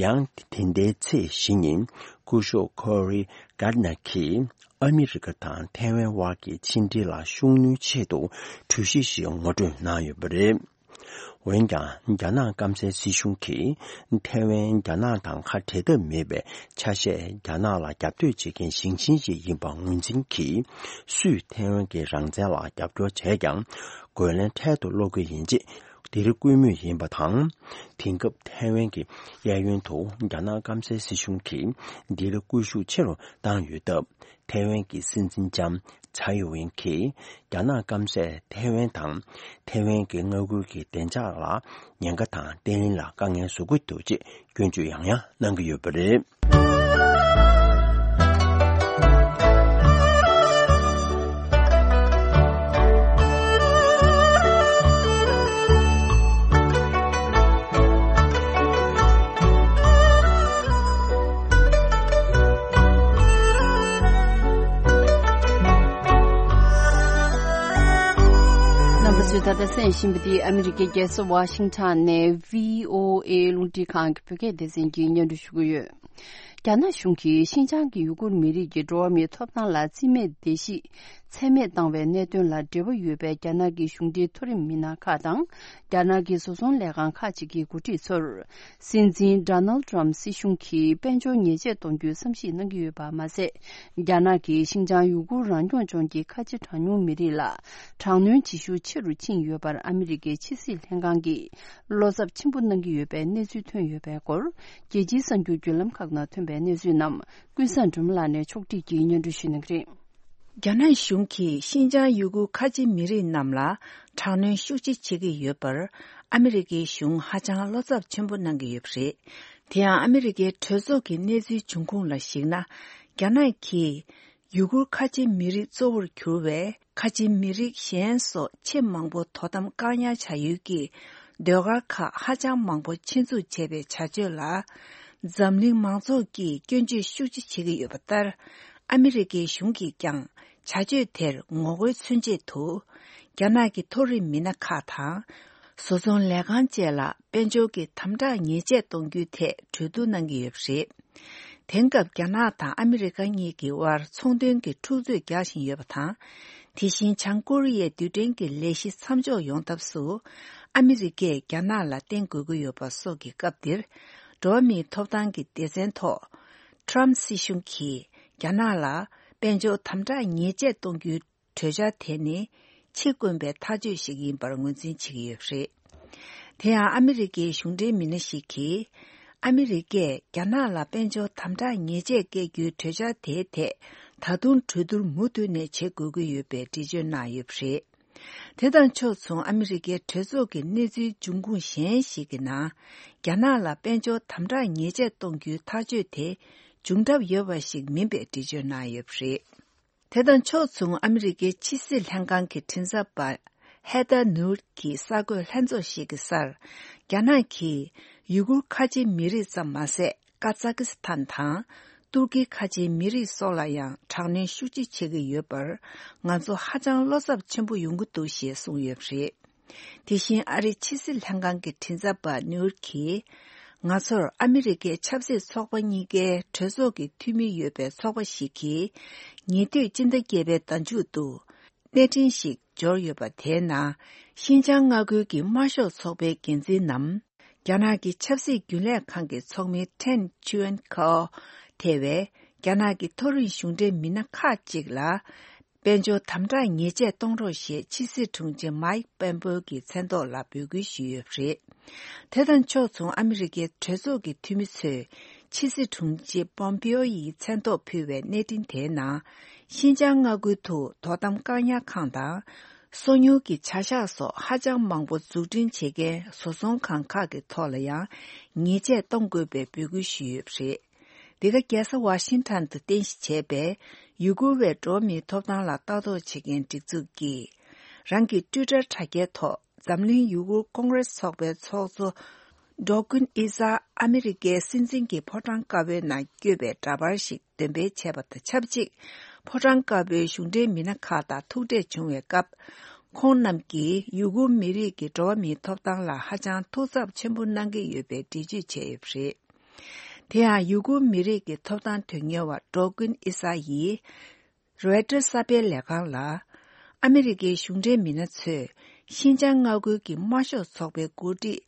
ཡང་དེ་ཟླའི་ཚེས་བཞི་ཉིན་སྐུ་ཞབས་ཁོ་རི་གྷར་ཌི་ནར་གྱིས་ཨ་མི་རི་ཀ་དང་ཐའེ་ཝན་དབར་གྱི་ཕྱི་འབྲེལ་ལ་ཤུགས་སྣོན་ཆེད་དུ་གྲོས་གཞི་ཞིག་ངོ་སྤྲོད་གནང་ཡོད་པ་རེད། འོན་ཀྱང་། རྒྱ་ནག་སྐམ་སའི་སྲིད་གཞུང་གིས་ཐའེ་ཝན་རྒྱ་ནག་དང་ཁ་བྲལ་ཐབས་མེད་པའི་ཆ་ཤས། རྒྱ་ནག་ལ་རྒྱབ་གཏོད་བྱེད་མཁན་ཞིང་ཆེན་ཞིག་ཡིན་པ་ངོས་འཛིན་གྱིས། སུས་ཐའེ་ཝན་གྱི་རང་བཙན་ལ་རྒྱབ་སྐྱོར་བྱས་ཀྱང་། རྒོལ་ལན་འཕྲལ་དུ་སློག་གི་ཡིན་ཅེས་འདིར་བསྐུལ་མུས་ཡིན་པ་དང་། དེང་སྐབས་ཐའེ་ཝན་གྱི་གཡས་གཡོན་དུ་རྒྱ་ནག་སྐམ་སའི་སྲིད་གཞུང་གིས་འདིར་སྐུལ་ཤུགས་ཆེ་རུ་བཏང་ཡོད་སྟབས། ཐའེ་ཝན་གྱི་སྲིད་འཛིན་ལྕམ་ཚའེ་ཝེན་གྱིས་རྒྱ་ནག་སྐམ་སས་ཐའེ་ཝན་དང་ཐའེ་ཝན་གྱི་མངའ་ཁུལ་གྱི་བདེ་འཇགས་ལ་ཉེན་ཁ་དང་བརྟན་ལྷིང་ལ་དཀའ་ངལ་བཟོ་གི་འདུག་ཅེས་སྐྱོན་བརྗོད་ཡང་ཡང་གནང་གི་ཡོད་པ་རེད། རྣམ་པ་ཚོས་ད་ལྟ་གསན་བཞིན་པ་འདི་ཨ་མི་རི་ཀའི་རྒྱལ་ས་ཝ་ཤིང་ཊོན་ནས་བྷི་ཨོ་ཨེ་རླུང་འཕྲིན་ཁང་གི་བོད་སྐད་སྡེ་ཚན་གྱིས་སྙན་སྒྲོན་ཞུ་གི་ཡོད། རྒྱ་ནག་གཞུང་གིས་ཤིན་ཅང་གི་ཡུ་གུར་མི་རིགས་ཀྱི་འགྲོ་བ་མིའི་ཐོབ་ཐང་ལ་རྩིས་མེད་བརྡལ་བཤིག་ཚད་མེད་བཏང་བའི་གནད་དོན་ལ་འབྲེལ་བ་ཡོད་པའི་རྒྱ་ནག་གི་གཞུང་འབྲེལ་མཐོ་རིམ་མི་སྣ་ཁག་དང་། རྒྱ་ནག་གི་བཟོ་ཚོང་ལས་ཁང་ཁག་ཅིག་གི་འགོ་ཁྲིད་ཚོར། སྲིད་འཛིན་ཌོ་ནལ་ཌི་ཊརམ་སྲིད་གཞུང་གིས་དཔལ་འབྱོར་ཉེས་ཆད་གཏོང་རྒྱུའི་བསམ་གཞིག་གནང་གི་ཡོད་པ་མ་ཟད། རྒྱ་ནག་གིས་ཤིན་ཅང་ཡུ་གུར་རང་སྐྱོང་ལྗོངས་ཀྱི་ཁ་ཆེ་གྲངས་ཉུང་མི་རིགས་ལ་དྲག་གནོན་བྱེད་ཤུགས་ཆེ་རུ་ཕྱིན་ཡོད་པར་ཨ་མི་རི་ཀའི་ཕྱི་སྲིད་ལྷན་ཁང་གིས་བློ་འཚབ་ཆེན་པོ་གནང་གི་ཡོད་པའི་གནས་ཚུལ་ཐོན་ཡོད་པའི་སྐོར། རྒྱལ་སྤྱིའི་གསར་འགྱུར་བརྒྱུད་ལམ་ཁག་ནང་ཐོན་པའི་གནས་ཚུལ་རྣམས་ཀུན་བཟང་སྒྲོལ་མ་ལགས་ནས་ཕྱོགས་སྒྲིག་གིས་སྙན་སྒྲོན་ཞུ་གནང་གི་རེད། རྒྱ་ནག་གཞུང་གིས་ཤིན་ཅང་ཡུ་གུར་ཁ་ཆེ་མི་རིགས་རྣམས་ལ་དྲག་གནོན་ཤུགས་ཆེ་བྱེད་ཀྱི་ཡོད་པར་ཨ་མི་རི་ཀའི་གཞུང་ཧ་ཅང་བློ་འཚབ་ཆེན་པོ་གནང་གི་ཡོད་པ་རེད། དེ་ཡང་ཨ་མི་རི་ཀའི་གྲོས་ཚོགས་ཀྱི་གནས་ཚུལ་འབྱུང་ཁུངས་ལ་གཞིགས་ན། རྒྱ་ནག་གིས་ཡུ་གུར་ཁ་ཆེ་མི་རིགས་གཙོ་བོར་གྱུར་བའི་ཁ་ཆེ་མི་རིགས་གཞན་སོགས་ཆེས་མང་པོ་དོ་དམ་བཀག་ཉར་བྱ་ཡུལ་གྱི་ཟློས་གར་ཁག་ཧ་ཅང་མང་པོ་ཆེད་འཛུགས་བྱས་པའི་བྱ་སྤྱོད་ལ། འཛམ་གླིང་མང་ཚོགས་ཀྱིས་སྐྱོན་བརྗོད་ཤུགས་ཆེ་བྱེད་ཀྱི་ཡོད་པ་ལྟར། ཨ་མི་རི་ཀའི་གཞུང་གིས་ཀྱང་བྱ་སྤྱོད་དེར་ངོ་རྒོལ་མཚོན་ཆེད་དུ། རྒྱ་ནག་གི་མཐོ་རིམ་མི་སྣ་ཁག་དང་། བཟོ་ཚོང་ལས་ཁང་བཅས་ལ་དཔལ་འབྱོར་གྱི་དམ་དྲག་ཉེས་ཆད་གཏོང་རྒྱུའི་ཐད་གྲོས་བསྡུར་གནང་གི་ཡོད་པ་རེད། དེང་སྐབས་རྒྱ་ནག་དང་ཨ་མི་རི་ཀ་གཉིས་ཀྱི་དབར་ཚོང་དོན་གྱི་འཁྲུག་རྩོད་རྒྱག་བཞིན་ཡོད་པ་དང་། དེ་བཞིན་བྱང་ཀོ་རི་ཡའི་རྡུལ་ཕྲན་གྱི་ལས་གཞི་མཚམས་འཇོག་ཡོང་ཐབས་སུ། ཨ་མི་རི་ཀས་རྒྱ་ནག་ལ་བརྟེན་དགོས་ཀྱི་ཡོད་པ་སོགས་ཀྱི་སྐབས་འདིར། འགྲོ་བ་མིའི་ཐོབ་ཐང་གི་སྡེ་ཚན་ཐོག་ཊརམ་སྲིད་གཞུང་གིས་རྒྱ་ནག་ལ་དཔལ་འབྱོར་དམ་དྲག་ཉེས་ཆད་གཏོང་རྒྱུའི་གྲོས་འཆར་དེ་ནི་ཕྱི་དཀོན་པའི་ཐག་གཅོད་ཞིག་ཡིན་པར་ངོས་འཛིན་བྱེད་ཀྱི་ཡོད་པ་རེད། དེ་ཡང་ཨ་མི་རི་ཀའི་གཞུང་འབྲེལ་མི་སྣ་ཞིག་གིས། ཨ་མི་རི་ཀས་རྒྱ་ནག་ལ་དཔལ་འབྱོར་དམ་དྲག་ཉེས་ཆད་བཀལ་རྒྱུའི་གྲོས་འཆར་དེའི་ཐད་ད་དུང་གྲོས་བསྡུར་མུ་མཐུད་ནས་བྱེད་དགོས་ཀྱི་ཡོད་པའི་འགྲེལ་བརྗོད་གནང་ཡོད་པ་རེད། དེ་དང་ཕྱོགས་མཚུངས་ཨ་མི་རི་ཀའི་གྲོས་ཚོགས་ཀྱི་གནས་ཚུལ་འབྱུང་ཁུངས་གཞན་ཞིག་གི་ནང་། རྒྱ་ནག་ལ་དཔལ་འབྱོར་དམ་དྲག་ཉེས་ཆད་གཏོང་རྒྱུའི་ཐག་གཅོད་དེ་འབྱུང་གྲབས་ཡོད་པ་ཞིག་མིན་པའི་འགྲེལ་བརྗོད་གནང་ཡོད་པ་རེད། དེ་དང་ཕྱོགས་མཚུངས་ཨ་མི་རི་ཀའི་ཕྱི་སྲིད་ལྷན་ཁང་གི་མགྲིན་ཚབ་པ་ཧེ་ཐར་ནུར་གྱིས་གསར་འགོད་ལྷན་ཚོགས་ཤིག་གི་སར། རྒྱ་ནག་གིས་ཡུ་གུར་ཁ་ཆེ་མི་རིགས་ཙམ་མ་ཟད། ཀ་ཛ་ཀི་སི་ཐན་དང་ཏུར་ཀི་ཁ་ཆེའི་མི་རིགས་སོགས་ལ་ཡང་དྲག་གནོན་ཤུགས་ཆེ་བྱེད་ཀྱི་ཡོད་པར། ང་ཚོ་ཧ་ཅང་བློ་འཚབ་ཆེན་པོ་ཡོང་གི་འདུག་ཞེས་གསུངས་ཡོད་པ་རེད། དེ་བཞིན་ཨ་རིའི་ཕྱི་སྲིད་ལྷན་ཁང་གི་མགྲིན་ཚབ་པ་ནིའུར་གྱིས། ང་ཚོར་ཨ་མི་རི་ཀའི་ཆབ་སྲིད་ཚོགས་པ་གཉིས་ཀའི་གྲོས་ཚོགས་ཀྱི་འཐུས་མི་ཡོད་པའི་ཚོགས་པ་ཞིག་གིས། ཉེ་དུས་སྤྱི་ཟླ་བརྒྱད་པའི་ཟླ་མཇུག་ཏུ། གནས་འཕྲིན་ཞིག་འབྱོར་ཡོད་པ། དེའི་ནང་ཤིན་ཅང་མངའ་ཁུལ་གྱི་དམར་ཤོག་ཚོགས་པའི་འགན་འཛིན་ནམ། རྒྱ་ནག་གི་ཆབ་སྲིད་རྒྱུན་ལས་ཁང་གི་ཚོགས་མི་ཁྲེན་ཆུའེན་ཁའོ་ཐེ་བས། རྒྱ་ནག་གི་མཐོ་རིམ་གཞུང་འབྲེལ་མི་སྣ་ཁག་ཅིག་ལ། དཔལ་འབྱོར་དམ་དྲག་ཉེས་ཆད་གཏོང་རོགས་ཞེས་ཕྱི་སྲིད་དྲུང་ཆེ་མཱིག་པེན་པོ་གི་མཚན་ཐོག་ལ་འབོད་སྐུལ་ཞུས་ཡོད་པ་རེད། དེ་དང་ཕྱོགས་མཚུངས་ཨ་མི་རི་ཀའི་གྲོས་ཚོགས་ཀྱི་འཐུས་མི་ཚོས་ ཕྱི་སྲིད་དྲུང་ཆེ་པོམ་པིའོ་ཡིས་མཚན་ཐོག་ཕུལ་བའི་གནས་འཕྲིན་དེའི་ནང་། ཤིན་ཅང་མངའ་ཁུལ་དུ་དོ་དམ་བཀག་ཉར་ཁང་དང་། སོ་ཉུལ་གྱི་བྱ་གཞག་སོགས་ཧ་ཅང་མང་པོ་འཛུགས་སྐྲུན་བྱེད་མཁན་བཟོ་ཚོང་ཁང་ཁག་གི་ཐོག་ལ་ཡང་ཉེས་ཆད་གཏོང་དགོས་པའི་འབོད་སྐུལ་ཞུས་ཡོད་པ་རེད། འདི་ག་རྒྱལ་ས་ཝ་ཤིང་ཊོན་དུ་རྟེན་གཞི་བྱས་པའི་ཡུ་གུར་བའི་འགྲོ་བ་མིའི་ཐོབ་ཐང་ལ་ལྟ་རྟོག་བྱེད་མཁན་སྒྲིག་འཛུགས་ཀྱིས། རང་གི་ཊུའི་ཊར་དྲ་རྒྱའི་ཐོག་འཛམ་གླིང་ཡུ་གུར་ཀོང་རེས་ཚོགས་པའི་ཚོགས་གཙོ། ཌོ་ཀུན་ཨི་ས་ཨ་མི་རི་ཀའི་སྲིད་འཛིན་གྱི་ཕོ་བྲང་དཀར་པོའི་ནང་བསྐྱོད་པའི་འདྲ་པར་ཞིག་འདོན་སྤེལ་བྱས་པ་དང་ཆབས་ཅིག་ཕོ་བྲང་དཀར་པོའི་གཞུང་འབྲེལ་མི་སྣ་ཁག་དང་ཐུག་འཕྲད་བྱུང་བའི་སྐབས། ཁོང་རྣམས་ཀྱིས་ཡུ་གུར་མི་རིགས་ཀྱི་འགྲོ་བ་མིའི་ཐོབ་ཐང་ལ་ཧ་ཅང་ཐུགས་འཚབ་ཆེན་པོ་གནང་གི་ཡོད་པའི་འགྲེལ་བརྗོད་བྱས་ཡོད་པ་རེད། དེ་ཡང་ཡུ་གུར་མི་རིགས་ཀྱི་ཐོབ་ཐང་དོན་གཉེར་བ་ཌོ་ཀུན་ཨི་ས་ཡིས། རོའི་ཊར་གསར་སྤེལ་ལས་ཁང་ལ། ཨ་མི་རི་ཀའི་གཞུང་འབྲེལ་མི་སྣ་ཚོས་ཤིན་ཅང་མངའ་ཁུལ་གྱི་དམར་ཤོག་ཚོགས་པའི་འགོ་ཁྲིད་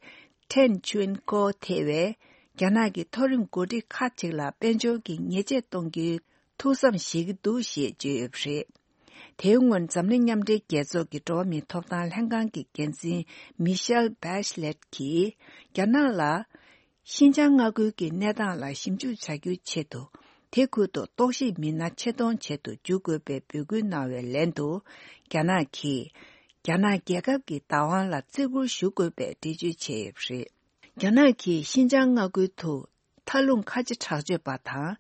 ཐེན་ཆུན་ཀོ་ཐེ་བས། རྒྱ་ནག་གི་མཐོ་རིམ་འགོ་ཁྲིད་ཁག་ཅིག་ལ་དཔལ་འབྱོར་གྱི་ཉེས་ཆད་གཏོང་རྒྱུའི་ཐུགས་བསམ་བཞེས་ཀྱི་འདུག་ཞེས་བརྗོད་ཡོད་པ་རེད། དེའི་སྔོན་འཛམ་གླིང་མཉམ་འབྲེལ་རྒྱལ་ཚོགས་ཀྱི་འགྲོ་བ་མིའི་ཐོབ་ཐང་ལྷན་ཁང་གི་འགན་འཛིན་མི་ཤེལ་བྷེ་ཤ་ལེད་ཀྱིས་རྒྱ་ནག་ལ། ཤིན་ཅང་མངའ་ཁུལ་གྱི་གནས་སྟངས་ལ་ཞིབ་འཇུག་བྱ་རྒྱུའི་ཆེད་དུ། དེ་ཁུལ་དུ་རྟོག་ཞིབ་མི་སྣ་ཆེད་གཏོང་བྱེད་དུ་འཇུག་དགོས་པའི་འབོད་སྐུལ་གནང་བའི་ལན་དུ། རྒྱ་ནག་གིས། རྒྱ་ནག་རྒྱལ་ཁབ་ཀྱི་བདག་དབང་ལ་བརྩི་བཀུར་ཞུ་དགོས་པའི་འགྲེལ་བརྗོད་བྱས་ཡོད་པ་རེད། རྒྱ་ནག་གིས་ཤིན་ཅང་མངའ་ཁུལ་དུ། མཐའ་ལྷུང་ཁ་ཆེ་དྲག་སྤྱོད་པ་དང་།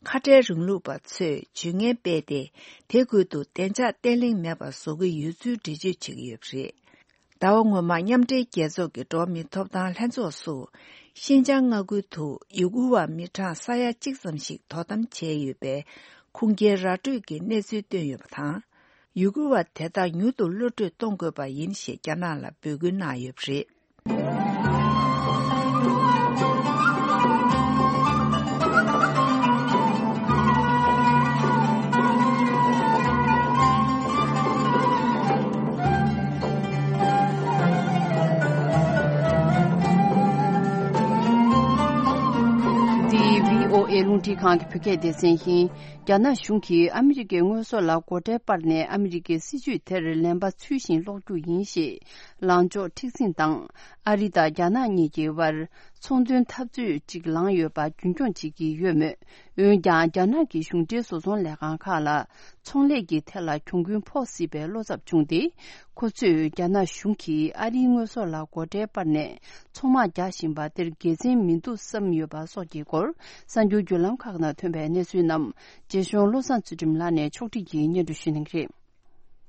ཁ་བྲལ་རིང་ལུགས་པ་ཚོས་ཇུས་ངན་སྤེལ་ཏེ། དེ་ཁུལ་དུ་བདེ་འཇགས་བརྟན་ལྷིང་མེད་པར་བཟོ་གི་ཡོད་ཚུལ་འགྲེལ་བརྗོད་བྱེད་ཀྱི་ཡོད་པ་རེད། ཟླ་བ་སྔོན་མ་མཉམ་འབྲེལ་རྒྱལ་ཚོགས་ཀྱི་འགྲོ་བ་མིའི་ཐོབ་ཐང་ལྷན་ཚོགས་སུ། ཤིན་ཅང་མངའ་ཁུལ་དུ་ཡུ་གུར་བ་མི་གྲངས་ས་ཡ་གཅིག་ཙམ་ཞིག་དོ་དམ་བྱས་ཡོད་པའི་ཁུངས་སྐྱེལ་ར་སྤྲོད་ཀྱི་གནས་ཚུལ་བཏོན་ཡོད་པ་དང་། ཡུ་གུར་བ་དེ་དག་མྱུར་དུ་གློད་བཀྲོལ་གཏོང་དགོས་པ་ཡིན་ཞེས་རྒྱ་ནག་ལ་འབོད་སྐུལ་གནང་ཡོད་པ་རེད། འདི་བྷི་ཨོ་ཨེ་རླུང་འཕྲིན་ཁང་གི་བོད་སྐད་སྡེ་ཚན་ཡིན། རྒྱ་ནག་གཞུང་གིས་ཨ་མི་རི་ཀའི་དངོས་ཟོག་ལ་སྒོ་ཁྲལ་སྤར་ནས་ཨ་མི་རི་ཀའི་སྲིད་ཇུས་དེར་ལན་པ་ཚུལ་བཞིན་སློག་རྒྱུ་ཡིན་ཞེས་ལངས་ཕྱོགས་མཁྲེགས་འཛིན་དང་། ཨ་རི་དང་རྒྱ་ནག་གཉིས་ཀྱི་དབར་ཚོང་དོན་འཐབ་རྩོད་ཅིག་ལངས་ཡོད་པ་རྒྱུན་འཁྱོངས་བྱེད་ཀྱི་ཡོད་མོད། འོན་ཀྱང་། རྒྱ་ནག་གི་གཞུང་འབྲེལ་བཟོ་ཚོང་ལས་ཁང་ཁག་ལ་ཚོང་ལས་ཀྱི་ཐད་ལ་གྱོང་གུན་ཕོག་སྲིད་པའི་བློ་འཚབ་བྱུང་སྟེ། ཁོ་ཚོས་རྒྱ་ནག་གཞུང་གིས་ཨ་རིའི་དངོས་ཟོག་ལ་སྒོ་ཁྲལ་སྤར་ནས་ཚོང་དམག་རྒྱག་བཞིན་པ་དེར་དགེ་མཚན་མི་འདུག་བསམ་ཡོད་པ་སོགས་ཀྱི་སྐོར། གསར་འགྱུར་བརྒྱུད་ལམ་ཁག་ནང་ཐོན་པའི་གནས་ཚུལ་རྣམས། རྗེ་གཞུང་བློ་བཟང་ཚུལ་ཁྲིམས་ལགས་ནས་ཕྱོགས་སྒྲིག་གིས་སྙན་སྒྲོན་ཞུ་གནང་གི་རེད།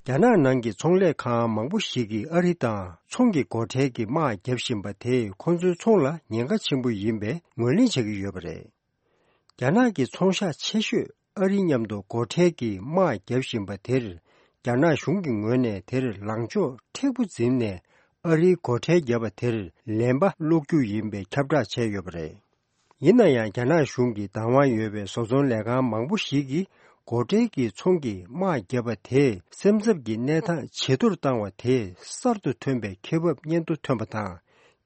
རྒྱ་ནག་ནང་གི་ཚོང་ལས་ཁང་མང་པོ་ཞིག་གིས་ཨ་རི་དང་ཚོང་གི་སྒོ་ཁྲལ་གྱི་དམག་བརྒྱབ་བཞིན་པ་དེས་ཁོ་ཚོའི་ཚོང་ལ་ཉེན་ཁ་ཆེན་པོ་ཡིན་པའི་ངོས་ལེན་བྱེད་ཀྱི་ཡོད་པ་རེད། རྒྱ་ནག་གི་ཚོང་ཤག་ཆེ་ཤོས་ཨ་རིའི་མཉམ་དུ་སྒོ་ཁྲལ་གྱི་དམག་བརྒྱབ་བཞིན་པ་དེར། རྒྱ་ནག་གཞུང་གི་ངོས་ནས་དེར་ལངས་ཕྱོགས་མཁྲེགས་པོ་འཛིན་ནས། ཨ་རིའི་སྒོ་ཁྲལ་བརྒྱབ་པ་དེར་ལན་པ་སློག་རྒྱུ་ཡིན་པའི་ཁྱབ་བསྒྲགས་བྱས་ཡོད་པ་རེད། ཡིན་ན་ཡང་། རྒྱ་ནག་གཞུང་གི་བདག་དབང་ཡོད་པའི་བཟོ་ཚོང་ལས་ཁང་མང་པོ་ཞིག་གིས། སྒོ་ཁྲལ་གྱི་ཚོང་གི་དམག་བརྒྱབ་པ་དེས། སེམས་འཚབ་ཀྱི་གནས་སྟངས་ཇེ་མཐོར་བཏང་བ་དེས། གསར་དུ་ཐོན་པའི་ཁེ་འབབ་སྔོན་དུ་ཐོན་པ་དང་།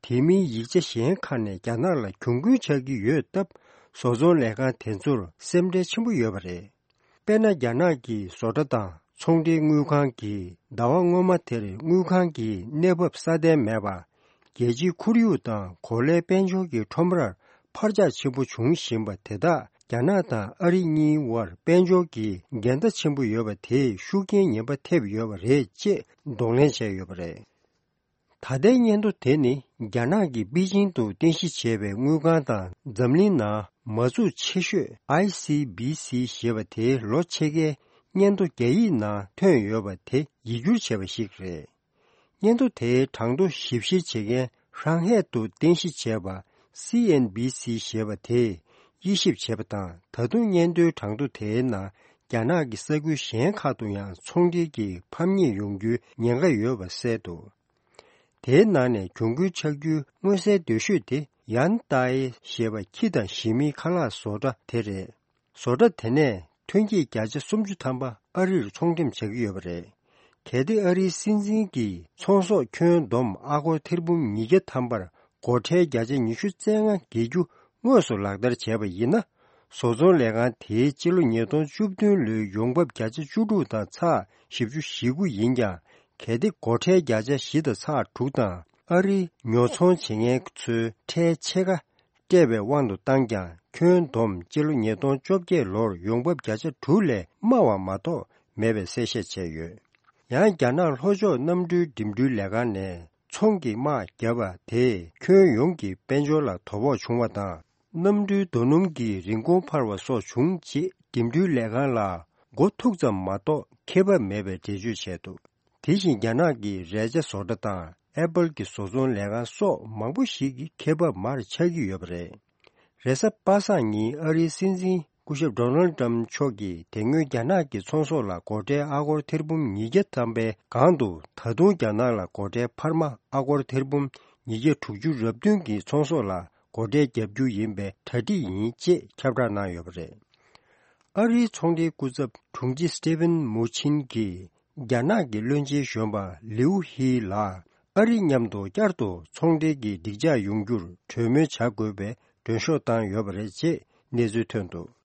དེ་མིན་ཡིག་ཆ་གཞན་ཁག་ནས་རྒྱ་ནག་ལ་གྱོང་གུན་ཆགས་ཀྱི་ཡོད་སྟབས། བཟོ་ཚོང་ལས་ཁང་དེ་ཚོར་སེམས་ཁྲལ་ཆེན་པོ་ཡོད་པ་རེད། དཔེར་ན། རྒྱ་ནག་གི་བཟོ་གྲྭ་དང་ཚོང་འབྲེལ་དངུལ་ཁང་གིས། ཟླ་བ་སྔོན་མ་དེར་དངུལ་ཁང་གི་གནས་བབ་སྲ་བརྟན་མེད་པ། རྒྱལ་སྤྱིའི་ཁོར་ཡུག་དང་གོ་ལའི་དཔལ་འབྱོར་གྱི་ཁྲོམ་རར་འཕར་ཆག་ཆེན་པོ་འབྱུང་བཞིན་པ་དེ་དག་རྒྱ་ནག་དང་ཨ་རི་གཉིས་དབར་དཔལ་འབྱོར་གྱི་འགལ་ཟླ་ཆེན་པོ་ཡོད་པ་དེས་ཤུགས་རྐྱེན་ངན་པ་ཐེབས་ཡོད་པ་རེད་ཅེས་གདོང་ལེན་བྱས་ཡོད་པ་རེད། ད་ལྟའི་སྙན་ཐོ་དེ་ནི། རྒྱ་ནག་གིས་པེ་ཅིང་དུ་རྟེན་གཞི་བྱས་པའི་དངུལ་ཁང་དང་། འཛམ་གླིང་ནང་མ་འཛུགས་ཆེ་ཤོས་ཨའི་སི་བི་སི་ཞེས་པ་དེའི་ལོ་ཕྱེད་ཀའི་སྙན་ཐོ་རྒྱ་ཡིག་ནང་ཐོན་ཡོད་པ་དེ་ཡིག་སྒྱུར་བྱས་པ་ཞིག་རེད། སྙན་ཐོ་དེའི་གྲངས་ཐོ་ཞིབ་བཤེར་བྱེད་མཁན་ཧྲང་ཧའེ་དུ་རྟེན་གཞི་བྱས་པ་སི་ཨེན་བི་སི་ཞེས་པ་དེས་དབྱེ་ཞིབ་བྱས་པ་དང་། ད་དུང་སྙན་ཐོའི་གྲངས་ཐོ་དེའི་ནང་རྒྱ་ནག་གི་ས་ཁུལ་གཞན་ཁག་ཏུ་ཡང་ཚོང་འབྲེལ་གྱི་ཕམ་ཉེས་ཡོང་རྒྱུའི་ཉེན་ཁ་ཡོད་པ་གསལ་འདུག་དེའི་ནང་ནས་གྱོང་གུན་ཆག་རྒྱུའི་མངོན་གསལ་དོད་ཤོས་དེ། ཡན་ཏའེ་ཞེས་པ་ཁྱི་དང་ཞི་མིའི་ཁ་ལག་བཟོ་གྲྭ་དེ་རེད། བཟོ་གྲྭ་དེ་ནས་ཐོན་སྐྱེད་བརྒྱ་ཆ་སུམ་ཅུ་ཐམ་པ་ཨ་རིར་ཚོང་འགྲེམས་བྱ་གི་ཡོད་པ་རེད། གལ་ཏེ་ཨ་རིའི་སྲིད་འཛིན་གྱིས་ཚོང་ཟོག་ཁྱོན་བསྡོམས་ཨ་སྒོར་ཐེར་འབུམ་ཉིས་བརྒྱ་ཐམ་པར་སྒོ་ཁྲལ་བརྒྱ་ཆ་ཉི་ཤུ་རྩ་ལྔ་འགེལ་རྒྱུ་དངོས་སུ་ལག་བསྟར་བྱས་པ་ཡིན་ན། བཟོ་ཚོང་ལས་ཁང་དེའི་སྤྱི་ལོ་ཉིས་སྟོང་བཅུ་བདུན་ལོའི་ཡོང་འབབ་བརྒྱ་ཆ་བཅུ་དྲུག་དང་ཚེག་བཞི་བཅུ་ཞེ་དགུ་ཡིན་ཀྱང་། གལ་ཏེ་སྒོ་ཁྲལ་བརྒྱ་ཆ་བཞི་དང་ཚེག་དྲུག་དང་ཨ་རིའི་ཉོ་ཚོང་བྱེད་མཁན་ཚོའི་ཁྲལ་ཕྱེད་ཀ་སྤྲད་པའི་དབང་དུ་བཏང་ཀྱང་ ཁྱོན་བསྡོམས་སྤྱི་ལོ་ཉིས་སྟོང་བཅོ་བརྒྱད་ལོར་ཡོང་འབབ་བརྒྱ་ཆ་དྲུག་ལས་དམའ་བ་མ་གཏོགས་མེད་པའི་གསལ་བཤད་བྱས་ཡོད། ཡང་རྒྱ་ནག་ལྷོ་ཕྱོགས་གནམ་གྲུའི་འགྲིམ་འགྲུལ་ལས་ཁང་ནས་ཚོང་གི་དམག་བརྒྱབ་པ་དེས་ཁྱོན་ཡོངས་ཀྱི་དཔལ་འབྱོར་ལ་དོ་ཕོག་བྱུང་བ་དང་། གནམ་གྲུའི་རྡོ་སྣུམ་གྱི་རིན་གོང་འཕར་བ་སོགས་བྱུང་རྗེས་འགྲིམ་འགྲུལ་ལས་ཁང་ལ་མགོ་ཐུག་ཙམ་མ་གཏོགས་ཁེ་བབ་མེད་པའི་འགྲེལ་བརྗོད་བྱས་འདུག། དེ་བཞིན་རྒྱ་ནག་གི་རས་ཆ་བཟོ་གྲྭ་དང་ཨེ་པལ་གྱི་བཟོ་ཚོང་ལས་ཁང་སོགས་མང་པོ་ཞིག་གི་ཁེ་བབ་མར་ཆག་གི་ཡོད་པ་རེད། རེས་གཟའ་པ་སངས་ཉིན་ཨ་རིའི་སྲིད་འཛིན་སྐུ་ཞབས་ཌོ་ནལ་ཏྲམ་མཆོག་གིས་དེ་སྔོན་རྒྱ་ནག་གི་ཚོང་ཟོག་ལ་སྒོ་ཁྲལ་ཨ་སྒོར་ཐེར་འབུམ་ཉིས་བརྒྱ་བཏང་པའི་སྒང་དུ་ད་དུང་རྒྱ་ནག་ལ་སྒོ་ཁྲལ་འཕར་མ་ཨ་སྒོར་ཐེར་འབུམ་ཉིས་བརྒྱ་དྲུག་ཅུ་རེ་བདུན་གྱི་ཚོང་ཟོག་ལ་སྒོ་ཁྲལ་བརྒྱབ་རྒྱུ་ཡིན་པའི་གྲ་སྒྲིག་ཡིན་ཅེས་ཁྱབ་བསྒྲགས་གནང་ཡོད་པ་རེད། ཨ་རིའི་ཚོང་འབྲེལ་སྐུ་ཚབ་དྲུང་ཆེ་སི་ཏི་ཝན་མུ་ཆིན་གྱིས་རྒྱ་ནག་གི་བློན་ཆེན་གཞོན་པ་ལིའུ་ཧི་ལ་ཨ་རི་མཉམ་དུ་བསྐྱར་དུ་ཚོང་འབྲེལ་གྱི་སྒྲིག་འཇགས་ཡོང་རྒྱུར་གྲོས་མོལ་བྱ་དགོས་པའི་མགྲོན་ཤོག་བཏང་ཡོད་པ་རེད་ཅེས་གནས་ཚུལ་ཐོན་འདུག།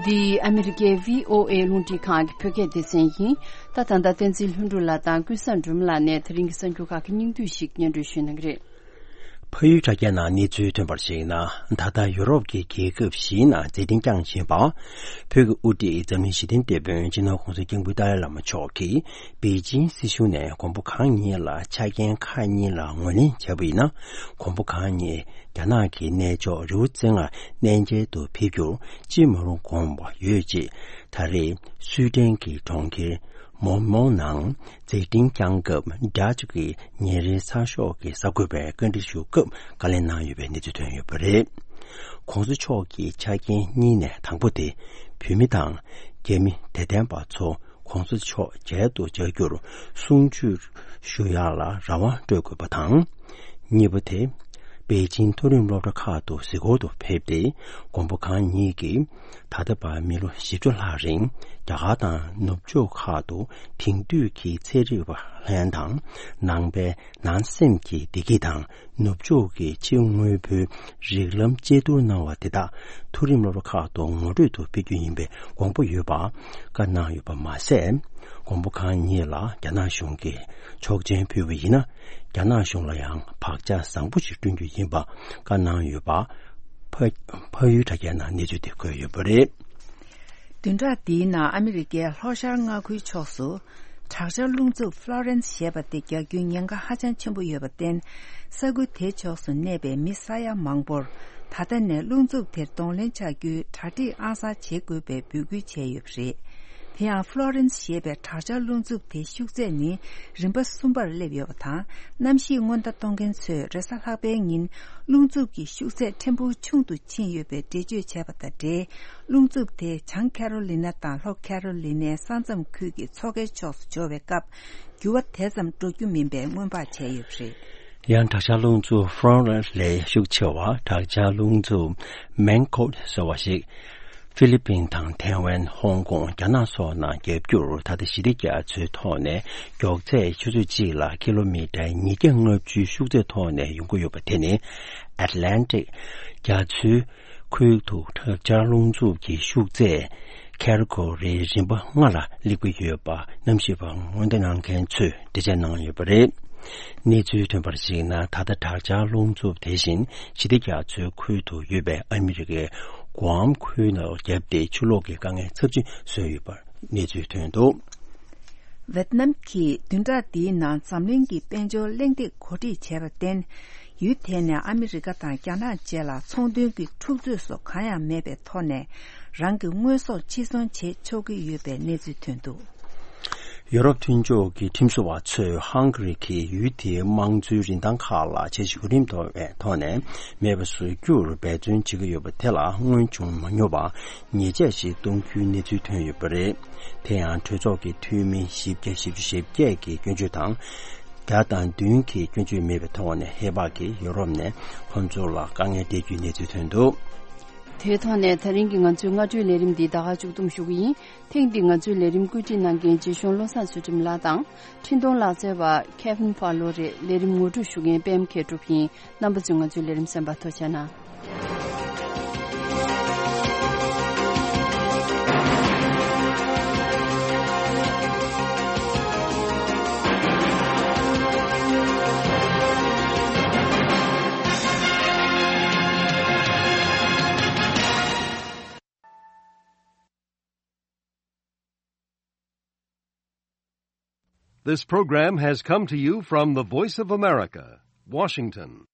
འདི་ཨ་མི་རི་ཀའི་བྷི་ཨོ་ཨེ་རླུང་འཕྲིན་ཁང་གི་བོད་སྐད་སྡེ་ཚན་ཡིན། ད་ད་ལྟ་བསྟན་འཛིན་ལྷུན་གྲུབ་ལགས་དང་ཀུན་བཟང་སྒྲོལ་མ་ལགས་ནས་དེ་རིང་གི་གསར་འགྱུར་ཁག་གི་སྙིང་བསྡུས་ཤིག་སྙན་སྒྲོན་ཞུ་གནང་གི་རེད། ཕ་ཡུལ་དྲ་རྒྱའི་ནང་གནས་ཚུལ་ཐོན་པར་གཞིགས་ན། ད་ལྟ་ཡུ་རོབ་ཀྱི་རྒྱལ་ཁབ་བཞིའི་ནང་མཛད་འཕྲིན་བསྐྱངས་བཞིན་པ། བོད་ཀྱི་དབུ་ཁྲིད་འཛམ་གླིང་ཞི་བདེའི་དེད་དཔོན་སྤྱི་ནོར་༸གོང་ས་༸སྐྱབས་མགོན་ཏཱ་ལའི་བླ་མ་མཆོག་གིས་པེ་ཅིང་སྲིད་གཞུང་ནས་མགོན་པོ་གང་ཉིད་ལ་ཆ་རྐྱེན་ཁག་གཉིས་ལ་ངོས་ལེན་བྱས་པ་ཡིན་ན། མགོན་པོ་གང་ཉིད་རྒྱ་ནག་གི་གནས་མཆོག་རི་བོ་རྩེ་ལྔར་གནས་མཇལ་དུ་ཕེབས་རྒྱུར་ཅི་མ་རུང་དགོངས་པ་ཡོད་ཅེས། ད་རེས་སུའེ་ཏེན་གྱི་གྲོང་ཁྱེར་མོན་མོ་ནང་མཛད་འཕྲིན་བསྐྱངས་སྐབས། ཌ་ཅི་གི་ཉིན་རེའི་ཚགས་ཤོག་གིས་གསར་འགོད་པའི་བཀའ་འདྲི་ཞུ་སྐབས་བཀའ་ལན་གནང་ཡོད་པའི་གནས་ཚུལ་ཐོན་ཡོད་པ་རེད། ༸གོང་ས་མཆོག་གི་ཆ་རྐྱེན་གཉིས་ནས་དང་པོ་དེ། བོད་མི་དང་རྒྱ་མི་དད་ལྡན་པ་ཚོ་༸གོང་ས་མཆོག་མཇལ་དུ་བཅར་རྒྱུར་གསུང་ཆོས་ཞུ་ཡག་ལ་རང་དབང་སྤྲོད་དགོས་པ་དང་། གཉིས་པ་དེ། པེ་ཅིང་མཐོ་རིམ་སློབ་གྲྭ་ཁག་ཏུ་གཟིགས་སྐོར་དུ་ཕེབས་ཏེ། མགོན་པོ་གང་ཉིད་ཀྱིས་ད་ལྟ་བར་མི་ལོ་བཞི་བཅུ་ལྷག་རིང་རྒྱ་གར་དང་ནུབ་ཕྱོགས་ཁག་ཏུ་དེང་དུས་ཀྱི་ཚན་རིག་པ་ལྷན་དང་། ནང་པའི་ནང་སེམས་ཀྱི་བདེ་སྐྱིད་དང་། ནུབ་ཕྱོགས་ཀྱི་ཕྱི་དངོས་པོའི་རིགས་ལམ་དཔྱད་བསྡུར་གནང་བ་དེ་དག་མཐོ་རིམ་སློབ་གྲྭ་ཁག་ཏུ་ངོ་སྤྲོད་དུ་སྤེལ་རྒྱུ་ཡིན་པའི་དགོངས་པ་ཡོད་པ་བཀའ་གནང་ཡོད་པ་མ་ཟད། མགོན་པོ་གང་ཉིད་ལ་རྒྱ་ནག་གཞུང་གིས་ཆོག་མཆན་ཕུལ་བ་ཡིན་ན། རྒྱ་ནག་གཞུང་ལ་ཡང་བག་ཆགས་བཟང་པོ་ཞིག་བསྐྲུན་རྒྱུ་ཡིན་པ་བཀའ་གནང་ཡོད་པ། ཕ་ཕ་ཡུལ་དྲ་རྒྱའི་ནང་གནས་ཚུལ་དེ་འཁོད་ཡོད་པ་རེད། བདུན་ཕྲག་འདིའི་ནང་ཨ་མི་རི་ཀའི་ལྷོ་ཤར་མངའ་ཁུལ་ཕྱོགས་སུ་དྲག་ཆར་རླུང་འཚུབ་ཧྥ་ལོ་རེན་སི་ཞེས་པ་དེ་རྒྱག་རྒྱུའི་ཉེན་ཁ་ཧ་ཅང་ཆེན་པོ་ཡོད་པར་བརྟེན། ས་ཁུལ་དེ་ཕྱོགས་སུ་གནས་པའི་མི་ས་ཡ་མང་པོར་ད་ལྟ་ནས་རླུང་འཚུབ་དེར་གདོང་ལེན་བྱ་རྒྱུའི་གྲ་སྒྲིག་ཨང་གསར་བྱེད་དགོས་པའི་འབོད་སྐུལ་བྱས་ཡོད་པ་རེད། དེ་ཡང་ཧྥ་ལོ་རེན་སི་ཞེས་པའི་དྲག་ཆར་རླུང་འཚུབ་དེའི་ཤུགས་ཚད་ནི་རིམ་པ་གསུམ་པར་སླེབས་ཡོད་པ་དང་། གནམ་གཤིས་སྔོན་བརྡ་གཏོང་མཁན་ཚོས་རེས་གཟའ་ལྷག་པའི་ཉིན་རླུང་འཚུབ་ཀྱི་ཤུགས་ཚད་ཕྲན་བུ་ཆུང་དུ་ཕྱིན་ཡོད་པའི་འགྲེལ་བརྗོད་བྱས་པ་དང་འབྲེལ། རླུང་འཚུབ་དེ་བྱང་ཁེ་རོ་ལི་ན་དང་ལྷོ་ཁེ་རོ་ལི་ནའི་ས་མཚམས་ཁུལ་གྱི་མཚོ་ཁའི་ཕྱོགས་སུ་འབྱོར་བའི་སྐབས། འགྱུར་བ་དེ་ཙམ་འགྲོ་རྒྱུ་མིན་པའི་སྔོན་དཔག་བྱས་ཡོད་པ་རེད། ཡང་དྲག་ཆར་རླུང་འཚུབ་ཧྥ་རོན་ལས་ཤུགས་ཆེ་བ་དྲག་ཆར་རླུང་འཚུབ་མེང་ཀོད་ཟེར་བ་ཞིག་ཧྥི་ལི་པིན་དང་ཐའེ་ཝན། ཧོང་ཀོང་། རྒྱ་ནག་སོགས་ནང་བརྒྱབ་རྒྱུར། ད་ལྟ་ཞི་བདེ་རྒྱ་མཚོའི་ཐོག་ནས་མགྱོགས་ཚད་ཆུ་ཚོད་གཅིག་ལ་ཀི་ལོ་མི་ཊར་ཉིས་བརྒྱ་ལྔ་བཅུའི་ཤུགས་ཚད་ཐོག་ནས་ཡོང་གི་ཡོད་པ་དེ་ནི་ཨེཊ་ལན་ཊིག་རྒྱ་མཚོའི་ཁུལ་དུ་དྲག་ཆར་རླུང་འཚུབ་ཀྱི་ཤུགས་ཚད་ཀེ་ཊི་གོ་རི་རིམ་པ་ལྔ་ལ་སླེབས་ཀྱི་ཡོད་པ་གནམ་གཤིས་པ་སྔོན་བརྡ་གནང་མཁན་ཚོས་འགྲེལ་བརྗོད་གནང་ཡོད་པ་རེད། གནས་ཚུལ་ཐོན་པར་གཞིགས་ན། ད་ལྟ་དྲག་ཆར་རླུང་འཚུབ་དེ་བཞིན་ཞི་བདེ་རྒྱ་མཚོའི་ཁུལ་དུ་ཡོད་པའི་ཨ་མི་རི་ཀའི་གུའམ་ཁུལ་ནང་བརྒྱབ་སྟེ་ཆུ་ལོག་གི་དཀའ་ངལ་ཚབས་ཆེན་བཟོས་ཡོད་པར་གནས་ཚུལ་ཐོན་འདུག། ཝེད་ནམ་གྱིས་བདུན་ཕྲག་འདིའི་ནང་འཛམ་གླིང་གི་དཔལ་འབྱོར་གླེང་སྟེགས་གོ་སྒྲིག་བྱས་པར་བརྟེན། ཡུལ་དེ་ནས་ཨ་མི་རི་ཀ་དང་རྒྱ་ནག་བཅས་ལ་ཚོང་དོན་གྱི་འཁྲུག་རྩོད་སོགས་གང་ཡང་མེད་པའི་ཐོག་ནས་རང་གི་དངོས་ཟོག་ཕྱིར་ཚོང་བྱེད་ཆོག་གི་ཡོད་པའི་གནས་ཚུལ་ཐོན་འདུག། ཡོ་རོབ་མཐུན་ཕྱོགས་ཀྱི་ཁྲིམས་བཟོ་བ་ཚོས་ཧང་ག་རི་གིས་ཡུལ་དེའི་དམངས་གཙོའི་རིན་ཐང་ཁག་ལ་འཆར་གཞི་གོ་རིམ་ཐོག་ནས་མེད་པ་བཟོ་རྒྱུར་འབད་བརྩོན་བྱེད་ཀྱི་ཡོད་པ་དེ་ལ་སྔོན་བྱུང་མ་མྱོང་བ་ཉེས་ཆད་ཞིག་གཏོང་རྒྱུའི་གནས་ཚུལ་ཐོན་ཡོད་པ་རེད། དེ་ཡང་གྲོས་ཚོགས་ཀྱི་འཐུས་མི་བཞི་བརྒྱ་བཞི་བཅུ་ཞེ་བརྒྱད་ཀྱི་སྐྱོན་བརྗོད་དང་། བརྒྱ་དང་བདུན་གྱི་སྐྱོན་བརྗོད་མེད་པའི་ཐོག་ནས་ཧེ་བག་གིས་ཡོ་རོབ་ནས་ཁོང་ཚོ་ལ་དཀའ་ངལ་སྤྲད་རྒྱུའི་གནས་ཚུལ་ཐོན་འདུག། དེའི་ཐོག་ནས་ད་རིང་གི་ང་ཚོའི་སྔ་དྲོའི་ལས་རིམ་འདི་ད་ག་མཇུག་བསྡོམས་ཞུ་གི་ཡིན། ཐེངས་འདིའི་ང་ཚོའི་ལས་རིམ་བཀོད་སྒྲིག་གནང་མཁན་རྗེ་གཞུང་བློ་བཟང་ཚུལ་ཁྲིམས་ལགས་དང་། འཕྲིན་གཏོང་ལག་རྩལ་བ་Kevin Fowler་རེད། ལས་རིམ་ངོ་སྤྲོད་ཞུ་མཁན་པད་མ་མཁས་གྲུབ་ཡིན། རྣམ་པ་ཚོས་ང་ཚོའི་ལས་རིམ་གསན་པར་ཐུགས་རྗེ་གནང་། This program has come to you from the Voice of America, Washington.